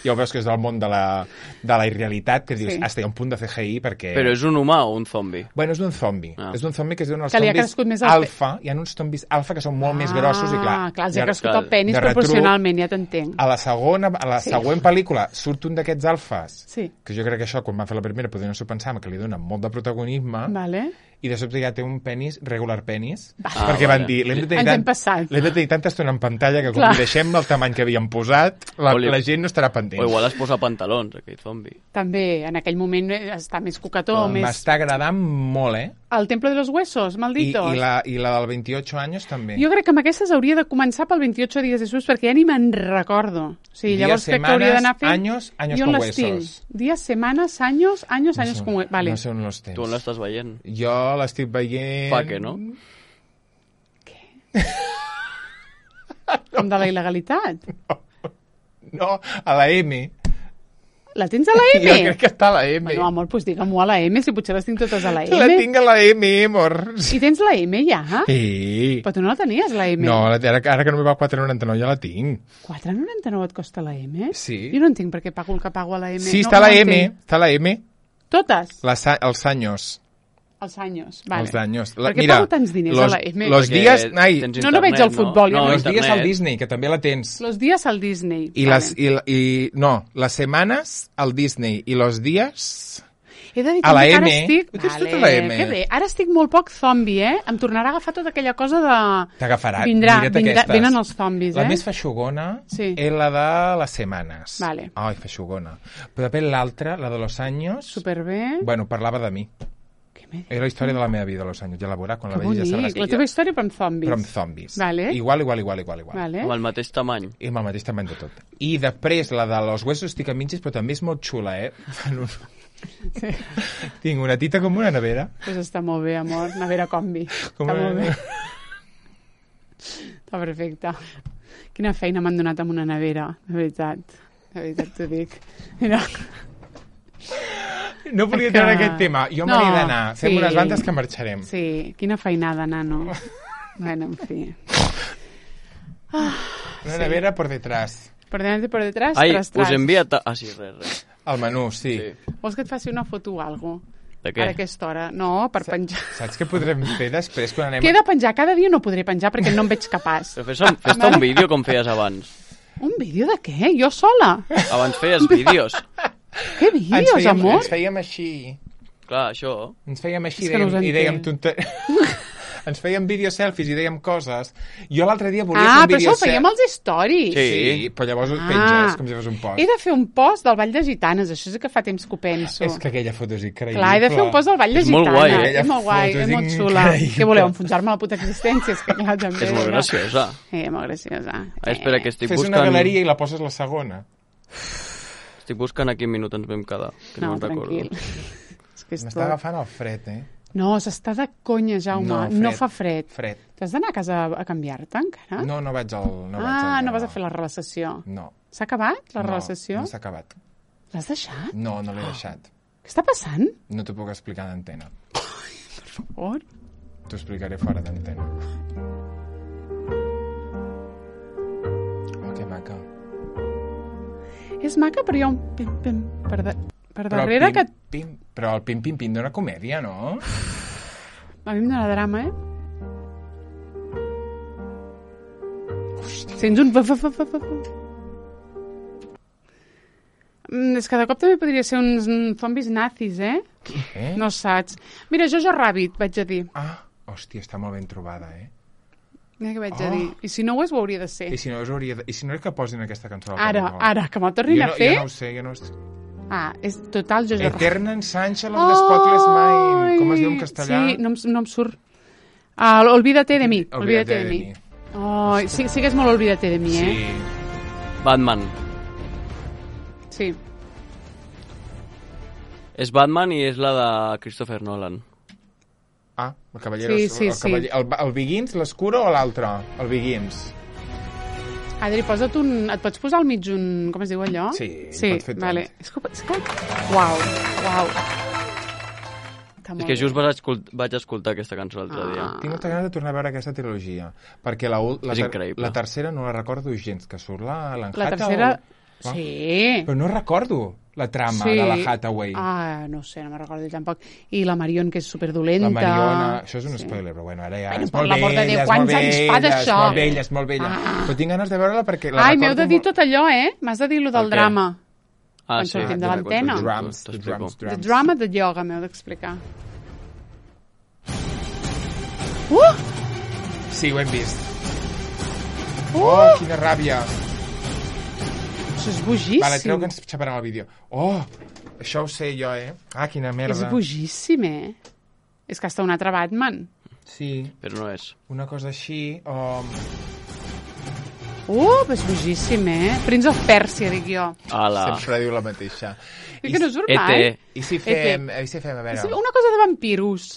ja ho veus que és del món de la, de la irrealitat, que dius, Sí. hasta hi ha un punt de C G I, perquè... Però és un humà o un zombi? Bueno, és d'un zombi. Ah. És d'un zombi que es diuen els Que li ha zombis crescut més el pe- alfa. Hi ha uns zombis alfa que són molt més grossos i clar... Ah, clar, els de- ha crescut clar, el penis de retruc, proporcionalment, ja t'entenc. A la segona, a la Sí. següent pel·lícula surt un d'aquests alfes, Sí. que jo crec que això, quan van fer la primera, podien s'ho pensar, que li dona molt de protagonisme, Vale. i de sobte ja té un penis, regular penis, Ah, perquè van vale. dir, l'hem de tenir, Ens hem tant, passat. l'hem de tenir tanta estona en pantalla que com Clar. li deixem el tamany que havíem posat, la, O li- la gent no estarà O pendent. igual es posa pantalons, aquell zombi. També, en aquell moment eh, està més cucató, més... M'està agradant molt, eh? El Templo de los Huesos, I, malditos. i, la, I la del veintiocho anys també. Jo crec que amb aquestes hauria de començar pel veintiocho dies després, perquè ja ni me'n recordo. O sigui, Días, llavors crec que hauria d'anar fent... años, años I on con les tinc? huesos. Dies, setmanes, anys, anys, anys sé, con huesos. Vale. no sé on los tens. Tu on l'estàs veient? Jo l'estic veient... Fa què, no? Com de la il·legalitat. No, a la M. La tens a la M? Jo crec que està a la M. Bueno, amor, doncs digue'm-ho a la M, si potser les tinc totes a la M. La tinc a la M, amor. I tens la M ja? Sí. Però tu no la tenies, la M. No, la- ara, ara que no me va quatre noranta-nou ja la tinc. quatre noranta-nou et costa la M? Sí. Jo no entenc per què pago el que pago a la M. Sí, no, està a la no M, entenc. està a la M. Totes? Les, a- els anys. Els anys. Vale. Els anys. Per què pago tants diners los, a la M? Los Perquè dies... Ai, tens No, no veig el futbol, jo no, no. los dies al internet. Disney, que també la tens. Los días al Disney. I Vale. les, i, la- i, no, les setmanes al Disney i los dies... He de dir a la també que ara M. estic... Ho tens tot a la M. Que bé. Ara estic molt poc zombi, eh? Em tornarà a agafar tota aquella cosa de... T'agafarà. Vindrà, Mira't vindrà, aquestes. venen els zombis, La eh? més feixugona Sí. és la de les setmanes. Vale. Ai, feixugona. Però després l'altra, la de los anys... Superbé. Bueno, parlava de mi. Què me... Era la història de la meva vida, los anys. Ja la veurà, quan Que la vegi ja sabràs. bonic. La teva història però amb zombis. Però amb zombis. Vale. Igual, igual, igual, igual, igual. Vale. Amb el mateix tamany. I amb el mateix tamany de tot. I després, la de los huesos estic a mitges, però també és molt xula, eh? Fan un... Sí. Tinc una tita com una nevera. Pues està molt bé, amor. Nevera combi. Com està una molt bé. nevera. Està perfecte. Quina feina m'han donat amb una nevera, de veritat. De veritat t'ho dic. Mira. No volia Que- treure aquest tema. Jo No, me n'he d'anar. Fem sí. unes bandes que marxarem. Sí, quina feinada, nano. Bueno, en fi. Una nevera por detrás. Per delante i per detrás, Ai, tras, tras. us envia... Ta... Ah, sí, res, res. El menú, sí. Sí. Vols que et faci una foto o alguna cosa? De què? A aquesta hora. No, per penjar. Saps què podrem fer després quan anem... Què he de penjar? Cada dia no podré penjar perquè no em veig capaç. Però fes-te fes un vídeo com feies abans. Un vídeo de què? Jo sola? Abans feies vídeos. Què Ens vídeos, fèiem, amor? ens fèiem així. Clar, això... Ens fèiem així És que no us dèiem, i dèiem... entenc. Tonte... ens fèiem vídeo-selfies i dèiem coses. Jo l'altre dia volia Ah, fer un però això vídeo... ho fèiem als stories. Sí. Sí, però llavors ho Ah. penges com si fos un post. He de fer un post del Ball de Gitanes, això sí que fa temps que ho penso. És que aquella foto és increïble. Clar, he de fer un post del Ball de És molt Gitanes. guai, eh? És Aquella molt guai, foto és és molt xula. increïble. Què voleu, enfonsar-me la puta existència? És que clar, també... És molt no? graciosa. Eh, molt graciosa. Ah, espera, que estic Fes buscant... una galeria i la poses la segona. Estic buscant a quin minut ens vam quedar. Que no, No, me'n recordo. tranquil. És que és M'està tot... agafant el fred, eh? No, s'està de conya, Jaume. No, No, fred. fa fred. Fred. T'has d'anar a casa a canviar-te encara? No, no vaig al... No vaig ah, al no vas a lavabo. fer la relació. No. S'ha acabat, la no, relació? No s'ha acabat. L'has deixat? No, no l'he deixat. Què està passant? No t'ho puc explicar d'antena. Per favor. T'ho explicaré fora d'antena. Oh, que maca. És maca, però hi ha un pim-pim per, de... per Però el darrere pim, que... pim, però el pim-pim-pim d'una comèdia, no? A mi em dóna drama, eh? Hòstia. Sents un... fa, fa, fa, fa, fa. Mm, és que de cop també podria ser uns mm, zombis nazis, eh? Eh? No saps. Mira, Jojo Rabbit, vaig a dir. Ah, hòstia, està molt ben trobada, eh? Mira què vaig Oh. a dir. I si no ho és, ho hauria de ser. I si no, us hauria de... I si no és que posin aquesta cançó al Ara, Pop ara, que me'l tornin jo a no, fer... Jo no ho sé, jo no ho sé. Ah, és total Jojo Rabbit. Eterna ensancha los de Spotless Mind. Com es diu en castellà? Sí, no em, no em surt. Ah, olvídate de mi. Olvídate Olvídate de de mi. mi. Oh, sí, sí que és molt olvídate de mi, eh? Sí. Batman. Sí. És Batman i és la de Christopher Nolan. Ah, el Cavallero... Sí, sí, el, sí. cavaller, el, el Begins, l'Escuro o l'altre? El Begins. Adri, posa't un... Et pots posar al mig un... Com es diu allò? Sí, sí, pot fer tot. vale. És que... És que... Uau, uau. Està És molt que bé. just vaig, escult vaig escoltar aquesta cançó l'altre dia. Ah. Tinc molta ganes de tornar a veure aquesta trilogia, perquè la, ul- la, És ter increïble. la tercera no la recordo gens, que surt la l'Anne La Hathaway. tercera... Va. Sí. Però no recordo la trama Sí. de la Hathaway. Ah, no sé, no me'n recordo tampoc. I la Marion, que és superdolenta. La Mariona... Això és un Sí. spoiler, però bueno, ara ja... Bueno, és per molt l'amor de vella, Déu, és quants molt anys fa vella, d'això? És molt vella, és molt vella. Ah. Però tinc ganes de veure-la perquè la Ai, m'heu recordo de dir molt- tot allò, eh? M'has de dir lo del El què? drama. Ah, Quan sí. sortim de Ah, l'antena. t'explico, Drums, the t'explico. drums, The drums. drama de yoga, m'heu d'explicar. Uh! Sí, ho hem vist. Uh! Oh, quina ràbia. Això és bojíssim. Vale, creu que ens xaparem el vídeo. Oh, això ho sé jo, eh? Ah, quina merda. És bojíssim, eh? És que està un altre Batman. Sí, Però no és. una cosa així... Oh... Uh, és bojíssim, eh? Prince of Persia, dic jo. Ala. Sempre diu la mateixa. I que no surt E mai. T. I si fem... I si fem, a És veure... una cosa de vampiros.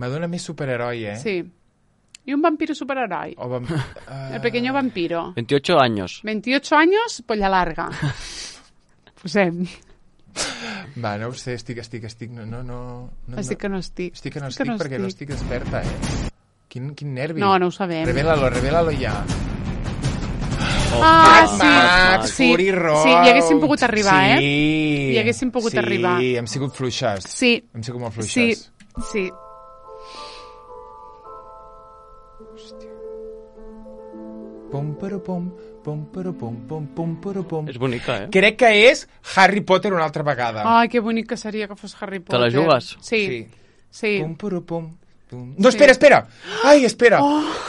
M'adona més superheroi, eh? Sí. I un vampiro superheroi. O vam... uh... El pequeño vampiro. veintiocho años. veintiocho años, polla larga. Posem. Va, no ho sé, estic, estic, estic... No, no, no... no Estic que no estic. Estic que no estic, perquè no estic desperta, eh? Quin, quin nervi. No, no ho sabem. Revela-lo, revela-lo ja. Ah, Max, sí. Max, sí. Fury Road. Sí, hi haguéssim pogut arribar, sí. eh? Hi haguéssim pogut sí. arribar. Sí, hem sigut fluixes. Sí. Hem sigut molt Sí, fluixes. sí. Pum, però, pum, pum, però, pum, pum, pum, però, pum. És bonica, eh? Crec que és Harry Potter una altra vegada. Ai, que bonic que seria que fos Harry Potter. la jugues? Sí, Sí. sí. Pum, però, pum, pum. No, espera, espera! Ai, espera!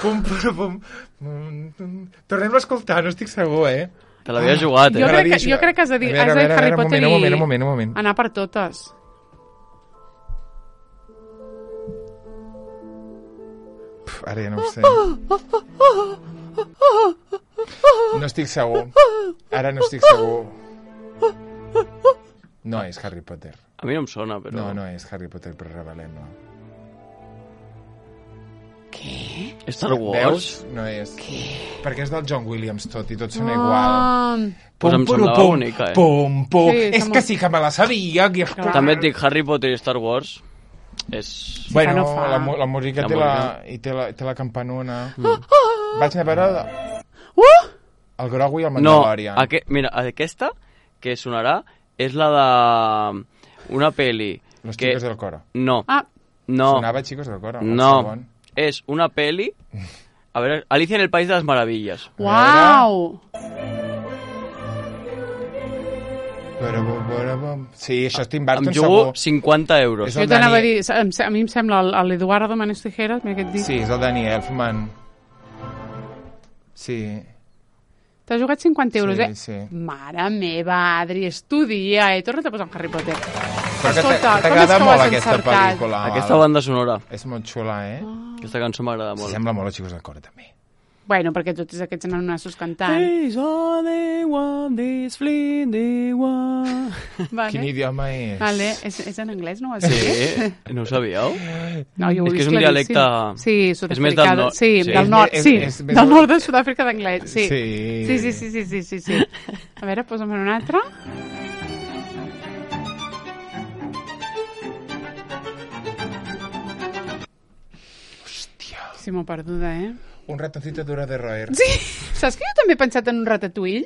Pum, però, pum, pum, pum. Tornem-lo a escoltar, no estic segur, eh? Te l'havies jugat, Jo eh? crec, que, jo crec que has de dir, A veure, has de dir a veure, Harry a veure, Potter un moment, i un moment, un moment, un moment. anar per totes. Puf, ara ja no ho sé. No estic segur. Ara no estic segur. No és Harry Potter. A mi no em sona, però... No, no és Harry Potter, però revelem-la. Què? Star Wars? Veus? No és. Què? Perquè és del John Williams tot i tots són Ah. igual. Pues em semblava pum, bonica, eh? Pum, pum. Sí, és som- que sí que me la sabia. Que... També et dic, Harry Potter i Star Wars és... Sí, Bueno, fa no fa. la, mu- la música La té la, música. i té la, té la campanona. Mm. Vaig anar a veure Uh! el Grogu i el No, Mandalorian. aqu mira, aquesta que sonarà és la de una peli Los que... chicos del coro. No, Ah, no, Sonava Chicos del coro. el no. segon. És una peli... A veure, Alicia en el País de las Maravillas. uau! Però, però, però, sí, això és Tim Burton Em jugo segur. cinquanta euros. És Jo el t'anava a Dani- dir, em se- a mi em sembla el- el Eduardo Manes Tijeras, mira què et dic. Sí, és el Danny Elfman. Sí. T'has jugat cinquanta euros, Sí, eh? sí. Mare meva, Adri, estudia, eh? Torna't a posar en Harry Potter. Però que Escolta, t'a- com és t'agrada que ho molt has aquesta encertat? pel·lícula. Aquesta banda sonora, És molt xula, eh? aquesta cançó m'agrada molt. Sembla molt a Chicos del coro, també. Bueno, perquè tots aquests nanassos cantant. There's only one, this fleeting one. Vale. Quin idioma és? Vale. És, és en anglès, no ho has Sí, dit? no ho sabíeu? No, jo ho he És que vist és un claríssim. dialecte- Sí, és sud-africà. més del nord. Sí, Sí. del És nord, més- sí. és més- Del nord de Sud-àfrica d'anglès, sí. Sí. Sí, sí, sí, sí, sí, sí, sí. A veure, posa'm en un altre. Hòstia. Sí, m'ho perduda, eh? Un ratoncito duro de roer. Sí, saps que jo també he pensat en un ratatouille?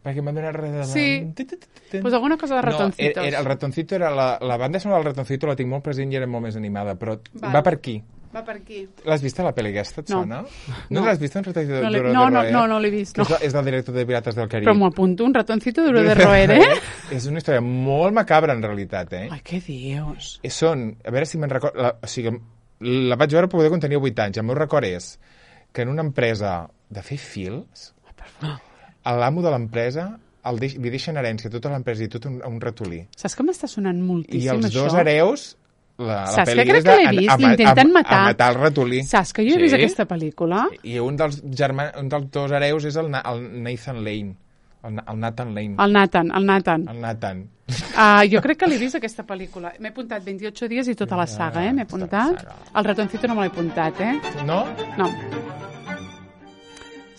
Perquè m'ha donat res de... Sí. Pues alguna cosa de ratoncitos. No, era, el ratoncito era... La, la banda sonora del ratoncito la tinc molt present i era molt més animada, però Val. va per aquí. Va per aquí. L'has vist a la pel·li aquesta, et No. sona? No. No, l'has vist, un ratoncito No l'he- duro no, de no, roer? no, no l'he vist, Que no. És, és del director de Pirates del Carib. Però m'ho apunto, un ratoncito duro de roer, eh? És una història molt macabra, en realitat, eh? Ai, què dius? I són, a veure si me'n record... La, o sigui, la vaig veure poder quan tenia vuit anys. El meu record és que en una empresa de fer fils, l'amo de l'empresa el deix, li deixen herència a tota l'empresa i tot un, un ratolí. Saps que m'està sonant I moltíssim, els això? dos hereus, la, la Saps pel·li que crec és que de- l'he a- vist? a, ma- L'intenten a, matar. A matar el ratolí. Saps que jo he Sí? vist aquesta pel·lícula? I un dels, germans, un dels dos hereus és el, Na- el Nathan Lane. El, Na- el Nathan Lane. El Nathan, el Nathan. El Nathan. Uh, jo crec que l'he vist, aquesta pel·lícula. M'he apuntat vint-i-ocho dies i tota la saga, eh? M'he Tota la apuntat. saga. El ratoncito no me l'he apuntat, eh? No? No.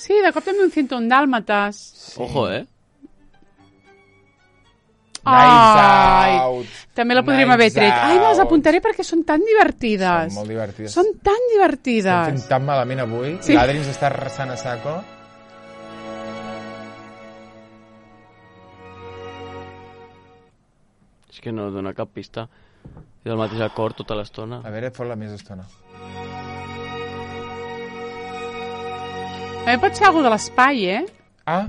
Sí, de cop també un ciento un dàlmates. Sí. Ojo, eh? Knives Ai, Out. també la podríem Knives haver tret. Ai, me les Out. apuntaré perquè són tan divertides. Són molt divertides. Són tan Estem divertides. fent tan malament avui. Sí. Sí. L'Adri ens està arrasant a saco. És que no dona cap pista. És el mateix acord tota l'estona. A veure, fot-la més estona. També pot ser alguna de l'espai, eh? Ah,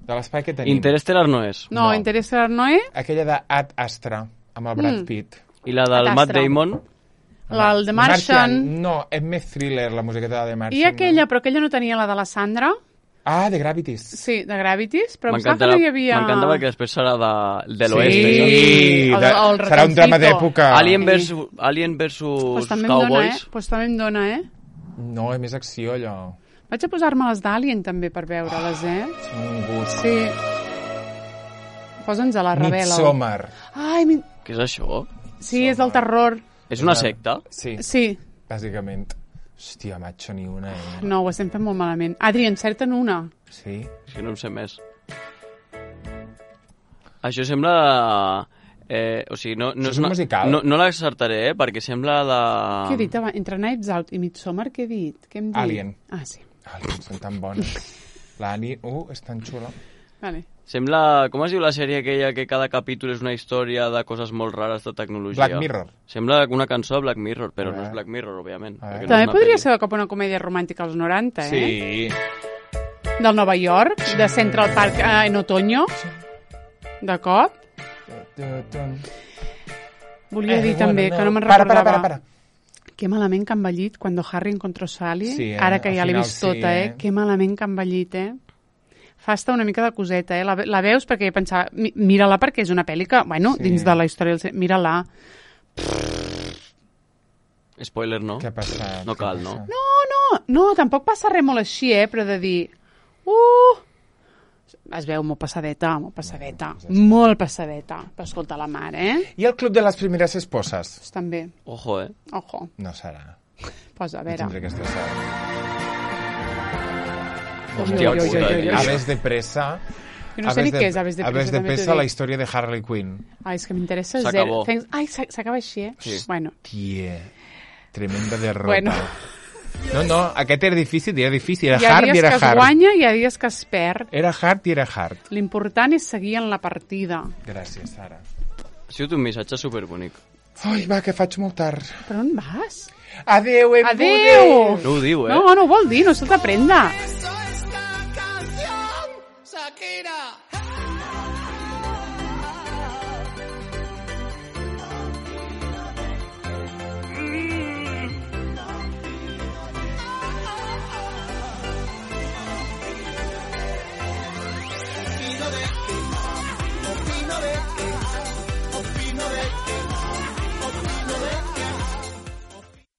de l'espai que tenim. Interstellar no és. No, No. Interestelar no, eh? Aquella de Ad Astra, amb el Brad Mm. Pitt. I la del Ad Matt Astra. Damon, El de Martian. No, és més thriller, la musiqueta de The Martian. I aquella, No? però aquella no tenia la de la Sandra. Ah, de Gravities. Sí, de Gravities, però em sembla que m'encanta no hi havia... m'encanta perquè després serà de, de l'oest. Sí. això. Sí, El- de, el serà un drama ratoncito. d'època. Alien versus, Alien versus Pues també em dona, eh? Cowboys. Pues també em dona, eh? No, és més acció, allò. Vaig a posar-me les d'Alien també per veure-les, eh? És un gust. Sí. Posa'ns a la revela. Midsommar. Ai, mi... Què és això? sí, és del terror. És una secta? Sí, Sí. bàsicament. Hòstia, macho, ni una, eh? No, ho estem fent molt malament. Adri, encerta'n una. Sí? És que no en sé més. Això sembla... Eh, o sigui, no, no Això és un musical. No, no l'accertaré, eh, perquè sembla de... Què he dit abans? Entre Knives Out i Midsommar, què he dit? Què hem dit? Alien. Ah, sí. Alien, són tan bones. L'Ani, uh, és tan xula. Vale. Sembla... Com es diu la sèrie aquella que cada capítol és una història de coses molt rares de tecnologia? Black Mirror. Sembla una cançó de Black Mirror, però A no veure. és Black Mirror, òbviament. A veure. perquè no També és una podria pel·li. ser de cop una comèdia romàntica als noranta, eh? Sí. Del Nova York, de Central Park eh, en otoño. De cop. Volia dir també, que no me'n Para, recordava. para, para, para. Que malament que ha envellit quan Harry encontró Sally. Sí, eh? Ara que Al ja l'he final vist sí, tota, eh? eh? Que malament que ha envellit, eh? Fa estar una mica de coseta, eh? La, la veus perquè pensava... mi- Mira-la perquè és una pel·li que, bueno, Sí. dins de la història... del cine- Mira-la. Spoiler, no? Què ha passat? No cal, Què no? passa? No, no, no, tampoc passa res molt així, eh? Però de dir... Uh, Es veu molt passadeta, molt passadeta. Molt passadeta. Però escolta la mare, eh? I el club de les primeres esposes? Pues també. Ojo, eh? Ojo. No serà. Posa, a No veure. tindré que estressar. Hòstia, Ui, ui, ui, ui, ui. Aves de pressa... Jo no sé ni què és Aves de Pressa, Aves de també t'ho Pressa, dic. la història de Harley Quinn. Ai, és que m'interessa S'acabó. zero. Thanks- Ai, s'a- s'acaba així, eh? Sí. Bueno, Tia, tremenda derrota. Bueno. No, no, aquest era difícil, era difícil. Era hi ha hard i dies era que es hard. guanya i hi ha dies que es perd. Era hard i era hard. L'important és seguir en la partida. Gràcies, Sara. Ha sigut un missatge superbonic. Ai, va, que faig molt tard. Per on vas? Adéu, em Adéu! No ho diu, eh? No, no ho vol dir, no se t'aprenda. Eso es la canción, Shakira.